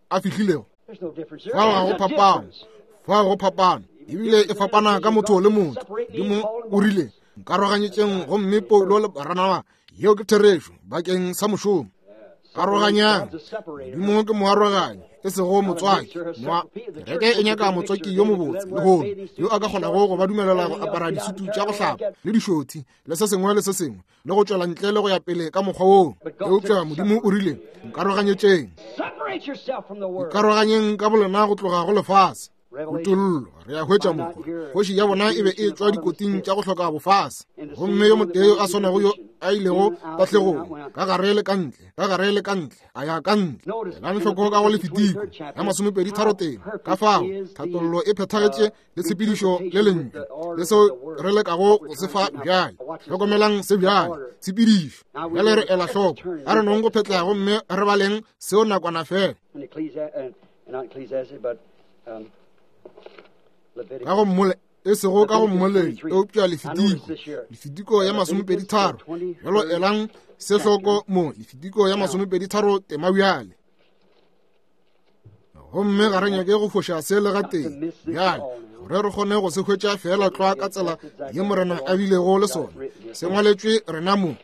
a fihlilego? Fao ga go phapano, fao go phapano, ebile e fapana ka motho le motho. Modimo o rile, nkaroganyetšeng gomme Paulo le Baranaba, yeo ke therešo bakeng sa mošomo. Aroganyang. Modimo ke moaroganyi, e sego motswaki. Moa kereke e nyaka motswaki yo mobotse lehono, yo a ka kgonago go ba dumelela go apara disutu tša go hlapa le dišothi le se sengwe le se sengwe, le go tšwela ntle le go ya pele ka mokgwa woo. Eupša Modimo o rile, nkaroganyetšeng. Ikaroganyeng ka bolena go tloga go lefase. Kutollo, re a hwetša mo gore kgoši ya bona e be e tšwa dikoting tša go hloka bofase, gomme yo motee yo a swanago yo a ilego tahlegong, ka gare le ka ntle, ka gare le ka ntle, a ya ka ntle. Elang hloko ka go Lefitiko ya masomepedi tharo tee, ka fao tlhatollo e phethagetše le tshepedišo le lentšu le seo re lekago go se fa bjale. Hlokomelang se bjale, tshepedišo. Bjale re ela hloko, a re nong go phetlega gomme re baleng seo nakwana fela. Ka go mmole, e sego ka go mmoledi, eupša Lefitiko, Lefitiko ya masomepedi tharo. Bjalo elang se hloko mo, Lefitiko ya masomepedi tharo tema bjale. Gomme ga re nyake go foša se le gatee bjale, gore re kgone go se hwetša feela tlwa ka tsela ye Morena a bilego le sona. Se ngwaletšwe rena mo.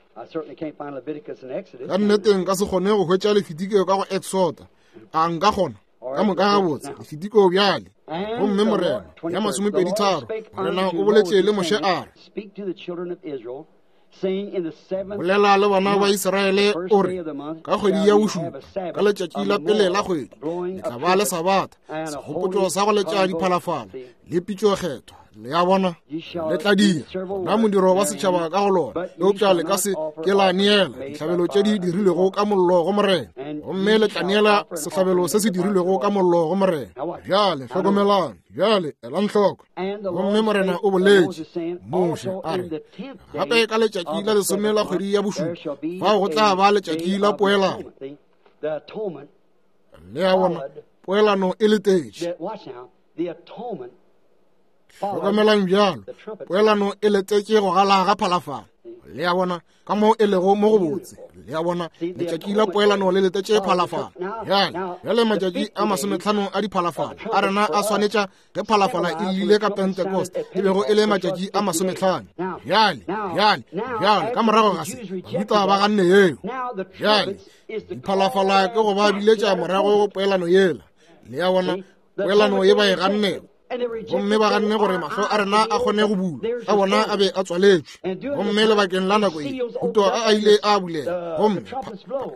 Ka nnete nka se kgone go hwetša Lefitiko ka go Exoda. A nka kgona? Ka moka gabotse, Lefitiko bjale. Gomme Morena ya masomepedi tharo, Morena o boletše le Moshe a re, bolela le bana ba Israele o re, ka kgwedi ya bošupa, ka letšatši la pele la kgwedi, le tla ba le Sabatha, segopotšo sa go letša diphalafala le pitšo kgethwa. Le a bona, le tla dira na modiro wa setšhaba ka go lona, eupša le ka se ke la neela dihlabelo tše di dirilwego ka mollo go Morena, gomme le tla neela sehlabelo se se dirilwego ka mollo go Morena. Bjale hlokomelang, bjale elang hloko. Gomme Morena o boletše Moshe a re, gape ka letšatši la lesome la kgwedi ya bošupa, fao go tla ba letšatši la poelano. Le a bona, poelano e letetše. Hlokomelang bjalo, poelano e letetše go gala ga phalafala. Le a bona ka mo e lego mo go botse. Le a bona letšatši la poelano le letetše phalafala. Bjale, bjale matšatši a masometlhano a diphalafala a rena a swanetša ge phalafala e llile ka Pentecost, e bego e le matšatši a masometlhano. Bjale, bjale, bjale ka morago ga se Bajuda ba ganne yeo. Bjale diphalafala ke go ba biletša morago go poelano yela. Le a bona poelano ye ba e gannego, gomme ba ganne gore mahlo a rena a kgone go bulwa, a bona a be a tswaletšwe. Gomme lebakeng la nako ye thuto a a ile a bulela, gomme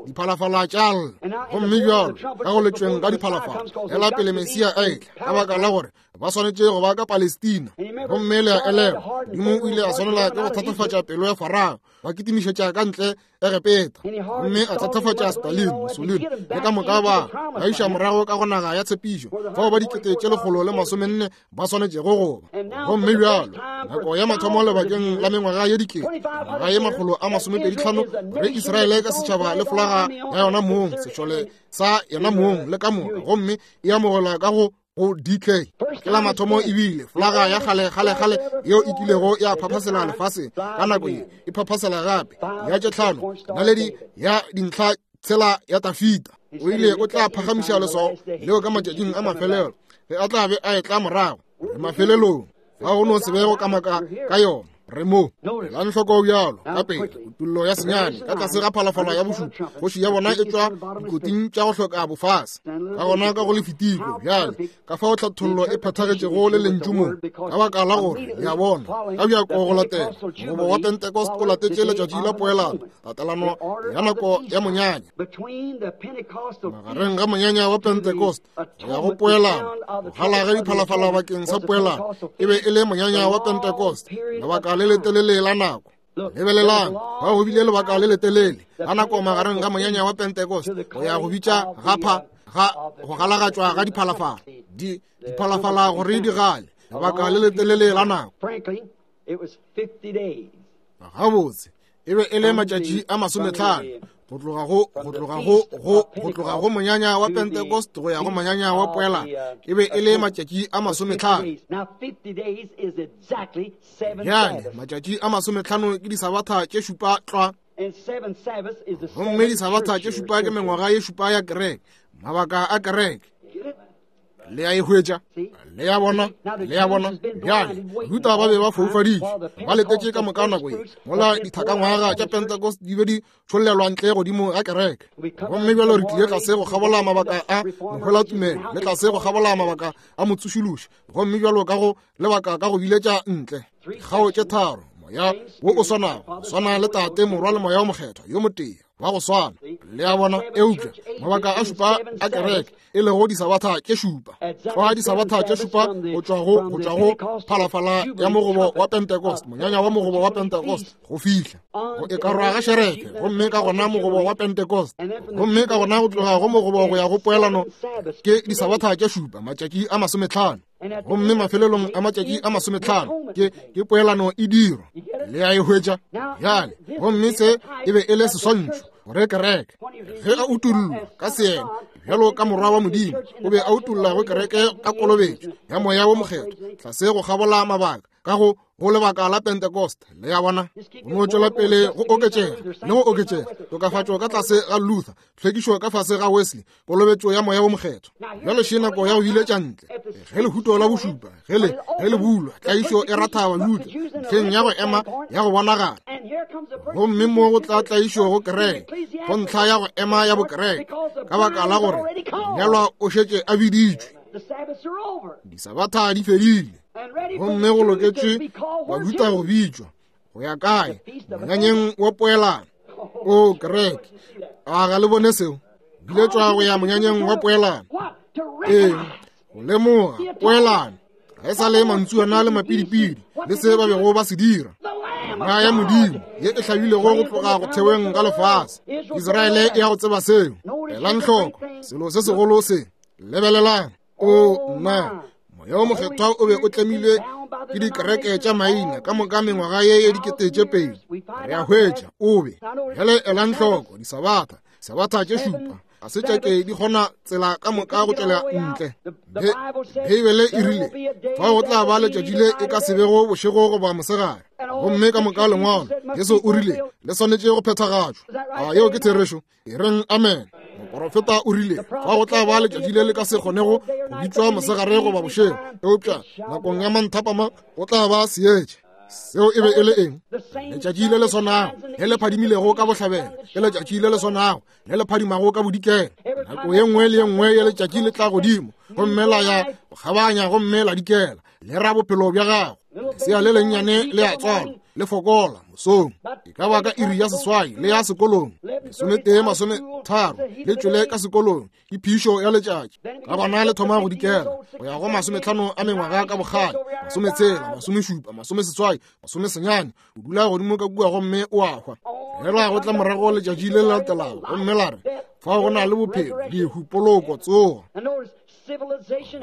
diphalafala tša lla. Gomme bjalo ka go letšweng ka diphalafala ela pele Mesia a etla, ka baka la gore ba swanetše go ba ka Palestina. Gomme le a elelwa, Modimo o ile a swanela ke go thatafatša pelo ya Farao, ba kitimišetša ka ntle Egepeta, gomme a thatafatša Stalin, Mussolini le ka moka ba ba iša morago ka go naga ya tshepišo, fao ba dikete tše lekgolo le masomenne ba swanetšego go ba. Gomme bjalo nako ya mathomo lebakeng la mengwaga ye dikete, ngwaga ye makgolo a masomepedi tlhano, gore Israele ka setšhaba le folaga ya yona mong, sešole sa yona mong le ka moka, gomme e amogelwa ka go go D K. Ke la mathomo ebile folaga ya kgale kgale kgale yeo e kilego ya phaphasela lefaseng ka nako ye e phaphasela gape ya tše tlhano naledi ya dintlha tshela ya Tafita. O ile o tla phagamiša leswao leo ka matšatšing a mafelelo ge a tla be a etla morago. Re mafelelong, ga go no se be go kamaka ka yona. Re mo elang hloko bjalo ka pele kutullo ya senyane ka tlase ga phalafala ya bošupa, kgoši ya bona e tšwa dikoting tša go hloka bofase. Ka gona ka go lefitiko bjale ka fao tlhathollo e phethagetšego le lentšu mo, ka baka la gore le a bona ka bjako go latela mogobo wa Pentecost o latetše letšatši la poelano, tatelano ya nako ya monyanya. Magareng ga monyanya wa Pentecost go ya go poelano, go gala ga diphalafala bakeng sa poelano e be e le monyanya wa Pentecost, lebaka le letelele la nako. Lebelelang, ba go bile lebaka le letelele la nako magareng ga monyanya wa Pentecost go ya go bitša ga pha ga go galagatšwa ga diphalafala, di diphalafala gore di gale, lebaka le letelele la nako. Gabotse e be e le matšatši a masometlhano go tloga go go tloga go go go tloga go monyanya wa Pentecost go ya go monyanya wa poelano, e be e le matšatši a masometlhano. Bjale matšatši a masometlhano ke disabatha tše šupa tlwa, gomme disabatha tše šupa ke mengwaga ye šupa ya kereke, mabaka a kereke. Le a e hwetša? Le a bona? Le a bona? Bjale Bajuda ba be ba foufaditšwe, ba letetše ka moka nako ye mola dithakangwaga tša Pentecost di be di tšhollelwa ntle godimo ga kereke. Gomme bjalo re tlile tlase go kgabola mabaka a mohwelatumelo le tlase go kgabola mabaka a motsošološi, gomme bjalo ka go lebaka ka go biletša ntle dikgao tše tharo, moya wo o swanago, go swana le Tate, Morwa le Moya o Mokgethwa yo motee wa go swana. Le a bona? Eupša mabaka a šupa a kereke e lego disabatha tše šupa, tloga disabatha tše šupa go tšwa go go tšwa go phalafala ya mogobo wa Pentecost, monyanya wa mogobo wa Pentecost go fihla go e karwa ga šerefe, gomme ka gona mogobo wa Pentecost, gomme ka gona go tloga go mogobo go ya go poelano ke disabatha tše šupa, matšatši a masometlhano. Gomme mafelelong a matšatši a masometlhano ke ke poelano e dirwa. Le a e hwetša? Bjale gomme se e be e le seswantšho gore kereke ge a utollwa ka seena bjalo ka morwa wa Modimo, o be a utolla go kereke ka kolobetšo ya Moya wo Mokgethwa tlase go kgabola mabaka ka go go lebaka la Pentecost. Le a bona? Go no tšwela pele go oketšega le go oketšega, tokafatšo ka tlase ga Luther, tlhwekišo ka fase ga Wesley, kolobetšo ya Moya wo Mokgethwa. Bjale še nako ya go biletša ntle ge lehuto la bošupa ge le ge le bulwa, tlaišo e ratha Bajuda ntlheng ya go ema ya go bonagala. Gomme mo go tla tlaišo go kereke, go ntlha ya go ema ya bokereke, ka baka la gore monyalwa o šetše a biditšwe, disabatha di fedile, gomme go loketšwe Bajuda go bitšwa go ya kae? Monyanyeng wa poelano. O kereke, a ga le bone seo? Biletšwa go ya monyanyeng wa poelano. Ee, go lemoga poelano ga e sa le mantsuana le mapidipidi le se ba bego ba se dira. Naga ya Modimo ye e hlabilego go tloga go theweng ga lefase, Israele e ya go tseba seo. Elang hloko selo se segolo se, lebelelang. O nna, Moya wo Mokgethwa o be o tlemilwe ke dikereke tša maina ka moka mengwaga ye ye dikete tše pedi. Re a hwetša o be. Bjale elang hloko disabatha, sabatha tše šupa Ga se tša ke di kgona tsela ka moka go tšwela ntle. Beibele e rile fao go tla ba letšatši le e ka se bego bošego goba mosegare. Gomme ka moka lengwalo Jesu o rile le swanetše go phethagatšwa. A yeo ke therešo? E reng amen. Moporofeta o rile fa go tla ba letšatši le le ka se kgonego go bitšwa mosegare goba bošego, eupša nakong ya manthapama go tla ba seetša. Seo e be e le eng? Letšatši le le swanago le le phadimilego ka bohlabela ke letšatši le le swanago le le phadimago ka bodikela. Nako ye nngwe le ye nngwe ya letšatši le tla godimo gomme la ya go kgabanya gomme la dikela, le ra bophelo bja gago. Lesea le lennyane le a tswalwa, le fokola mosong, e ka ba ka iri ya seswai le ya sekolong, lesometee masometharo le tšwele ka sekolong ke phišo ya letšatši. Ka gona le thoma go dikela go ya go masometlhano a mengwaga ka bokgale, masometshela, masomešupa, masomeseswai, masomesenyane, o dula godimo ka kua gomme o a hwa. Fela go tla morago letšatši le le latelago gomme la re fao go na le bophelo, lehu, poloko, tsogo.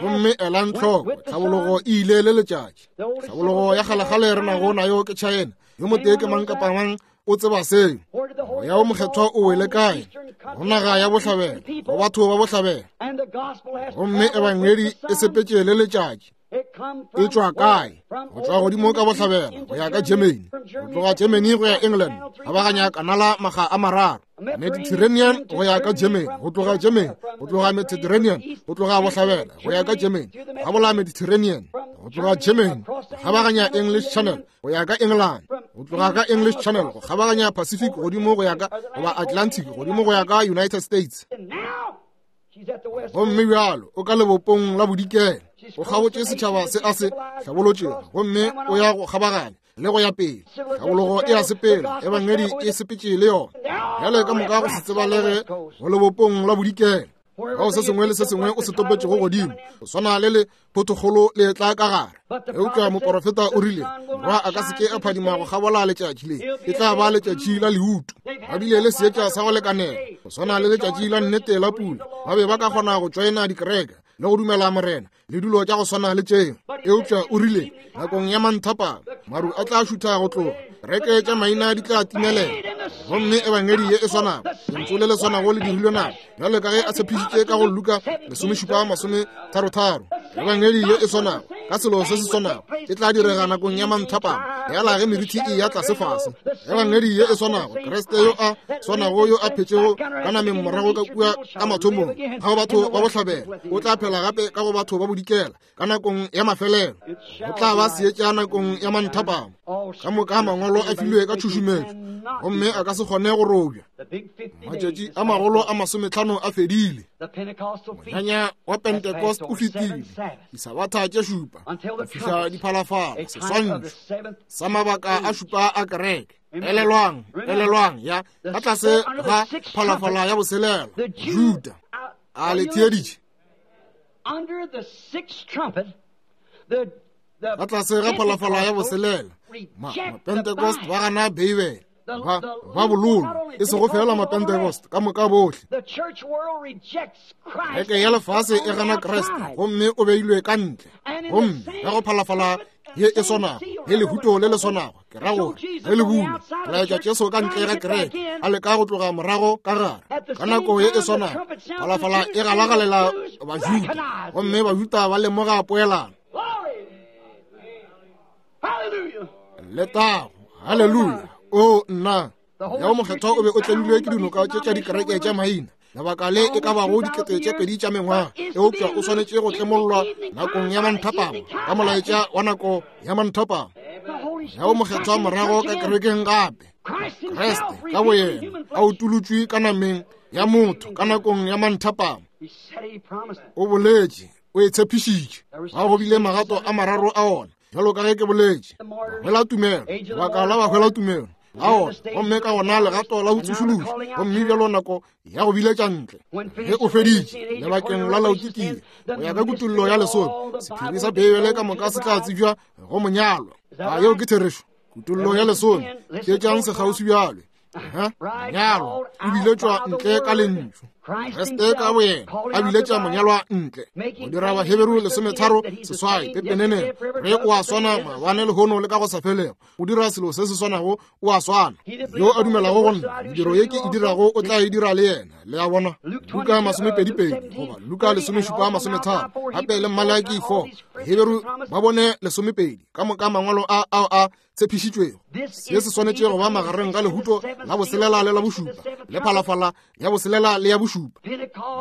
Gomme elang tlhoko, tlhabologo e ile le letšatši. Tlhabologo ya kgalekgale re nago nayo ke China. Yo motee ke mang kapa mang o tseba seo. Moya wo mokgethwa o wele kae? Go naga ya bohlabela, go batho ba bohlabela. Gomme ebangedi e sepetše le letšatši. E tšwa kae? Go tšwa godimo ka bohlabela go ya ka Germany, go tloga Germany go ya England, kgabaganya kanala maga a mararo, Mediterranean go ya ka Germany, go tloga Germany, go tloga Mediterranean, go tloga bohlabela go ya ka Germany, kgabola Mediterranean, go tloga Germany, go kgabaganya English Channel go ya ka England, go tloga ka English Channel go kgabaganya Pacific godimo go ya ka goba Atlantic godimo go ya ka United States. Gomme bjalo o ka lebopong la bodikela, o kgabotše setšhaba se a se hlabolotšego, gomme o ya go kgabaganya le go ya pele. Tlhabologo e a sepela, ebangedi e sepetše le yona. Bjale ka moka go se tsebalege go lebopong la bodikela, kao se sengwe le se sengwe o se topetšego godimo, go swana le le photokgolo le tla ka gare. Eupša moporofeta o rile morwa a ka se ke a phadima go kgabola letšatši le, e tla ba letšatši la leutu. Ba bile le seetša sa go lekanela go swana le letšatši la nnete la pula. Ba be ba ka kgona go tšoena dikereke le go dumela morena le dulo tša go swana le tšeo. Eupša o rile nakong ya manthapama maru a tla šutha go tloga, kereke tša maina di tla timelela. Gomme ebangedi ye e swanago, lentšu le le swanago le dirilwe nako, bjalo ka ge a tshepišitše ka go Luka lesomešupa masometharotharo. Ebangedi ye e swanago ka selo se se swanago e tla direga nakong ya manthapama, yala ge meriti e ya tlase fase. Ebangedi ye e swanago, Kriste yo a swanago yo a phetšego ka nameng morago ka kua ka mathomong ga go batho ba bohlabela, o tla phela gape ka go batho ba bodikela ka nakong ya mafelelo. Go tla ba seetša nakong ya manthapama. Ka moka mangwalo a filwe ka tšhušumetšo gomme a ka se kgone go robja. Matšatši a magolo a masometlhano a fedile. Monyanya wa Pentecost o fetile, disabatha tše šupa go fihla diphalafala, seswantšho sa mabaka a šupa a kereke. Elelwang, elelwang ya ka tlase ga phalafala ya boselela, Juda a le theeditše. Ka tlase ga phalafala ya boselela, Mapentecost ba gana Beibele, ba ba bololo, e sego fela Mapentecost ka moka bohle. Kereke ya lefase e gana Kriste gomme o beilwe ka ntle. Gomme ka go phalafala ye e swanago le lehuto le le swanago, ke ra gore ge le bulwa, re laetša Jesu ka ntle ga kereke a leka go tloga morago ka gare. Ka nako ye e swanago phalafala e galagalela Bajuda, gomme Bajuda ba lemoga poelano. Letago, haleluya! O nna, ya mokgethwa o be o tlemilwe ke dinoka tše tša dikereke tša maina lebaka le e ka bago dikete tše pedi tša mengwaga, eupša o swanetše go tlemollwa nakong ya manthapama ka molaetša wa nako ya manthapama. Ya o mokgethwa morago ka kerekeng gape, Kriste ka boyena a utolotšwe ka nameng ya motho ka nakong ya manthapama. O boletše, o e tshepišitše. Ga go bile magato a mararo a ona, bjalo ka ge ke boletše, bahwela tumelo, lebaka la bahwela tumelo a ona, gomme ka gona legato la botsošološo, gomme bjalo nako ya go biletša ntle ge o feditše lebakeng la Laodikia go ya ka kutollo ya lesome. Sephiri sa Beibele ka moka se tla tsebja go monyalwa. A yeo ke therešo? Kutollo ya lesome. Theetšang sekgauswi bjalo. Monyalwa o biletšwa ntle ka lentšu. Kriste ka boyena a biletša monyalwa ntle. Go dira Baheberu lesometharo seswai pepeneneng re o a swana maabane lehono le ka go sa felego. O dira selo se se swanago, o a swana. Yo a dumelago go nna, mediro ye ke e dirago o tla e dira le yena. Le a bona? Luka masomepedipedi goba Luka lesomešupa masometharo, gape le Malaki four. Baheberu ba bone lesomepedi ka moka mangwalo a ao a tshepišitšwego. Se se swanetše go ba magareng ga lehuto la boselela le la bošupa, le phalafala ya boselela le ya bošupa.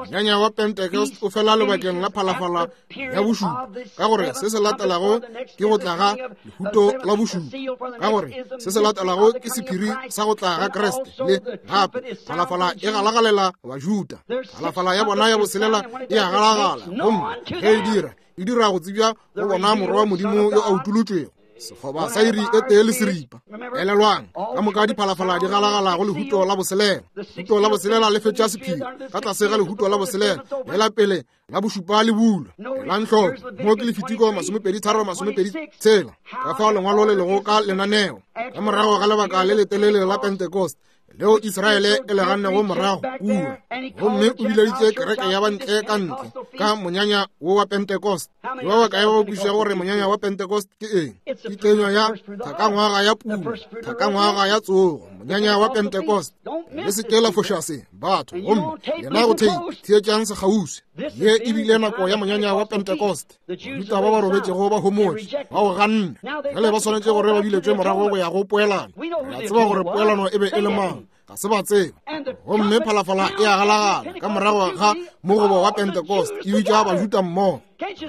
Monyanya wa Pentecost o fela lebakeng la phalafala ya bošupa, ka gore se se latelago ke go tla ga lehuto la bošupa, ka gore se se latelago ke sephiri sa go tla ga Kriste. Le gape phalafala e galagalela Bajuda, phalafala ya bona ya boselela e a galagala, gomme ge e dira e dira go tsebja go bona morwa wa Modimo yo a utolotšwego. Sekgoba sa iri e tee le seripa. Elelwang, ka moka diphalafala di galagala go lehuto la boselela. Lehuto la boselela le fetša sephiri ka tlase ga lehuto la boselela, lela pele la bošupa le bulwa. Elang hloko, mo ke Lefitiko masomepedi tharo masomepedi tshela, ka fao lengwalo le lego ka lenaneo. Ka morago ga lebaka le letelele la Pentecost leo Israele e le gannego morago kua, gomme o bileditše kereke ya bantle ka ntle ka monyanya wo wa Pentecost. Ke ba bakae ba ba kwešišago gore monyanya wa Pentecost ke eng? Ke kenywa ya thakangwaga ya puno, thakangwaga ya tsogo, monyanya wa Pentecost. Le se ke la foša se, batho, gomme yena go theipi, theetšang sekgauswi. Ye e bile nako ya monyanya wa Pentecost. Bajuda ba ba robetšego ba homotše, ba o ganne. Bjale ba swanetše gore ba biletšwe morago go ya go poelano. Re a tseba gore poelano e be e le mang, ga se ba tseba. Gomme phalafala e a galagala ka morago ga mogobo wa Pentecost, e bitša Bajuda mmogo.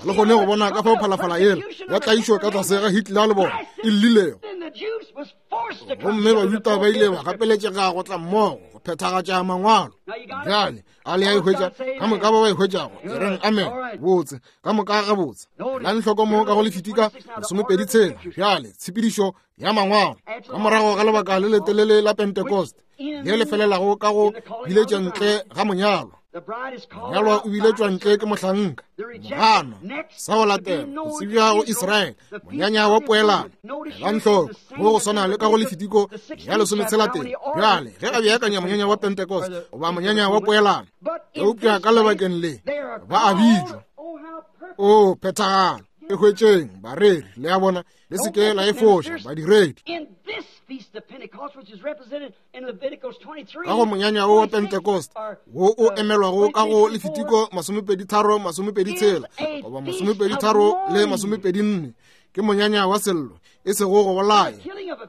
Le kgone go bona ka fao phalafala yela ya tlaišo ka tlase ga Hitler le bona e llilego. Gomme Bajuda ba ile ba gapeletšega go tla mmogo go phethagatša mangwalo. Bjale a le a e hwetša ka moka ba ba e hwetšago, e reng amen. Botse ka moka gabotse. Elang hloko mo ka go Lefitika lesomepedi tshela. Bjale tshepedišo ya mangwalo ka morago ga lebaka le letelele la Pentecost le le felelago ka go biletša ntle ga monyalwa. Monyalwa o biletšwa ntle ke mohlanka. Mogano sa go latela go tsebja go Israele, monyanya wa poelano. Elang hloko mo go swana le ka go Lefitiko ya lesometshela teng. Bjale ge a beakanya monyanya wa Pentecost goba monyanya wa poelano, eupša ka lebakeng le ba a bitšwa. O phethagalo e hwetšeng bareri, le a bona, le se ke la e foša badiredi. Ka go monyanya wo wa Pentecost wo o emelwago ka go Lefitiko masomepedi tharo masomepedi tshela goba masomepedi tharo le masomepedi nne, ke monyanya wa sello, e sego go bolaya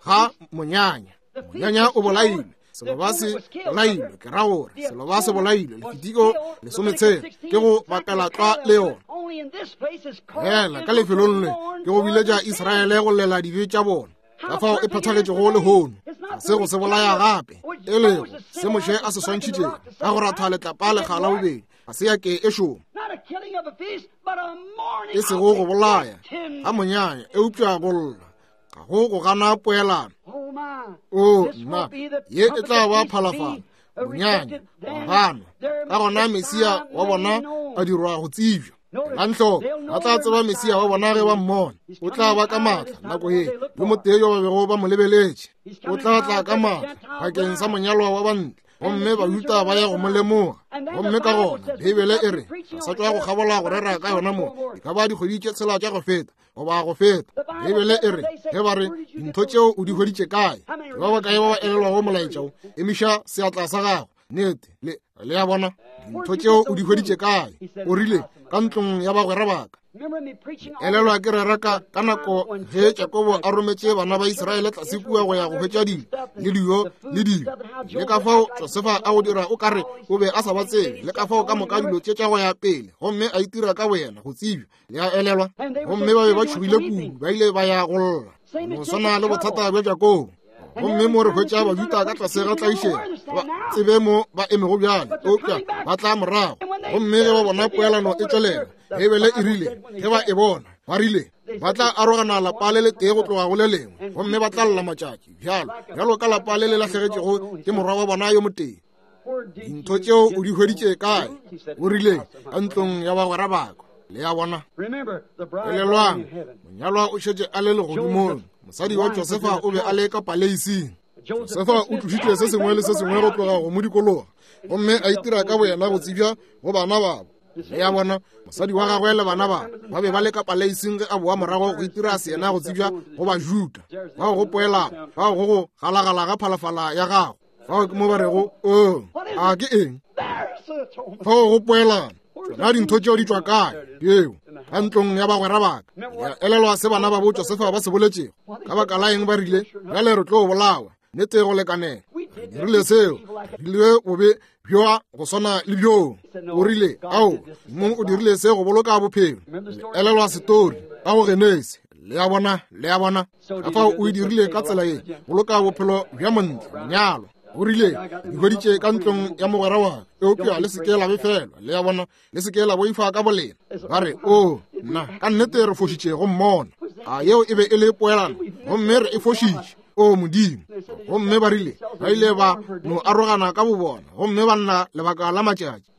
ga monyanya. Monyanya o bolailwe, seloba se bolailwe, ke ra gore seloba se bolailwe. Lefitiko lesometshela ke go bapela tlwa le yona. Fela ka lefelong le ke go biletša Israele go llela dibe tša bona, ka fao e phethagetšego lehono. Ga se go se bolaya gape, e lego se Moshe a se swantšhitšego ka go ratha letlapa lekga la bobedi, ga se ya ke e šoma. E sego go bolaya ga monyanya, eupša go lla, ga go go gana poelano. O nna, ye e tla ba phalafala, monyanya wa ganwa. Ka gona Mesia wa bona a dirwa go tsebja. Elang hloko, ba tla tseba Mesia wa bona ge ba mmona. O tla ba ka maatla nako ye, yo motee yo ba bego ba mo lebeletše. O tla tla ka maatla bakeng sa monyalwa wa bantle, gomme Bajuda ba ya go mo lemoga. Gomme ka gona Beibele e re, re sa tšwa go kgabola go rera ka yona mo, e ka ba dikgwedi tše tshela tša go feta goba go feta. Beibele e re, ge ba re, dintho tšeo o di hweditše kae? Ke ba bakae ba ba elelwago molaetša wo? Emiša seatla sa gago. Nnete, le le a bona, dintho tšeo o di hweditše kae? O rile, ka ntlong ya bagwera baka. Elelwa ke rera ka ka nako ge Jakobo a rometše bana ba Israele tlase kua go ya go hwetša dilo le dijo le dilo, le ka fao Josefa a go dira o kare o be a sa ba tsebe, le ka fao ka moka dilo tše tša go ya pele, gomme a itira ka boyena go tsebja. Le a elelwa? Gomme ba be ba tšhogile kudu, ba ile ba ya go lla. No swana le bothata bja Jakobo. Gomme mo re hwetša Bajuda ka tlase ga tlaišego, ba tsebe mo ba emego bjale, eupša ba tla morago. Gomme ge ba bona poelano e tšwelela, Beibele e rile, ge ba e bona, ba rile, ba tla arogana lapa le letee go tloga go le lengwe, gomme ba tla lla matšatši bjalo bjalo ka lapa le le lahlegetšego ke morwa wa bona yo motee. Dintho tšeo o di hweditše kae? O rile, ka ntlong ya bagwera baka. Le a bona? Elelwang, monyalwa o šetše a le legodimong. Mosadi wa Josefa o be a le ka paleising. Josefa o tlošitše se sengwe le se sengwe go tloga go mo dikologa, gomme a itira ka boyena go tsebja go bana babo. Le ya bona, mosadi wa gagwe le bana ba ba be ba le ka paleising ge a boa morago go itira seyena go tsebja go Bajuda. Bao go poelana, bao go go galagala ga phalafala ya gago. Fao ke mo ba rego, o, a ke eng? Fao go poelana. Tšona dintho tšeo di tšwa kae? Yeo, ka ntlong ya bagwera ba ka. Ya elelwa se bana ba bo Josefa ba se boletšego. Ka baka la eng ba rile, bjale re tlo bolawa, nnete go lekanela. Re dirile seo, re dirile bobe bjoa go swana le bjoo. O rile, ao, mong o dirile se go boloka bophelo. Le elelwa setori ka go Genesi. Le a bona, le a bona. Ka fao o e dirile ka tsela ye, boloka bophelo bja montle, monyalo. O rile, di hweditše ka ntlong ya mogwera wa ka, eupša le se ke la befelwa. Le a bona, le se ke la boifa ka bolena. Ba re, o, nna, ka nnete re fošitše go mmona. A yeo e be e le poelano, gomme re e fošitše. O Modimo. Gomme ba rile, ba ile ba no arogana ka bobona, gomme ba nna lebaka la matšatši.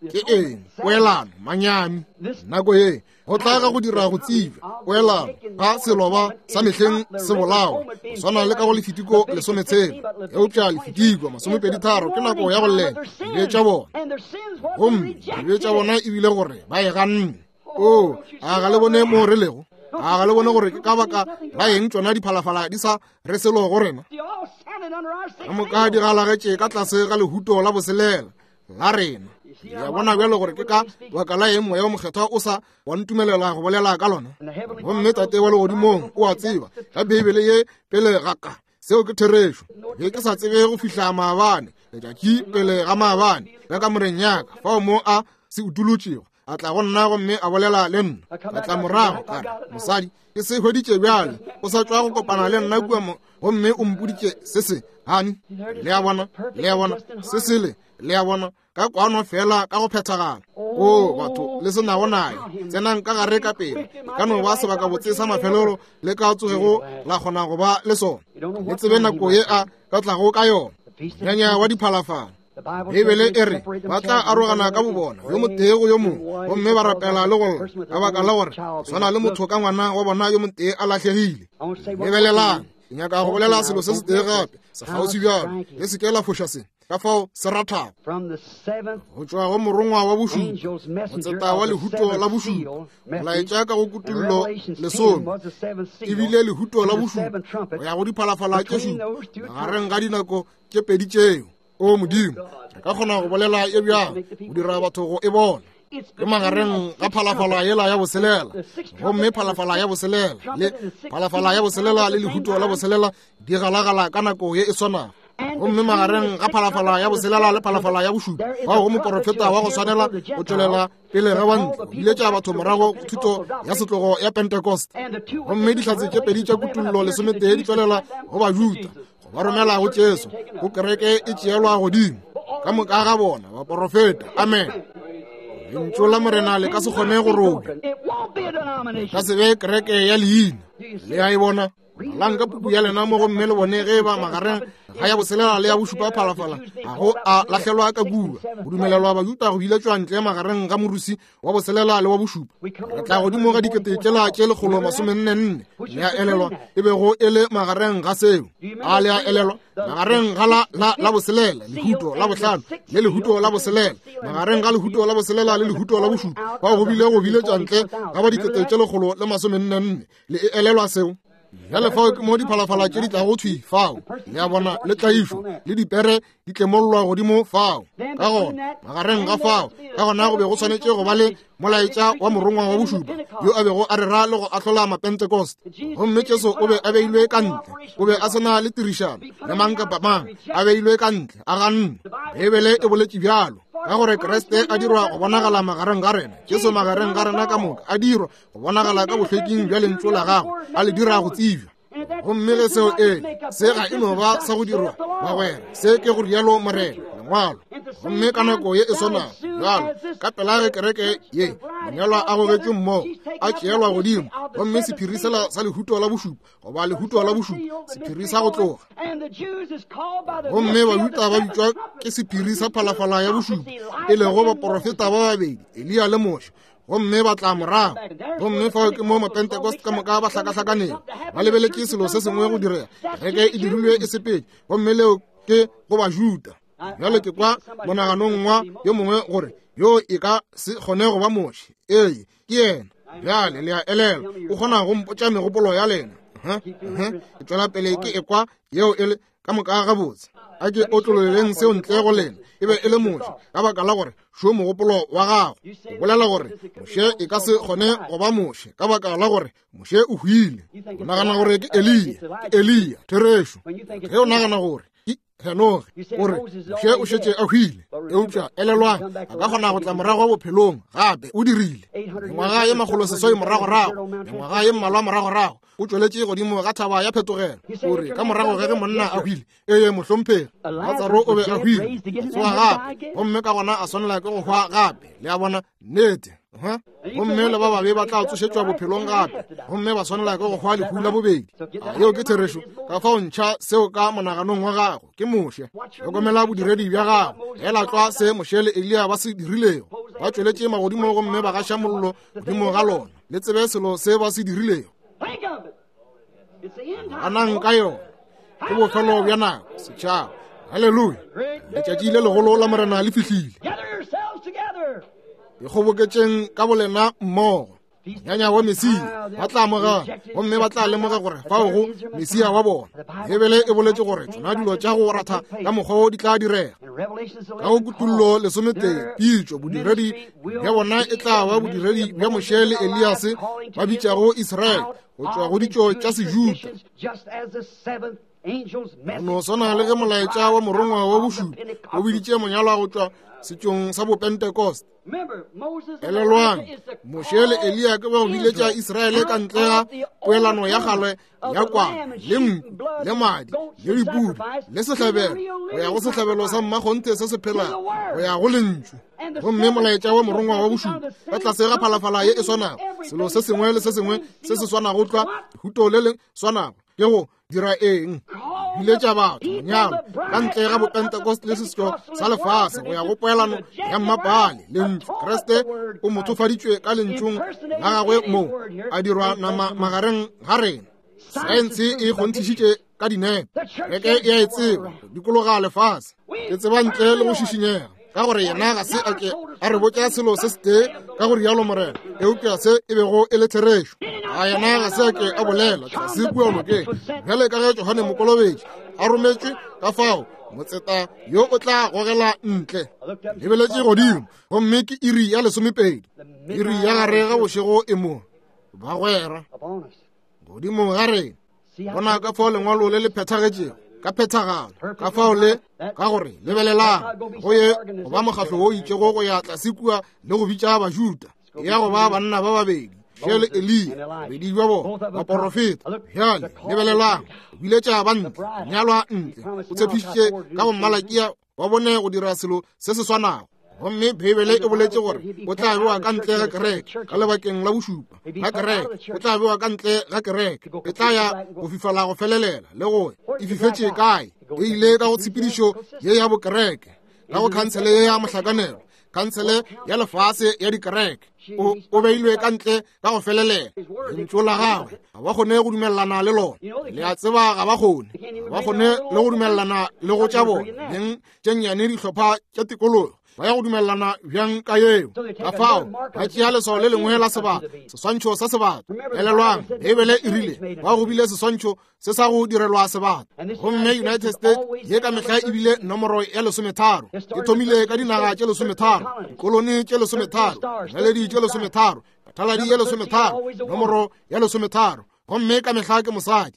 Ke eng? Poelano, manyami. Nako ye, go tla ga go dira go tsebja, poelano, ga seloba sa mehleng se bolawa, go swana le ka go Lefitiko lesometshela. Eupša Lefitiko masomepedi tharo ke nako ya go llela dibe tša bona. Gomme dibe tša bona e bile gore ba e ganne. O, a ga le bone mo re lego? A ga le bone gore ke ka baka la eng tšona diphalafala di sa re selo go rena? Ka moka di galagetše ka tlase ga lehuto la boselela la rena. Ya bona bjalo gore ke ka baka la eng Moya o Mokgethwa o sa wa ntumelela go bolela ka lona. Gomme Tate wa legodimong o a tseba ka Beibele ye pele ga ka, seo ke therešo. Be ke sa tsebe go fihla maabane, letšatši pele ga maabane, ka kamoreng ya ka, fao mo a se utolotšego, a tla go nna gomme a bolela le nna. A tla morago ka re, mosadi, ke se hweditše bjale, o sa tšwa go kopana le nna kua mo, gomme o mpoditše se se, hani. Le a bona, le a bona, se sele, le a bona, ka kwano fela ka go phethagala. O, batho, le se nago naye, tsenang ka gare ka pele. Ka no ba sebakabotse sa mafelelo le ka tsogego la kgona go ba le sona. Le tsebe nako ye a ka tlago ka yona. Nyanya wa diphalafala. Beibele e re ba tla arogana ka bobona, yo motee go yo mongwe, gomme ba rapela le go lla, ka baka la gore swana le motho ka ngwana wa bona yo motee a lahlegile. Lebelelang, ke nyaka go bolela selo se setee gape, sekgauswi bjalo, le se ke la foša se, ka fao se rathago. Go tšwa go morongwa wa bošupa, motseta wa lehuto la bošupa, molaetša ka go Kutullo lesome, ebile lehuto la bošupa go ya go diphalafala tše šupa, magareng ga dinako tše pedi tšeo. O Modimo, re ka kgona go bolela e bjang, go dira batho go e bona. Ke magareng ga phalafala yela ya boselela, gomme phalafala ya boselela le phalafala ya boselela le lehuto la boselela di galagala ka nako ye e swanago. Gomme magareng ga phalafala ya boselela le phalafala ya bošupa, bao go moporofeta wa go swanela go tšwelela pele ga bantle, go biletša batho morago go thuto ya setlogo ya Pentecost. Gomme dihlatse tše pedi tša Kutullo lesometee di tšwelela go Bajuda, go ba romela go Jesu, go kereke e tšeelwa godimo. Ka moka ga bona baporofeta. Amen. Lentšu la Morena le ka se kgone go robja. Ka se be kereke ya leina. Le a e bona? Balang ka puku ya lena mo gomme le bone ge ba magareng ga ya boselela le ya bošupa phalafala ga go a lahlelwa ka kua. Go dumelelwa Bajuda go biletšwa ntle magareng ga morusi wa boselela le wa bošupa. Re tla godimo ga dikete tšela tše lekgolo masomenne nne. Le a elelwa e bego e le magareng ga seo. A le a elelwa magareng ga la, la, la boselela, lehuto la bohlano le lehuto la boselela, magareng ga lehuto la boselela le lehuto la bošupa, bao go bile go biletšwa ntle ga ba dikete tše lekgolo le masomenne nne. Le e elelwa seo? Bjale fao ke mo diphalafala tše di tlago thwi fao. Le a bona, le tlaišo le dipere di tlemollwa godimo fao. Ka gona magareng ga fao, ka gona go be go swanetše go ba le molaetša wa morongwa wa bošupa yo a bego a rera le go ahlola Mapentecost. Gomme Jesu o be a beilwe ka ntle, o be a se na le tirišano le mang kapa mang, a beilwe ka ntle, a ganne. Beibele e boletše bjalo, ka gore Kriste a dirwa go bonagala magareng ga rena, Jesu magareng ga rena ka moka a dirwa go bonagala ka bohlweking bja lentšu la gagwe, a le dira go tsebja. Gomme ge seo e se ga e no ba sa go dirwa bagwera, se ke go rialo Morena, lengwalo. Gomme ka nako ye e swanago bjalo, ka pela ge kereke ye monyalwa a gogetšwe mmogo, a tšeelwa godimo, gomme sephiri sela sa lehuto la bošupa goba lehuto la bošupa, sephiri sa go tloga. Gomme Bajuda ba bitšwa ke sephiri sa phalafala ya bošupa, e lego baporofeta ba babedi, Eliya le Moshe, gomme ba tla morago. Gomme fao ke mo Mapentecost ka moka ba hlakahlakanego, ba lebeletše selo se sengwe go direga. Kereke e dirilwe e sepetše, gomme leo ke go Bajuda. Bjale ke kwa monaganong wa yo mongwe gore yo e ka se kgone go ba Moshe. Ee, ke yena. Bjale le a elelwa, o kgona go mpotša megopolo ya lena. Ke tšwela pele ke ekwa yeo e le ka moka gabotse. A ke otlololeng seo ntle go lena. E be e le Moshe, ka baka la gore šo mogopolo wa gago. O bolela gore Moshe e ka se kgone go ba Moshe, ka baka la gore Moshe o hwile. O nagana gore ke Eliya, ke Eliya, therešo. Ge o nagana gore ke Henoge, o re Moshe o šetše a hwile. Eupša elelwang, a ka kgona go tla morago bophelong gape. O dirile mengwaga ye makgolo seswai moragorago, mengwaga ye mmalwa moragorago, o tšweletše godimo ga thaba ya phetogelo. O re ka morago ge ge monna a hwile, ee mohlomphegi, Latsaro o be a hwile, a tsoga gape, gomme ka gona a swanela ke go hwa gape. Le a bona, nnete. Gomme le ba babe ba tla tsošetšwa bophelong gape, gomme ba swanela ke go hwa lehu la bobedi. A yeo ke therešo. Ka fao ntšha seo ka monaganong wa gago. Ke Moshe. Hlokomela bodiredi bja gago. Ela tlwa se Moshe le Eliya ba se dirilego. Ba tšweletše magodimo gomme ba gaša mollo godimo ga lona. Le tsebe selo se ba se dirilego. Anang ka yona. Ke bofelo bja nako, setšhaba. Haleluya. Letšatši le legolo la Morena le fihlile. Ikgoboketšeng ka bolena mmogo. Nyanya wa Mesia ba tla amogela, gomme ba tla lemoga gore fao go Mesia wa bona. Bibele e boletše gore tšona dilo tša go ratha ka mokgwa wo di tla direga. Ka go Kutullo lesometee, pitšo bodiredi bja bona e tla ba bodiredi bja Moshe le Eliase ba bitšago Israele go tšwa go ditšo tša Sejuda. Go no swana le ge molaetša wa morongwa wa bošupa o biditše monyalwa go tšwa setšong sa Bopentecost. Elelwang, Moshe le Eliya ke ba go biletša Israele ka ntle ga poelano ya kgale ya kwana le nku le madi le dipudi le sehlabelo, go ya go sehlabelo sa mmakgonthe se se phelago, go ya go lentšu. Gomme molaetša wa morongwa wa bošupa ka tlase ga phalafala ye e swanago, selo se sengwe le se sengwe se se swanago tlwa, lehuto le le swanago, ke go dira eng? Biletša batho monyalo ka ntle ga Bopentecost le setšo sa lefase go ya go poelano ya mmapale. Lentšu Kriste o mothofaditšwe ka lentšung la gagwe mo a dirwa nama magareng ga rena. Saense e kgonthišitše ka dinepo. Kereke e a e tseba go dikologa lefase. Ke tseba ntle le go šišinyega, ka gore yena ga se a ke a re botša selo se setee ka go rialo Morena, eupša se e bego e le therešo. A yena ga se a ke a bolela tlase kua nokeng, bjale ka ge Johane Mokolobetši a rometšwe, ka fao motseta yo o tla gogela ntle. Lebeletše godimo, gomme ke iri ya lesomepedi, iri ya gare ga bošego e mo, bagwera, godimo ga rena. Bona ka fao lengwalo le le phethagetšego ka phethagalo, ka fao le ka gore lebelelang go ye go ba mokgahlo wo itšego go ya tlase kua le go bitša Bajuda, ya go ba banna ba babedi, Moshe le Eliya, bobedi bja bona baporofeta. Bjale lebelelang, o biletša ba ntle, nyalwa ntle. O tshepišitše ka go Malakia wa bone go dira selo se se swanago. Gomme Bibele e boletše gore o tla bewa ka ntle ga kereke ka lebakeng la bošupa la kereke. O tla bewa ka ntle ga kereke, e tla ya go fifala go felelela le go e fifetše kae. E ile ka go tshepedišo ye ya bokereke, ka go khansele ye ya mohlakanelo, khansele ya lefase ya dikereke. O, o beilwe ka ntle ka go felelela. Lentšu la gagwe ga ba kgone go dumelelana le lona. Le a tseba ga ba kgone, ga ba kgone le go dumelelana le go tša bona beng tše nnyane dihlopha tša tikologo. Ba ya go dumelelana bjang ka yeo? Ka fao ba tšea leswao le lengwe la sebata, seswantšho sa sebata. Elelwang, Bibele e rile ba go bile seswantšho se sa go direlwa sebata. Gomme United States ye ka mehla e bile nomoro ya lesometharo. E thomile ka dinaga tše lesometharo, dikolone tše lesometharo, dinaledi tše lesometharo, bathaladi ye lesometharo, nomoro ya lesometharo. Gomme ka mehla ke mosadi.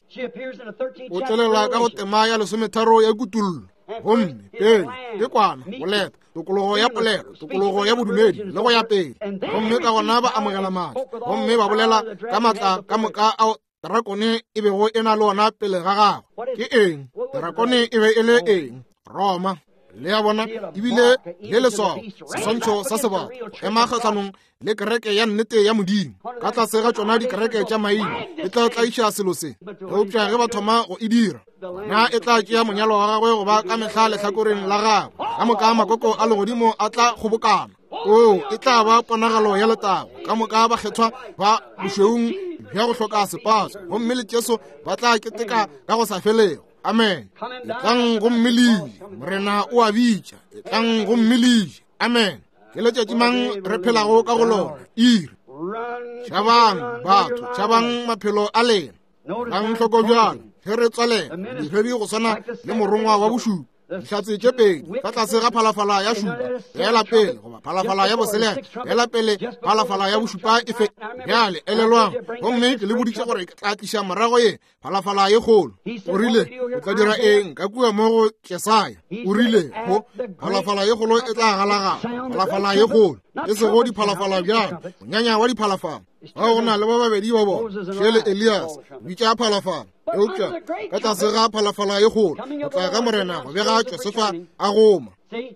O tšwelela ka go tema ya lesometharo ya Kutullo. Gomme pele ke kwana, boleta, tokologo ya polelo, tokologo ya bodumedi le go ya pele. Gomme ka gona ba amogela matla, gomme ba bolela ka matla ka moka ao drakone e bego e na le ona pele ga gagwe. Ke eng? Drakone e be e le eng? Roma. Le a bona, ebile le leswao, seswantšho sa sebata, go ema kgahlanong le kereke ya nnete ya Modimo. Ka tlase ga tšona dikereke tša maina e tla tlaiša selo se. Eupša ge ba thoma go e dira, na e tla tšea monyalo wa gagwe go ba ka mehla lehlakoreng la gagwe. Ka moka makoko a legodimo a tla kgobokana. Oo, e tla ba ponagalo ya letago. Ka moka bakgethwa ba bošweung bja go hloka sepatso, gomme le Jesu ba tla keteka ka go sa felego. Amen. Etlang gomme le je, Morena o a bitša. Etlang gomme le je. Amen. Ke letšatši mang re phelago ka go lona? Iri. Tšhabang batho, tšhabang maphelo a lena. Lang hloko bjalo ge re tswalela diredi go swana le morongwa wa bošupa. Dihlatse tše pedi ka tlase ga phalafala ya šupa ela pele, goba phalafala ya boselela ela pele, phalafala ya bošupa e fe. Bjale elelwang, gomme ke le boditše gore ke tla tliša morago ye phalafala ye kgolo. O rile o tla dira eng ka kua mo go Jesaya? O rile go phalafala ye kgolo e tla galagala, phalafala ye kgolo, e sego diphalafala bjalo, monyanya wa diphalafala. Ga go na le ba babedi ba bona, Moshe le Elias, bitša phalafala. Eupša ka tlase ga phalafala ye kgolo go tla ga Morena go bega Josefa a goma. Le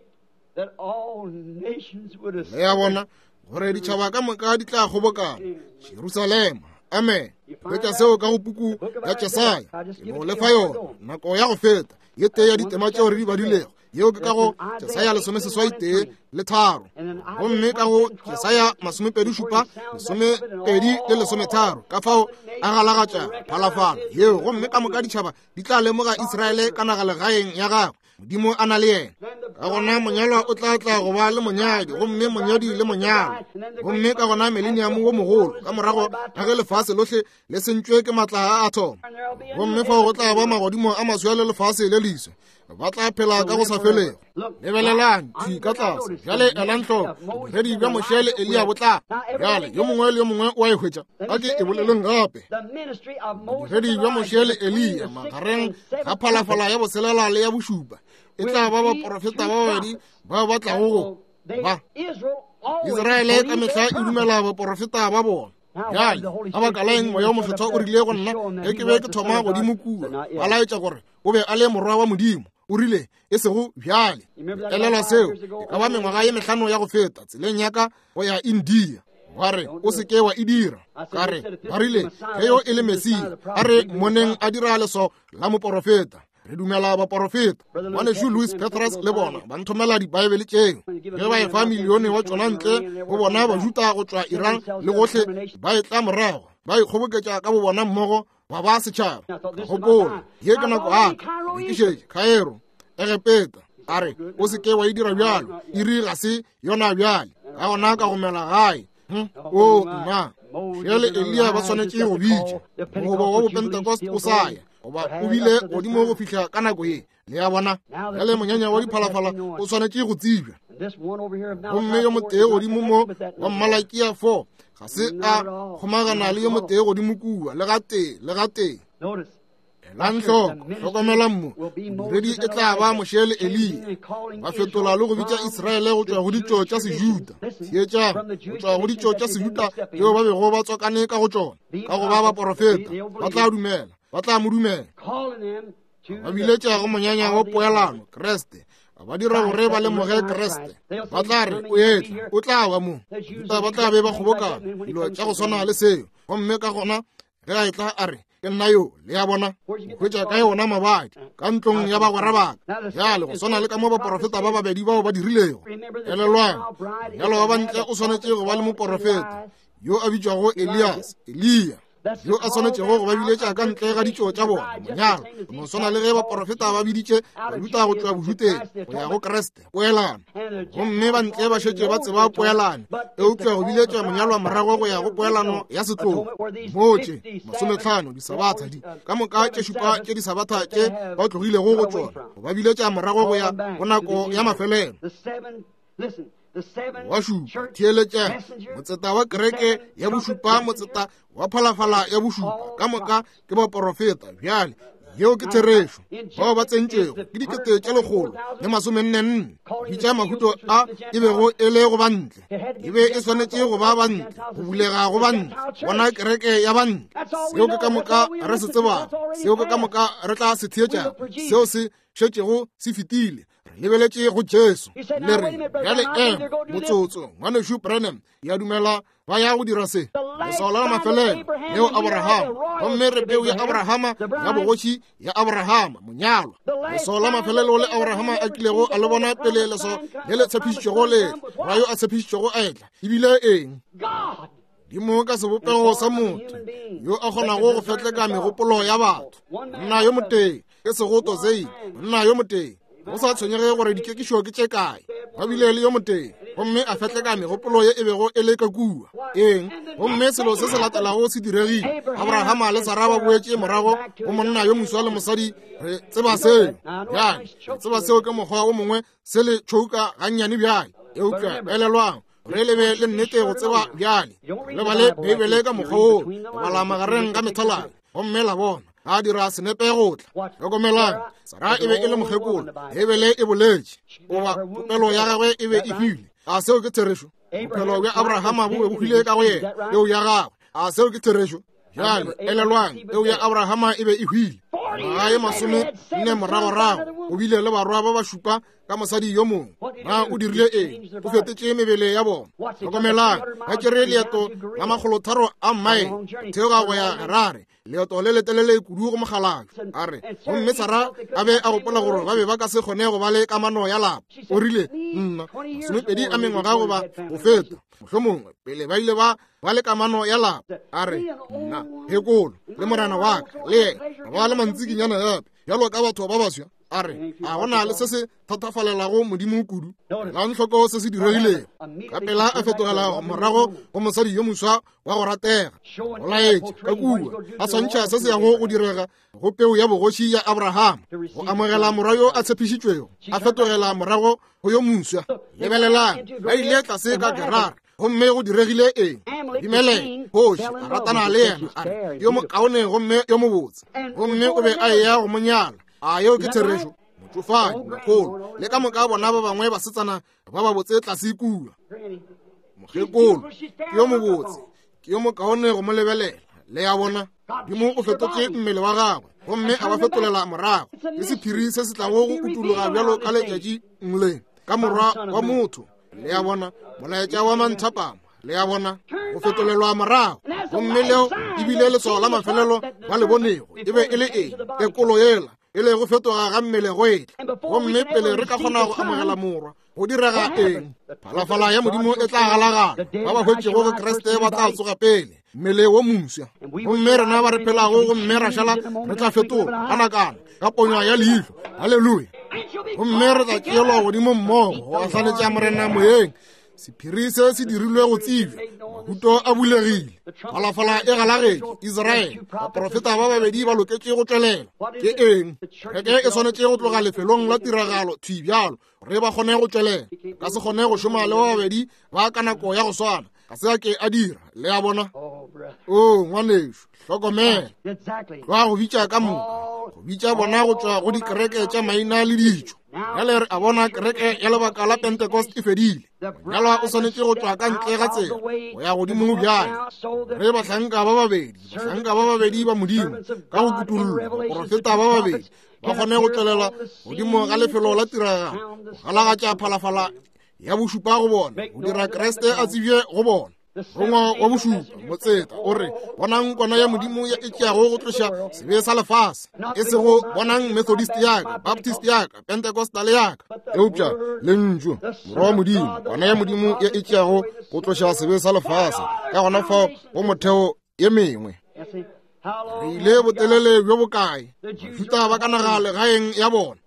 ya bona gore ditšhaba ka moka di tla kgobokana Jerusalema. Amen. Hwetša seo ka go puku ya Jesaya. Ke no lefa yona nako ya go feta ye tee ya ditema tšeo re di badilego. Yeo ke ka go Jesaya lesomeseswai tee le tharo, gomme ka go Jesaya masomepedi šupa, lesomepedi le lesometharo. Ka fao a galagatša phalafala yeo, gomme ka moka ditšhaba di tla lemoga Israele ka nagalegaeng ya gagwe, Modimo a na le yena. Ka gona monyalwa o tla tla go ba le monyadi, gomme monyadi le monyalwa. Gomme ka gona mileniamo wo mogolo, ka morago ga ge lefase lohle le sentšwe ke matla a athomo, gomme fao go tla ba magodimo a maswa le lefase le leswa, ba tla phela ka go sa felego. Lebelelang thwi ka tlase bjale, elang hloko bodiredi bja Moshe le Eliya bo tla. Bjale yo mongwe le yo mongwe o a e hwetša. A ke e boleleng gape. Bodiredi bja Moshe le Eliya magareng ga phalafala ya boselela le ya bošupa e tla ba baporofeta ba babedi bao ba tlago go ba. Israele ka mehla e dumela baporofeta ba bona. Bjale ka baka la eng Moya o Mokgethwa o rile go nna ge ke be ke thoma godimo kua, ba laetša gore o be a le morwa wa Modimo? O rile e sego bjale. Elelwa seo e ka ba mengwaga ye mehlano ya go feta, tseleng ya ka go ya India. Ba re o se ke wa e dira. Ka re ba rile ge yo e le Mesia, a re moneng a dira leswao la moporofeta. Re dumela baporofeta. Ngwanešu Louis Petras le bona ba nthomela dibaebele tšeo. Ge ba efa milione wa tšona ntle go bona Bajuta go tšwa Iran le gohle, ba e tla morago, ba ikgoboketša ka bo bona mmogo, ba ba setšhaba. Ka gopola, ye ke nako aka, ke šetše Cairo, Egepeta. A re o se ke wa e dira bjalo, iri ga se yona bjale. Ka gona ka gomela gae. O nna, Moshe le Eliya ba swanetše go bitša mogobo wa Bopentecost o sa ya, goba o bile godimo go fihla ka nako ye. Le ya bona bjale monyanya wa diphalafala o swanetše go tsebja. Gomme yo motee godimo mo wa Malakia four ga se a kgomagana le yo motee godimo kua le gatee le gatee. Elang hloko, hlokomelang mo, bodiredi e tla ba Moshe le Eliya, ba fetola le go bitša Israele go tšwa go ditšo tša Sejuda. Theetšang, go tšwa go ditšo tša Sejuda tšeo ba bego ba tswakane ka go tšona, ka go ba baporofeta, ba tla dumela, ba tla mo dumela. Ba biletša go monyanya wa poelano, Kreste. Ba dira gore ba lemoge Kreste. Ba tla re o etla, o tla ba mo. Bajuda ba tla be ba kgobokana, dilo tša go swana le seo. Gomme ka gona ge a etla a re ke nna yo, le ya bona, hwetša kae ona mabadi ka ntlong ya bagwera baka. Bjale go swana le ka mo baporofeta ba babedi bao ba dirilego. Elelwang, monyalwa wa bantle o swanetše go ba le moporofeta yo a bitšwago Elias, Eliya, yo a swanetšego go ba biletša ka ntle ga ditšo tša bona. Monyalwa go no swana le ge baporofeta ba biditše Bajuda go tšwa Bojuteng go ya go Kreste, poelano. Gomme ba ntle ba šetše ba tseba poelano, eupša go biletša monyalwa morago go ya go poelano ya setlogo. Moo tše masometlhano disabatha di ka moka tše šupa tše disabatha tše ba tlogilego go tšona, go ba biletša morago go ya go nako ya mafelelo. Wa šupa, theeletša, motseta wa kereke ya bošupa, motseta wa phalafala ya bošupa, ka moka ke baporofeta. Bjale yeo ke therešo. Bao ba tsentšwego ke dikete tše lekgolo le masomenne nne, bitša mahuto a e bego e le go bantle. E be e swanetše go ba bantle, go bulega go bantle, bona kereke ya bantle. Seo ke ka moka re se tsebago, seo ke ka moka re tla se theetšago, seo se šetšego se fetile. Lebeletše go Jesu. Le re, bjale ema motsotso, ngwanešu Branham, ya dumela ba ya go dira se. Leswao la mafelelo leo Abrahama, gomme re peu ya Abrahama ya bogoši ya Abrahama, monyalwa. Leswao la mafelelo le Abrahama a kilego a le bona pele leswao le le tshepišitšwego le ra yo a tshepišitšwego a etla, ebile eng? Modimo ka sebopego sa motho yo a kgonago go fetleka megopolo ya batho. Monna yo motee, e sego Tozei, monna yo motee. Go sa tshwenyege gore dikekišo ke tše kae, ba bile le yo motee, gomme a fetleka megopolo ye e bego e le ka kua. Eng? Gomme selo se se latelago se diregile. Abrahama le Sara ba boetše morago go monna yo moswa le mosadi. Re tseba seo bjale, re tseba seo ke mokgwa o mongwe se le tšhouka gannyane bjale. Eupša elelwang, re lebe le nnete go tseba bjale. Le bale Beibele ka mokgwa woo, le bala magareng ga methaladi, gomme la bona a dira senepe go tla. Hlokomelang, Sara e be e le mokgekolo, Beibele e boletše, goba popelo ya gagwe e be e hwile. A seo ke therešo? Bophelo bja Abrahama bo be bo hwile ka go yena, peu ya gagwe. A seo ke therešo? Bjale elelwang, peu ya Abrahama e be e hwile. Ngwaga ye masome nne moragorago, o bile le barwa ba ba šupa ka mosadi yo mongwe. Na o dirile eng? O fetetše mebele ya bona. Hlokomelang, ba tšere leeto la makgolotharo a mmaele theoga go ya Gerare, leeto le letelele kudu go mokgalabje. A re, gomme Sara a be a gopola gore ba be ba ka se kgone go ba le kamano ya lapa. O rile, nna masomepedi a mengwaga goba go feta, mohlomongwe pele ba ile ba ba le kamano ya lapa. A re, nna phekolo le morena wa ka le yena ba le mantsikinyana gape bjalo ka batho ba baswa. A re, a gona le se se thatafalelago Modimo kudu. Elang hloko se se diregilego. Ka pela a fetogela morago go mosadi yo moswa wa go ratega. Go laetša ka kua a swantšha se se yago go direga go peu ya bogoši ya Abrahama, go amogela morwa yo a tshepišitšwego. A fetogela morago go yo moswa. Lebelelang, ba ile tlase ka Gerare, gomme go diregile eng? Abimeleke kgoši a ratana le yena, a re yo mokaone gomme yo mobotse, gomme o be a eya go mo nyala. A yeo ke therešo? Motšofadi, mogolo, le ka moka bona ba bangwe basetsana ba ba botse tlase kua. Mokgekolo ke yo mobotse, ke yo mokaone go mo lebelela. Le ya bona, Modimo o fetotše mmele wa gagwe gomme a ba fetolela morago. Ke sephiri se se tlago go utologa bjalo ka letšatši le ka morwa wa motho. Le ya bona, molaetša wa manthapama. Le ya bona, go fetolelwa morago. Gomme leo ebile leswao la mafelelo ba le bonego e be e le eng? Tekolo yela e le go fetoga ga mmele go etla. Gomme pele re ka kgona go amogela morwa, go direga eng? Phalafala ya Modimo e tla galagala. Ba ba hwetšego go Kriste ba tla tsoga pele, mmele wo moswa. Gomme rena ba re phelago gomme ra šala re tla fetola ka nakana, ka ponyo ya leihlo. Haleluya! Gomme re tla tšeelwa godimo mmogo go ahlanetša Morena moyeng. Sephiri se se dirilwe go tsebja, mahuto a bulegile, phalafala e galagetše. Israele, baprofeta ba babedi ba loketše go tšwelela. Ke eng? Kereke e swanetše go tloga lefelong la tiragalo thwi bjalo gore ba kgone go tšwelela. Ka se kgone go šoma le ba babedi ba ka nako ya go swana. Ga se a ke a dira. Le a bona? O ngwanešu, hlokomela. Ba go bitša ka moka, go bitša bona go tšwa go dikereke tša maina le ditšo. Bjale re a bona kereke ya lebaka la Pentecost e fedile. Monyalwa o swanetše go tšwa ka ntle ga tsela go ya godimo bjale. Re bahlanka ba babedi, bahlanka ba babedi ba Modimo ka go kutollo, baprofeta ba babedi ba kgone go tšwelela godimo ga lefelo la tiragalo, go galagatša phalafala ya bošupa go bona, go dira Kriste a tsebje go bona. Rongwa wa bošupa motseta o re, bonang kwana ya Modimo e tšeago go tloša sebe sa lefase. E sego bonang Methodist ya ka, Baptist ya ka, Pentecostal ya ka, eupša lentšu morwa wa Modimo, kwana ya Modimo ye e tšeago go tloša sebe sa lefase. Ka gona fao go motheo ye mengwe. Re ile botelele bjo bokae? Bajuda ba ka naga legaeng ya bona.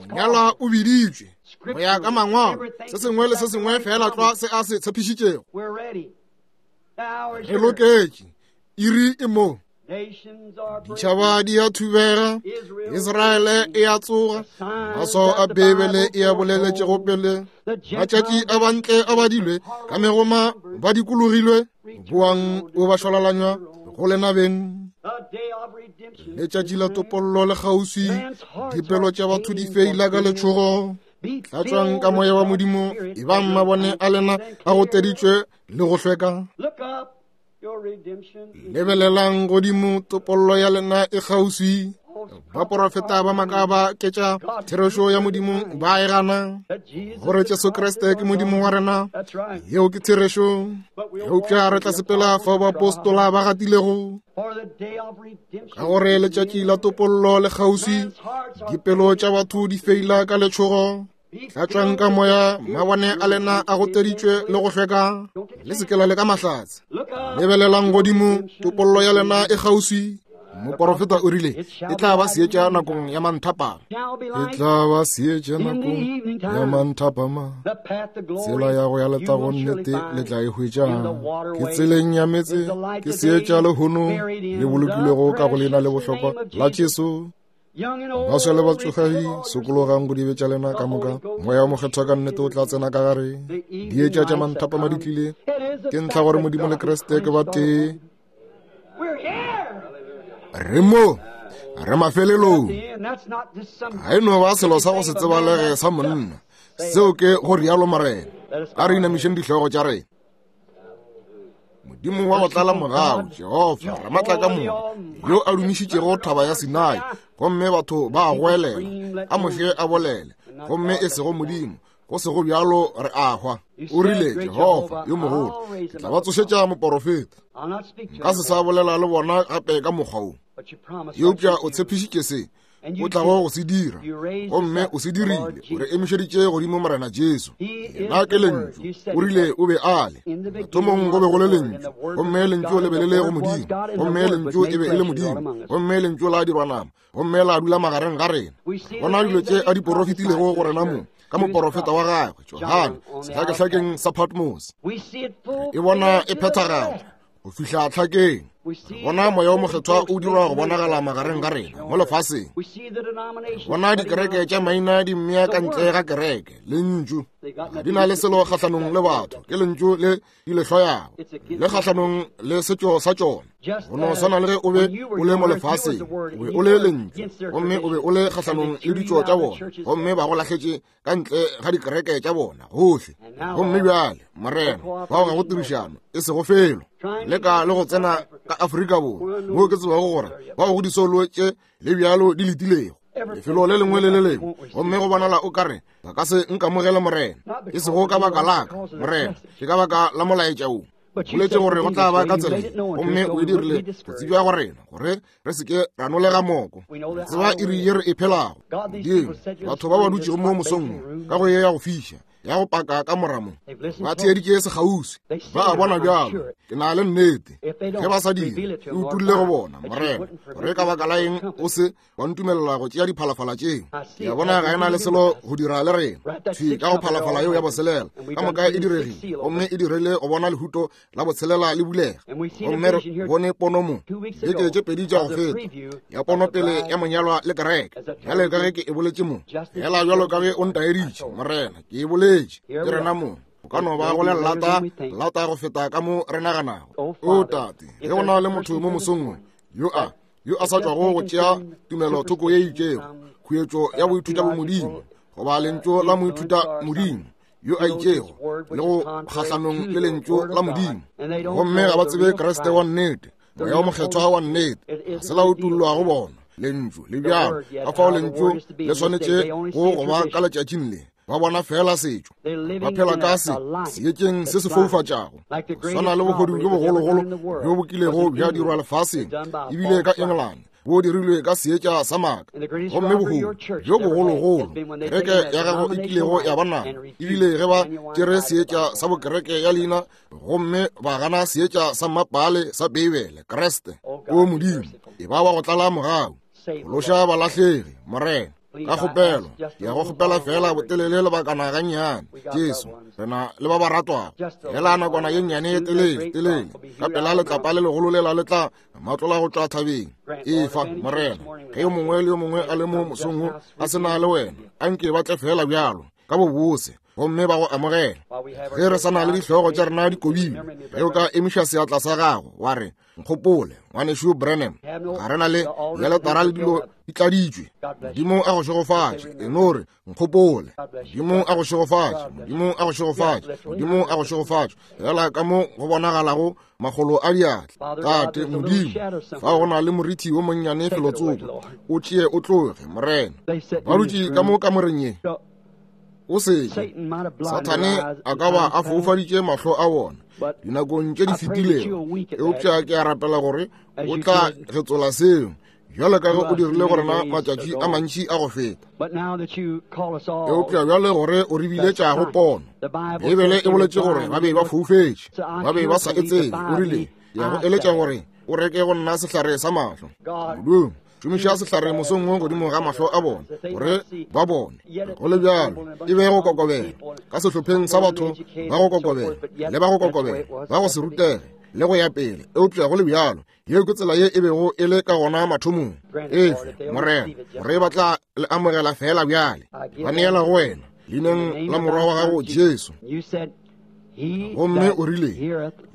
Monyalwa o biditšwe go ya ka mangwalo, se sengwe le se sengwe fela tlwa se a se tshepišitšego. Re loketše, iri e mo. Ditšhaba di a thubega, Israele e a tsoga, maswao a Beibele e a boleletšego pele. Matšatši a bantle a badilwe, ka megoma ba dikologilwe, boang o ba šwalalanywa go lena beng. Letšatši la topollo le kgauswi, dipelo tša batho di feila ka letšhogo. Tlatšwang ka moya wa Modimo, e bang mabone a lena a goteditšwe le go hlweka. Lebelelang godimo, topollo ya lena e kgauswi. Baporofeta ba maaka ba ketša therešo ya Modimo ba e gana, gore Jesu Kriste ke Modimo wa rena. Yeo ke therešo. Eupša re tla sepela fao baapostola ba gatilego, ka gore letšatši la topollo le kgauswi. Dipelo tša batho di feila ka letšhogo. Tlatšwang ka moya, mabone a lena a goteditšwe le go hlweka. Le se ke la leka mahlatse. Lebelelang godimo, topollo ya lena e kgauswi. Moporofeta o rile e tla ba seetša nakong ya manthapama. E tla ba seetša nakong ya manthapama. Tsela ya go ya letagong nnete le tla e hwetša. Ke tseleng ya metse, ke seetša lehono le bolokilwego ka go leina le bohlokwa la Jesu. Baswa le batšofadi, sokologang go dibe tša lena ka moka. Moya o mokgethwa ka nnete o tla tsena ka gare. Dietša tša manthapama di tlile. Ke ntlha gore Modimo le Kriste ke ba tee. Re mo, re mafelelong. Ga e no ba selo sa go se tsebalege sa monna. Seo ke go rialo Morena. A re inamišeng dihlogo tša rena. Modimo wa go tlala mogau, Jehofa Ramatla ka moka, yo a dumišitšego thaba ya Sinai, gomme batho ba a goelela, a Moshe a bolele, gomme e sego Modimo, go sego bjalo re a hwa. O rile, Jehofa yo mogolo, ke tla ba tsošetša moporofeta. Nka se sa bolela le bona gape ka mokgwa wo. Eupša o tshepišitše se o tlago go se dira, gomme o se dirile. O re emišeditše godimo Morena Jesu. Yena ke Lentšu. O rile o be a le mathomong, go be go le Lentšu, gomme Lentšu le be le le go Modimo, gomme Lentšu e be e le Modimo, gomme Lentšu la dirwa nama, gomme la dula magareng ga rena. Bona dilo tše a di porofetilego go rena mo ka moporofeta wa gagwe Johane sehlakehlakeng sa Patmos. E bona e phethagala go fihla tlhakeng. Bona moya o mokgethwa o dirwa go bonagala magareng ga rena mo lefaseng. Bona dikereke tša maina di mmea ka ntle ga kereke. Lentšu ga di na le selo kgahlanong le batho, ke lentšu le di le hloyago, le kgahlanong le setšo sa tšona. Go no swana le ge o be o le mo lefaseng, o be o le lentšu, gomme o be o le kgahlanong le ditšo tša bona, gomme ba go lahletše ka ntle ga dikereke tša bona gohle. Gomme bjale Morena, bao ga go tirišano e sego felo leka le go tsena ka Afrika Borwa, moo ke tsebago gore bao go disolo tše le bjalo di letilego lefelo le lengwe le le lengwe, gomme go bonala o kare ba ka se nkamogele Morena. E sego ka baka la ka Morena, ke ka baka la molaetša wo. Boletse gore go tla ba ka tsela ye, gomme o e dirile go tsebja go rena gore re se ke ra nolega moko. Re tseba iri ye re e phelago. Modimo, batho ba ba dutšego mo mosong ka go ye ya go fiša, ya go paka ka moramo, ba theeditše sekgauswi, ba a bona bjalo. Ke na le nnete ge ba sa dire, e utulle go bona Morena gore ka baka la eng o se wa ntumelela go tšea diphalafala tšeo. Ke a bona ga e na le selo go dira le rena. Thwi ka go phalafala yeo ya botshelela ka moka e diregile, gomme e dirile go bona lehuto la botshelela le bulega. Gomme re bone pono mo beke tše pedi tša go feta, ya pono pele ya monyalwa le kereke. Bjale ka ge ke e boletše mo, fela bjalo ka ge o ntaeditše Morena, ke e boletše, ke rena mo. O ka no ba go le lata lata go feta ka mo re naganago. O Tate, ge go na le motho mo mosong yo a yo a sa tšwago go tšea tumelo thoko ye itšego, khuetšo ya boithuta bo Modimo, goba lentšu la moithuta Modimo yo a itšego, le go kgahlanong le lentšu la Modimo, gomme ga ba tsebe Kriste wa nnete, moya o mokgethwa wa nnete, ga se la utollwa go bona lentšu le bjalo. Ka fao lentšu le swanetše go go ba ka letšatšing le. Ba bona fela setšo, ba phela ka se seetšeng se se foufatšago, swana le bohodu bjo bogologolo bjo bo kilego bja dirwa lefaseng, ebile ka England bo dirilwe ka seetša sa maaka. Gomme bohodu bjo bogologolo kereke ya gago e kilego ya ba nabo, ebile ge ba tšere seetša sa bokereke ya leina gomme ba gana seetša sa mmapale sa Beibele, Kriste. O Modimo, e ba wa go tlala mogau, phološa balahlegi Morena. Ka kgopelo, ke ya go kgopela fela botelele lebakana gannyane. Jesu, re na le ba ba ratwago. Fela nakwana ye nnyane ye telele telele, ka pela letlapa le legolo lela le tla matlola go tšwa thabeng. Efa Morena, ge yo mongwe le yo mongwe a le mo mosong wo a se na le wena, a nke ba tle fela bjalo ka bobose, gomme ba go amogela. Ge re sa na le dihlogo tša rena di kobilwe, ge o ka emiša seatla sa gago wa re, nkgopole ngwanešu Branham, ga re na le dialetara le dilo di tladitšwe. Modimo a go šegofatše. E no re, nkgopole. Modimo a go šegofatše. Modimo a go šegofatše. Modimo a go šegofatše. Fela ka mo go bonagalago makgolo a diatla. Tate Modimo, fa go na le morithi wo monnyane felotsoko, o tšee o tloge, Morena. Ba dutše ka mo kamoreng ye. O seke Sathane a ka ba a foufaditše mahlo a bona dinakong tše di fetilego, eupša ke a rapela gore o tla getsola seo bjalo ka ge o dirile go rena matšatši a mantši a go feta. Eupša bjale gore o re biletšago pono, Beibele e boletše gore ba be ba foufetše, ba be ba sa e tsebe. O rile, ke a go eletša gore o reke go nna sehlare sa mahlo. Modimo, šomiša sehlare mosong wo godimo ga mahlo a bona gore ba bone. Go le bjalo e be go kokobela ka sehlopheng sa batho ba go kokobela le ba go kokobela ba go se rutege le go ya pele, eupša go le bjalo yeo ke tsela ye e bego e le ka gona mathomong. Efe, Morena, gore ba tla le amogela fela bjale. Ba neela go wena leineng la morwa wa gago Jesu. Gomme o rile,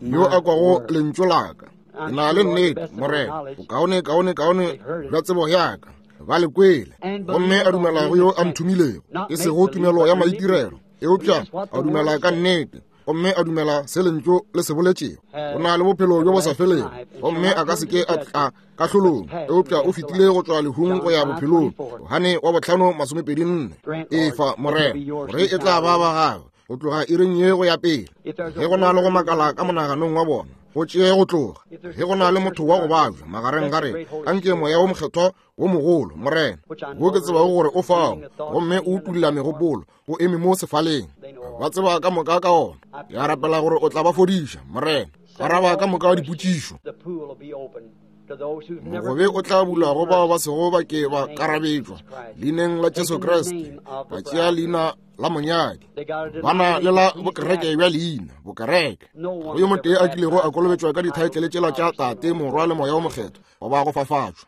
yo a kwago lentšu la ka, ke na le nnete, Morena, bokaone kaone kaone bja tsebo ya ka, ba le kwele, gomme a dumela go yo a nthomilego, e sego tumelo ya maitirelo, eupša a dumela ka nnete, gomme a dumela se lentšu le se boletšego. O na le bophelo bjo bo sa felego, gomme a ka se ke a tla kahlolong, eupša o fetile go tšwa lehung go ya bophelong. Johane wa bohlano masomepedi nne. Efa, Morena, gore e tla ba ba gagwe go tloga iring ye go ya pele. Ge go na le go makala ka monaganong wa bona, go tšee go tloga. Ge go na le motho wa go babja magareng ga rena, anke moya wo mokgethwa wo mogolo, Morena, wo ke tsebago gore o fao, gomme o utulla megopolo, o eme mo sefaleng, ba tseba ka moka ka ona. Ke a rapela gore o tla ba fodiša, Morena. Araba ka moka dipotšišo. Mogobe o tla bulwa go bao ba sego ba ke ba karabetšwa leineng la Jesu Kriste, ba tšea leina la monyadi, ba na le la bokereke bja leina bokereke. Go yo motee a kilego a kolobetšwa ka dithaetlele tšela tša Tate, Morwa le Moya wo Mokgethwa, goba go fafatšwa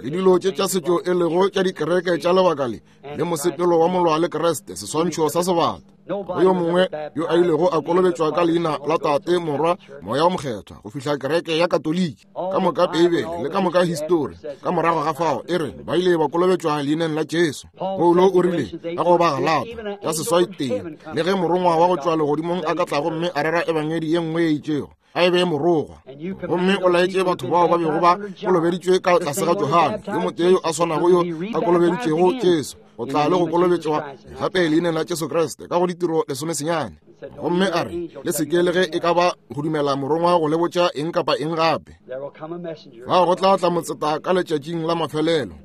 le dilo tše tša setšo e lego tša dikereke tša lebaka le le mosepelo wa molwa le Kriste, seswantšho sa sebata. Go yo mongwe yo a ilego a kolobetšwa ka leina la Tate, Morwa, Moya wo Mokgethwa go fihla kereke ya Katoliki, ka moka Beibele le ka moka histori ka morago ga fao e re ba ile ba kolobetšwa leineng la Jesu. Paulo o rile ka go ba Galata ya seswai tee, le ge morongwa wa go tšwa legodimong a ka tla gomme a rera ebangedi ye nngwe ye itšego, a e be morogwa. Gomme o laetše batho bao ba bego ba kolobeditšwe ka tlase ga Johane, yo motee yo a swanago yo a kolobeditšego Jesu, go tla le go kolobetšwa gape leineng la Jesu Kriste ka go ditiro lesomesenyane. Gomme a re, le se ke le ge e ka ba go dumela morongwa go le botša eng kapa eng gape. Fao go tla tla motseta ka letšatšing la mafelelo,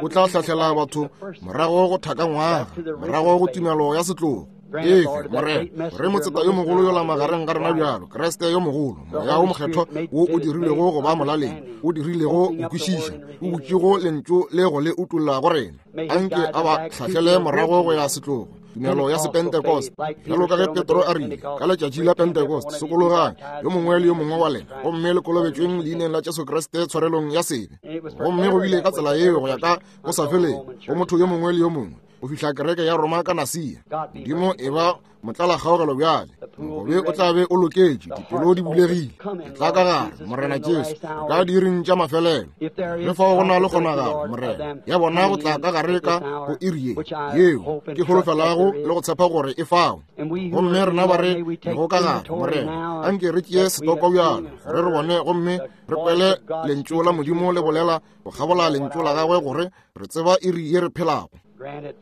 o tla hlahlela batho morago go thakangwaga, morago go tumelo ya setlogo. Efe, Morena, gore motseta yo mogolo yola magareng ga rena bjalo, Kriste yo mogolo, moya wo mokgethwa wo o dirilego go ba molaleng, o dirilego go kwešiša, o butšego lentšu le go le utolla go rena, anke a ba hlahlele morago go ya setlogo, tumelo ya sepentekoste. Bjalo ka ge Petro a rile ka letšatši la Pentekoste, sokologang yo mongwe le yo mongwe wa lena, gomme le kolobetšweng leineng la Jesu Kriste tshwarelong ya sebe. Gomme go bile ka tsela yeo go ya ka go sa feleng go motho yo mongwe le yo mongwe go fihla kereke ya Roma ka Nasia. Modimo e ba motlala kgaogelo bjale, mogobe o tla be o loketše, dipelo di bulegile. Ke tla ka gare, Morena Jesu, ka diiring tša mafelelo. Ge fao go na le kgonagalo, Morena, ya bona go tla ka gare ka go iri ye yeo ke holofelago le go tshepa gore e fao. Gomme rena ba re lego ka gare, Morena, anke re tšee setoko bjalo gore re bone gomme re kwele lentšu la Modimo le bolela go kgabola lentšu la gagwe gore re tseba iri ye re phelago.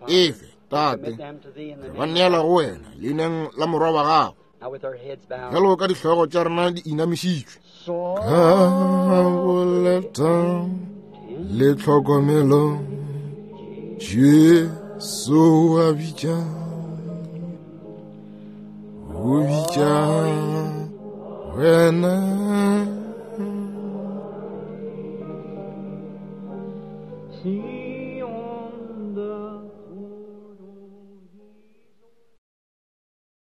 Efe, Tate, re ba neela go wena leineng la morwa wa gago. Bjalo ka dihlogo tša rena di inamišitšwe, ka boleta le tlhokomelo, Jesu a bitša, o bitša wena. See.